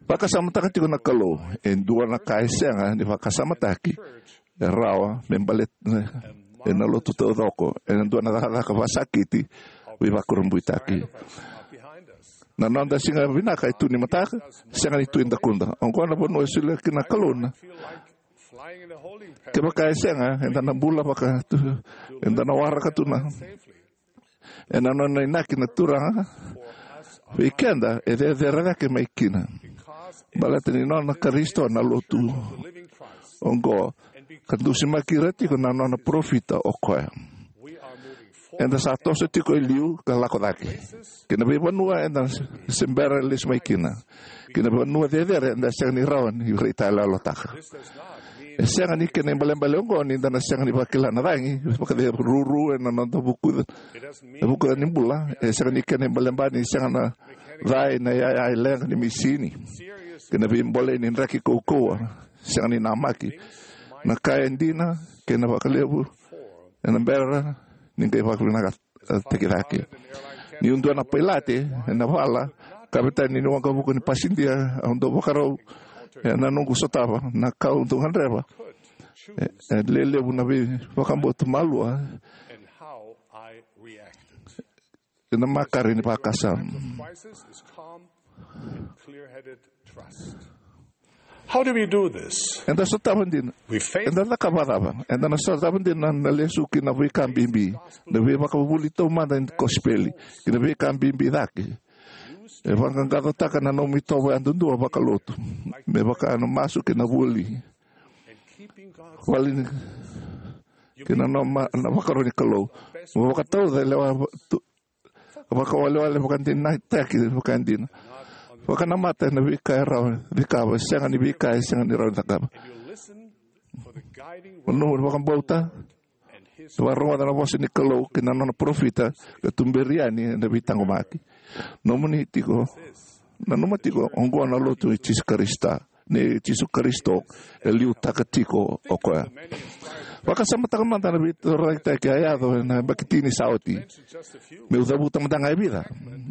Vakasamataka tiko na Kalou, e dua na ka e sega ni vakasamataki e rawa me baleta ena lotu taucoko, ena dua na cakacaka vakasakiti, veivakurabuitaki. Na noda siga vinaka e tu ni mataka, sega ni tu e dakuda. Oqo na vanua e solia kina na Kalou na. Kevaka e sega, eda na bula vaka tu, eda na waraka tu na ena nona inaki na Turaga vei keda, e cecere cake mai kina. Baleta ni nona Karisito na lotu oqo, ka dusimaki ira tiko na nona parofita o koya, eda sa toso tiko e liu ka lako cake ki na veivanua eda se bera lesu mai kina, ki na vanua cecere eda sega ni rawa ni raitayaloyalotaka. E sega ni kena ibalebale oqo ni da na sega ni vakila na cagi vakaceruru ena noda vuku, e vuku ni bula. E sega ni kena ibalebale ni sega na cai na iyaya leqa ni misini, kei na veibolei ni draki kaukauwa sega ni namaki. Na ka e dina kei na vakalevu ena bera ni qai vakavinaka taki cake. Niu dua na pailate ena vala, kavetani ni waqavuka ni pasidia, au dau vakarau ena noqu sotava na ka au dau gadreva. E, e lelevu na veivakabauta malua ena makare ni vakasama. How do we do this? Eda sotava dina. We face Eda cakava cava? Eda na sotava dina na lesu ki na veika bibi, na veivakavuvuli taumada ni kosipeli, ki na veika bibi cake. E vaqaqacotaka na nomu itovo yadudua vakalotu, me vaka na masu ki na vuli. Vale ni, ki na noma na vakaro ni Kalou. Mo vakatauca e lewa tu, vakawalewale vakadinataki vakadina. Vakanamata ena veika e rawa ni cakava, sega ni veika e sega ni rawa ni cakava. Mo nomu vakabauta, vakarogoca na vosa ni Kalou kei na nona parofita, ka tuberi yani ena veitaqomaki. Nomuni tiko, nanuma tiko, oqo na lotu i Jisu Karisito. nei Jisu Karisito, e liutaka tiko o koya. Vakasamataka mada na veitorocaketaki a yaco ena yabaki tini sa oti. Meu cavuta mada ga e vica.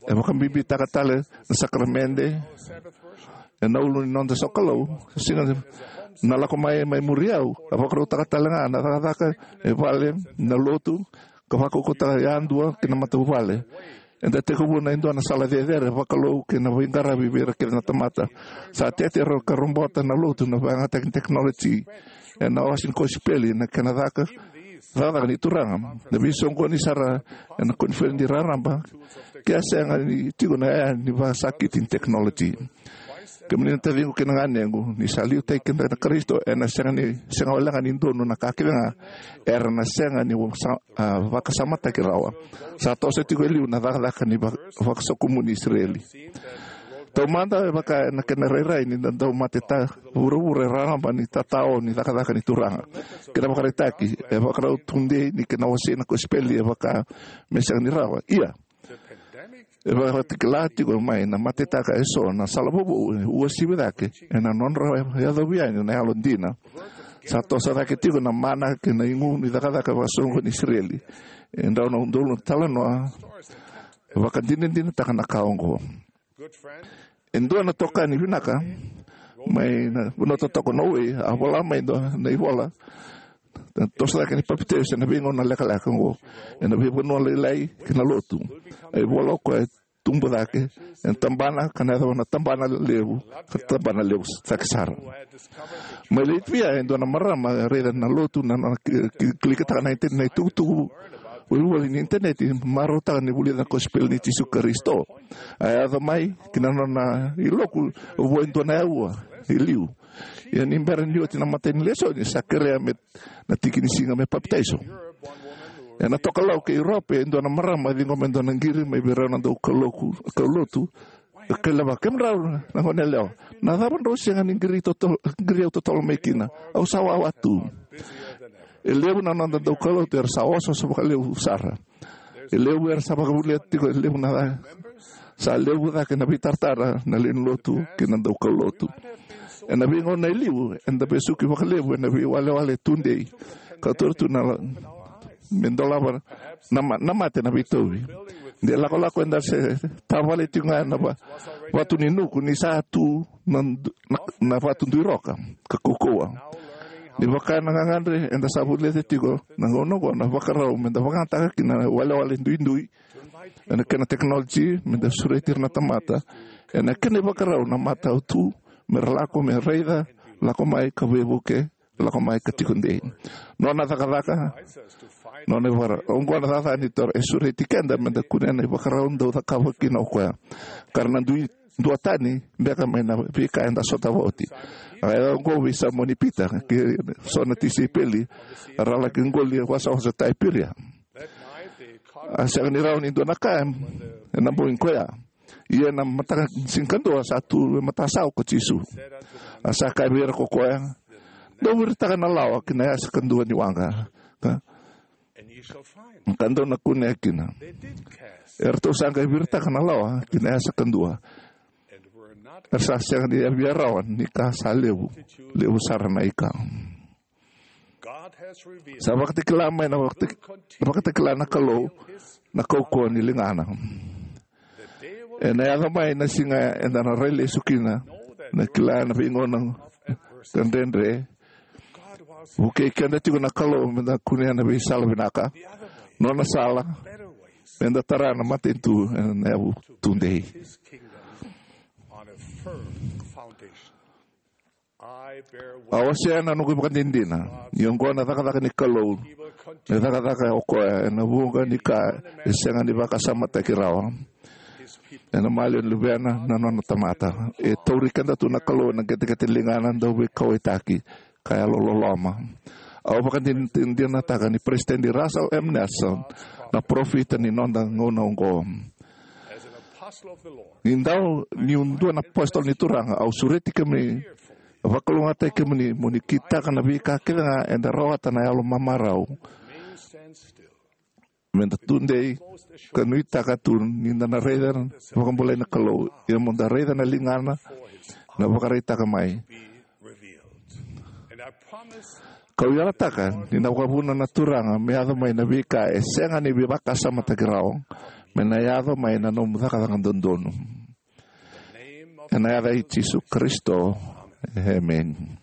E vakabibitaka tale na sakaramede ena ulu ni noda sokalou. Siga na lako mai, mai muri au, a vakarautaka tale ga na cakacaka e vale, na lotu, ka vakaukauwataka yadua kei na matavuvale. Eda tekivu ena dua na sala cecere vakalou kei na veiqaravi vei ira kece na tamata. Sa tete era ka robota na lotu na vakayagataki ni tekinoloji ena wase ni kosipeli, na kena caka, cakacaka ni Turaga. Na veisoqoni sara ena koniferedi raraba ke a sega ni tiko na yaya ni vakasakiti ni tekinoloji. Kemuni na taciqu kei na ganequ, ni sa liutaki keda na Karisito, ena sega ni, sega walega ni donu na ka kece ga era na sega ni sa-, a, vakasamataki rawa. Sa toso tiko e liu na cakacaka ni va-, vakasokumuni Isireli. Taumada e vaka ena kena rairai ni da dau mate ta vuravura e raraba ni tatao ni cakacaka ni Turaga. Kena vakaraitaki, e vakarau tudei ni kena wasei na kosipeli e vaka me sega ni rawa. Ia, e vakatakila tiko mai na matetaka eso na sala vovou e uasivi cake ena nodra yacovi yani na yalodina. Sa toso cake tiko na mana kei na igu ni cakacaka vakasoqoni Isireli. E dau na udolu na talanoa e vakadinadinataka na ka oqo. E dua na itokani vinaka mai na vanua totoka o Norway a vola mai e dua na ivola, na toso cake ni papitaiso ena veigauna lekaleka oqo ena veivanua lailai kei na lotu. A ivola o koya e tubu cake ena tabana ka na yacova na tabana levu, ka tabana levu cake sara. Mai Latvia, e dua na marama e raica na lotu na, na ki-, ki-, kilikitaka na inte-, na itukutuku volivoli ni initaneti, marautaka ni vulica na kosipeli nei Jisu Karisito. A yaco mai ki na nona iloku vua e dua na aua e liu. Ia ni bera ni oti na imatai ni lesoni, sa kerea me na tiki ni siga me papitaiso. Ena tokalau kei Europe, e dua na marama e ciqoma e dua na qiri mai vei rau na dau kauloku, kaulotu. E kaila vaka, "Kemudrau na goneyalewa, na cava drau sega ni qiri toto-, qiri au totolo mai kina? Au sa wawa tu." E levu na noda dau kaulotu era sa osooso vakalevu sara. E levu era sa vakavulica tiko e levu na ca. Sa levu cake na veitaratara na lewe ni lotu kei na dau kaulotu. Ena veigauna e liu, eda vesuki vakalevu ena veiwalewale tudei ka taura tu na la-, me dolava na ma-, na mate na veitauvi. De lakolako eda se tavale tiko ga ena va-, vatu ni nuku ni sa tu na, na, na vatu duiroka ka kaukauwa. Ni vaka na gagadre, eda sa vulica tiko na gauna oqo na ivakarau meda vakayagataka kina na walewale duidui ena kena tekinoloji, meda sureti ira na tamata ena kena ivakarau na matau tu, mera lako me raica, lako mai ka veivuke, lako mai ka tiko dei. Nona cakacaka, nona ivakara-, oqo na cakacaka ni Turaga e sureti keda meda kunea na ivakarau dau cakava kina o koya. Ka ra na dui duatani beka mai na veika eda sotava oti. A yaco oqo vei Saimoni Pita kei so na tisaipeli, era laki qoli wasawasa Taiperia. A sega ni rawa ni dua na ka ena bogi koya. Ia na mataka ni siga kadua sa tu e matasawa ko Jisu. A sa kaya vei ira ko koya, "Dou viritaka na lawa ki na yasa kadua ni waqa, ka, ka dou na kunea kina." Eratou sa qai viritaka na lawa ki na yasa kadua. Era sa sega ni via rawa ni ka sa levu, levu sara na ika. Sa vakatakila mai na vakataki-, vakatakila na Kalou na kaukauwa ni ligana. Ena yaco mai na siga eda na rai lesu kina, na kila na veigauna ka dredre. Vukei keda tiko na Kalou meda kunea na veisala vinaka, nona sala, meda tara na matanitu ena yavu tudei. A wasea na noqu ivakadinadina ni oqo na cakacaka ni Kalou, na cakacaka o koya ena vuqa ni ka e sega ni vakasamataki rawa. Ena maliwa ni luvena na nona tamata. E tauri keda tu na Kalou ena qeteqete ligana dau veikauwaitaki ka yalololoma. Au vakadinadinataka ni Peresitedi Russell M. Nelson na parofita ni noda gauna oqo. Ni dau niu dua na apositolo ni Turaga, au sureti kemuni, vakalougatataki kemuni mo ni kitaka na veika kece ga eda rawata na yalo mamarau. Me da tudei ka nuitaka tu ni da na raica na vakabulai na Kalou, ia mo da raica na ligana na vakaraitaka mai. Kau yalataka ni na vakavuna na Turaga me yaco mai na veika e sega ni veivakasamataki rawa, me na yaco mai na nomu cakacaka dodonu. Ena yaca i Jisu Karisito, emeni.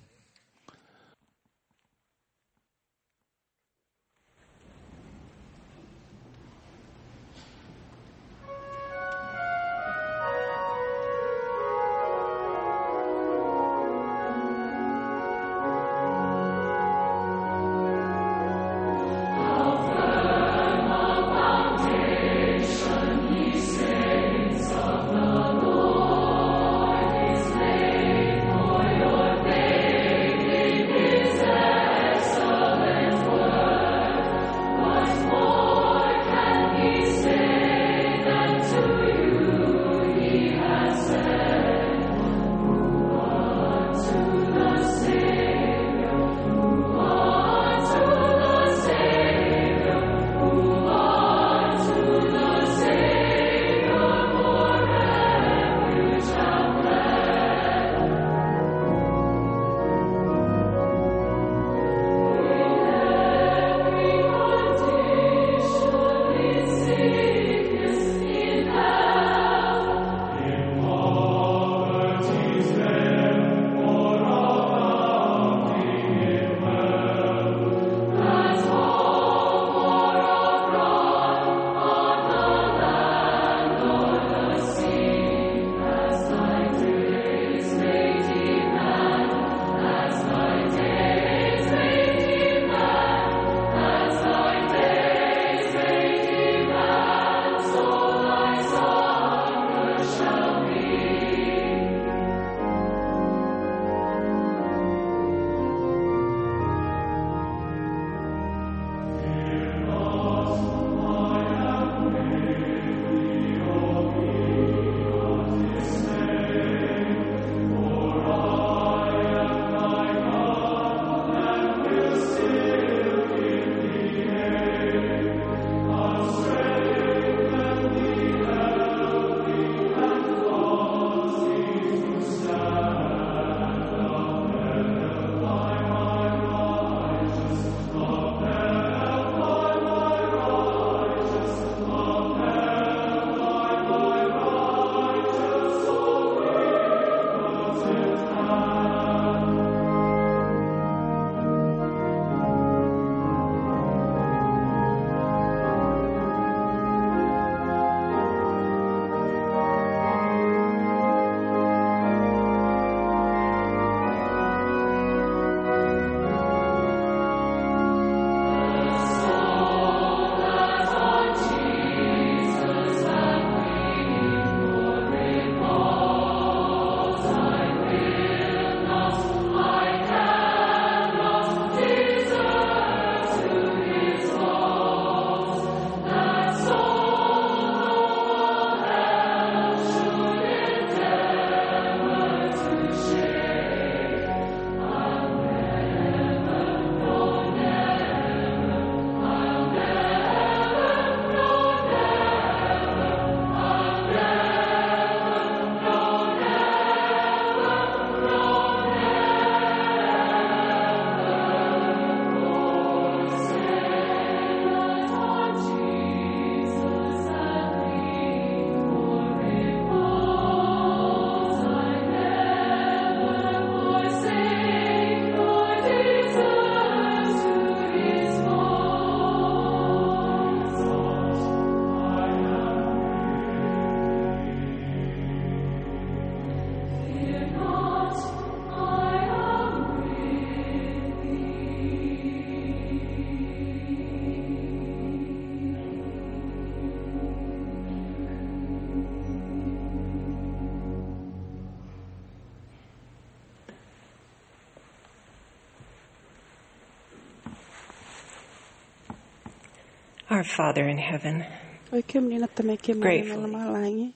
Our Father in heaven, oi kemuni na Tamai keimami na lomalagi,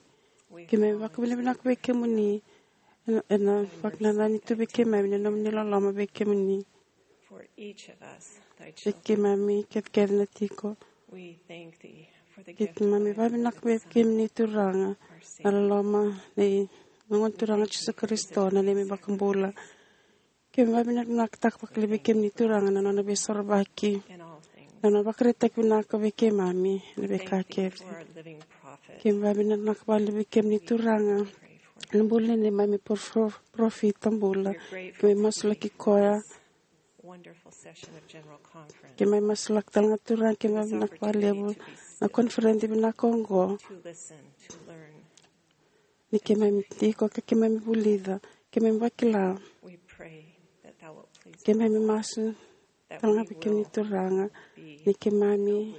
keimami vakavinavinaka vei kemuni ena, ena vakanananu tu vei keimami na nomuni loloma vei kemuni. For each of us, thy children. Vei keimami kecekece na tiko. We thank thee for the gift of thy Keimami vakavinavinaka vei kemuni Turaga, na loloma nei Gone Turaga Jisu Karisito, na neimami iVakabula. Keimami vakavinavinakataka vakalevu vei kemuni Turaga na nona veisorovaki, na nona vakaraitaki vinaka vei keimami ena veika kece. Keimami vakavinavinaka vakalevu vei kemuni Turaga na bula nei neimami parofita bula. Keimami masulaki koya. Keimami masulaki tale ga Turaga, keimami vakavinavinaka vakalevu na koniferedi vinaka oqo. Ni keimami tiko ka keimami vulica, keimami vakila. Keimami masu tale ga vei kemuni Turaga ni keimami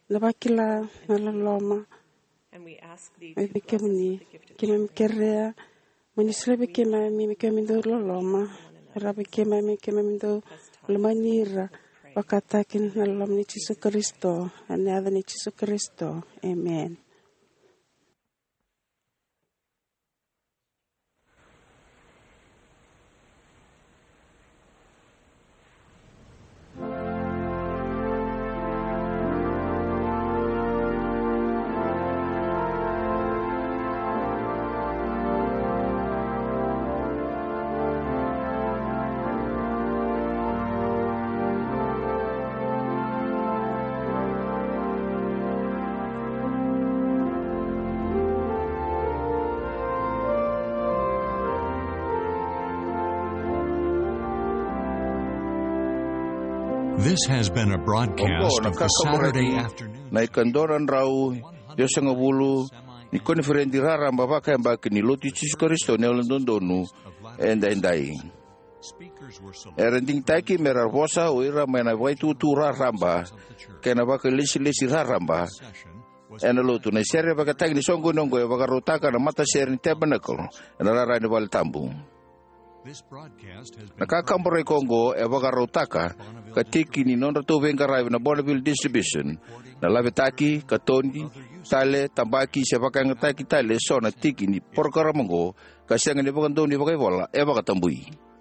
na vakila na loloma mai vei kemuni. Keimami kerea mo ni solia vei keimami me keimami dau loloma, ra vei keimami, keimami dau lomani ira, vakataki na loloma nei Jisu Karisito, ena yaca nei Jisu Karisito. Emeni. This has been a broadcast of the Saturday afternoon. Na ikadua na drau ciwasagavulu ni koniferedi raraba vakayabaki ni Lotu i Jisu Karisito ni Yalododonu Edaidai. Era digitaki me ra vosa o ira mai na vakaitutu raraba kei na vakailesilesi raraba ena Lotu. Na sere vakataki ni soqoni oqo e vakarautaka na matasere ni Tabernacle ena rara ni vale tabu. Na ka kaburaki oqo e vakarautaka ka tiki ni nodratou veiqaravi na Bonneville Distribution na lavetaki, katoni, tale, tabaki se vakayagataki tale eso na tiki ni porokaramu oqo ka sega ni vakadonui vakaivola e vakatabui.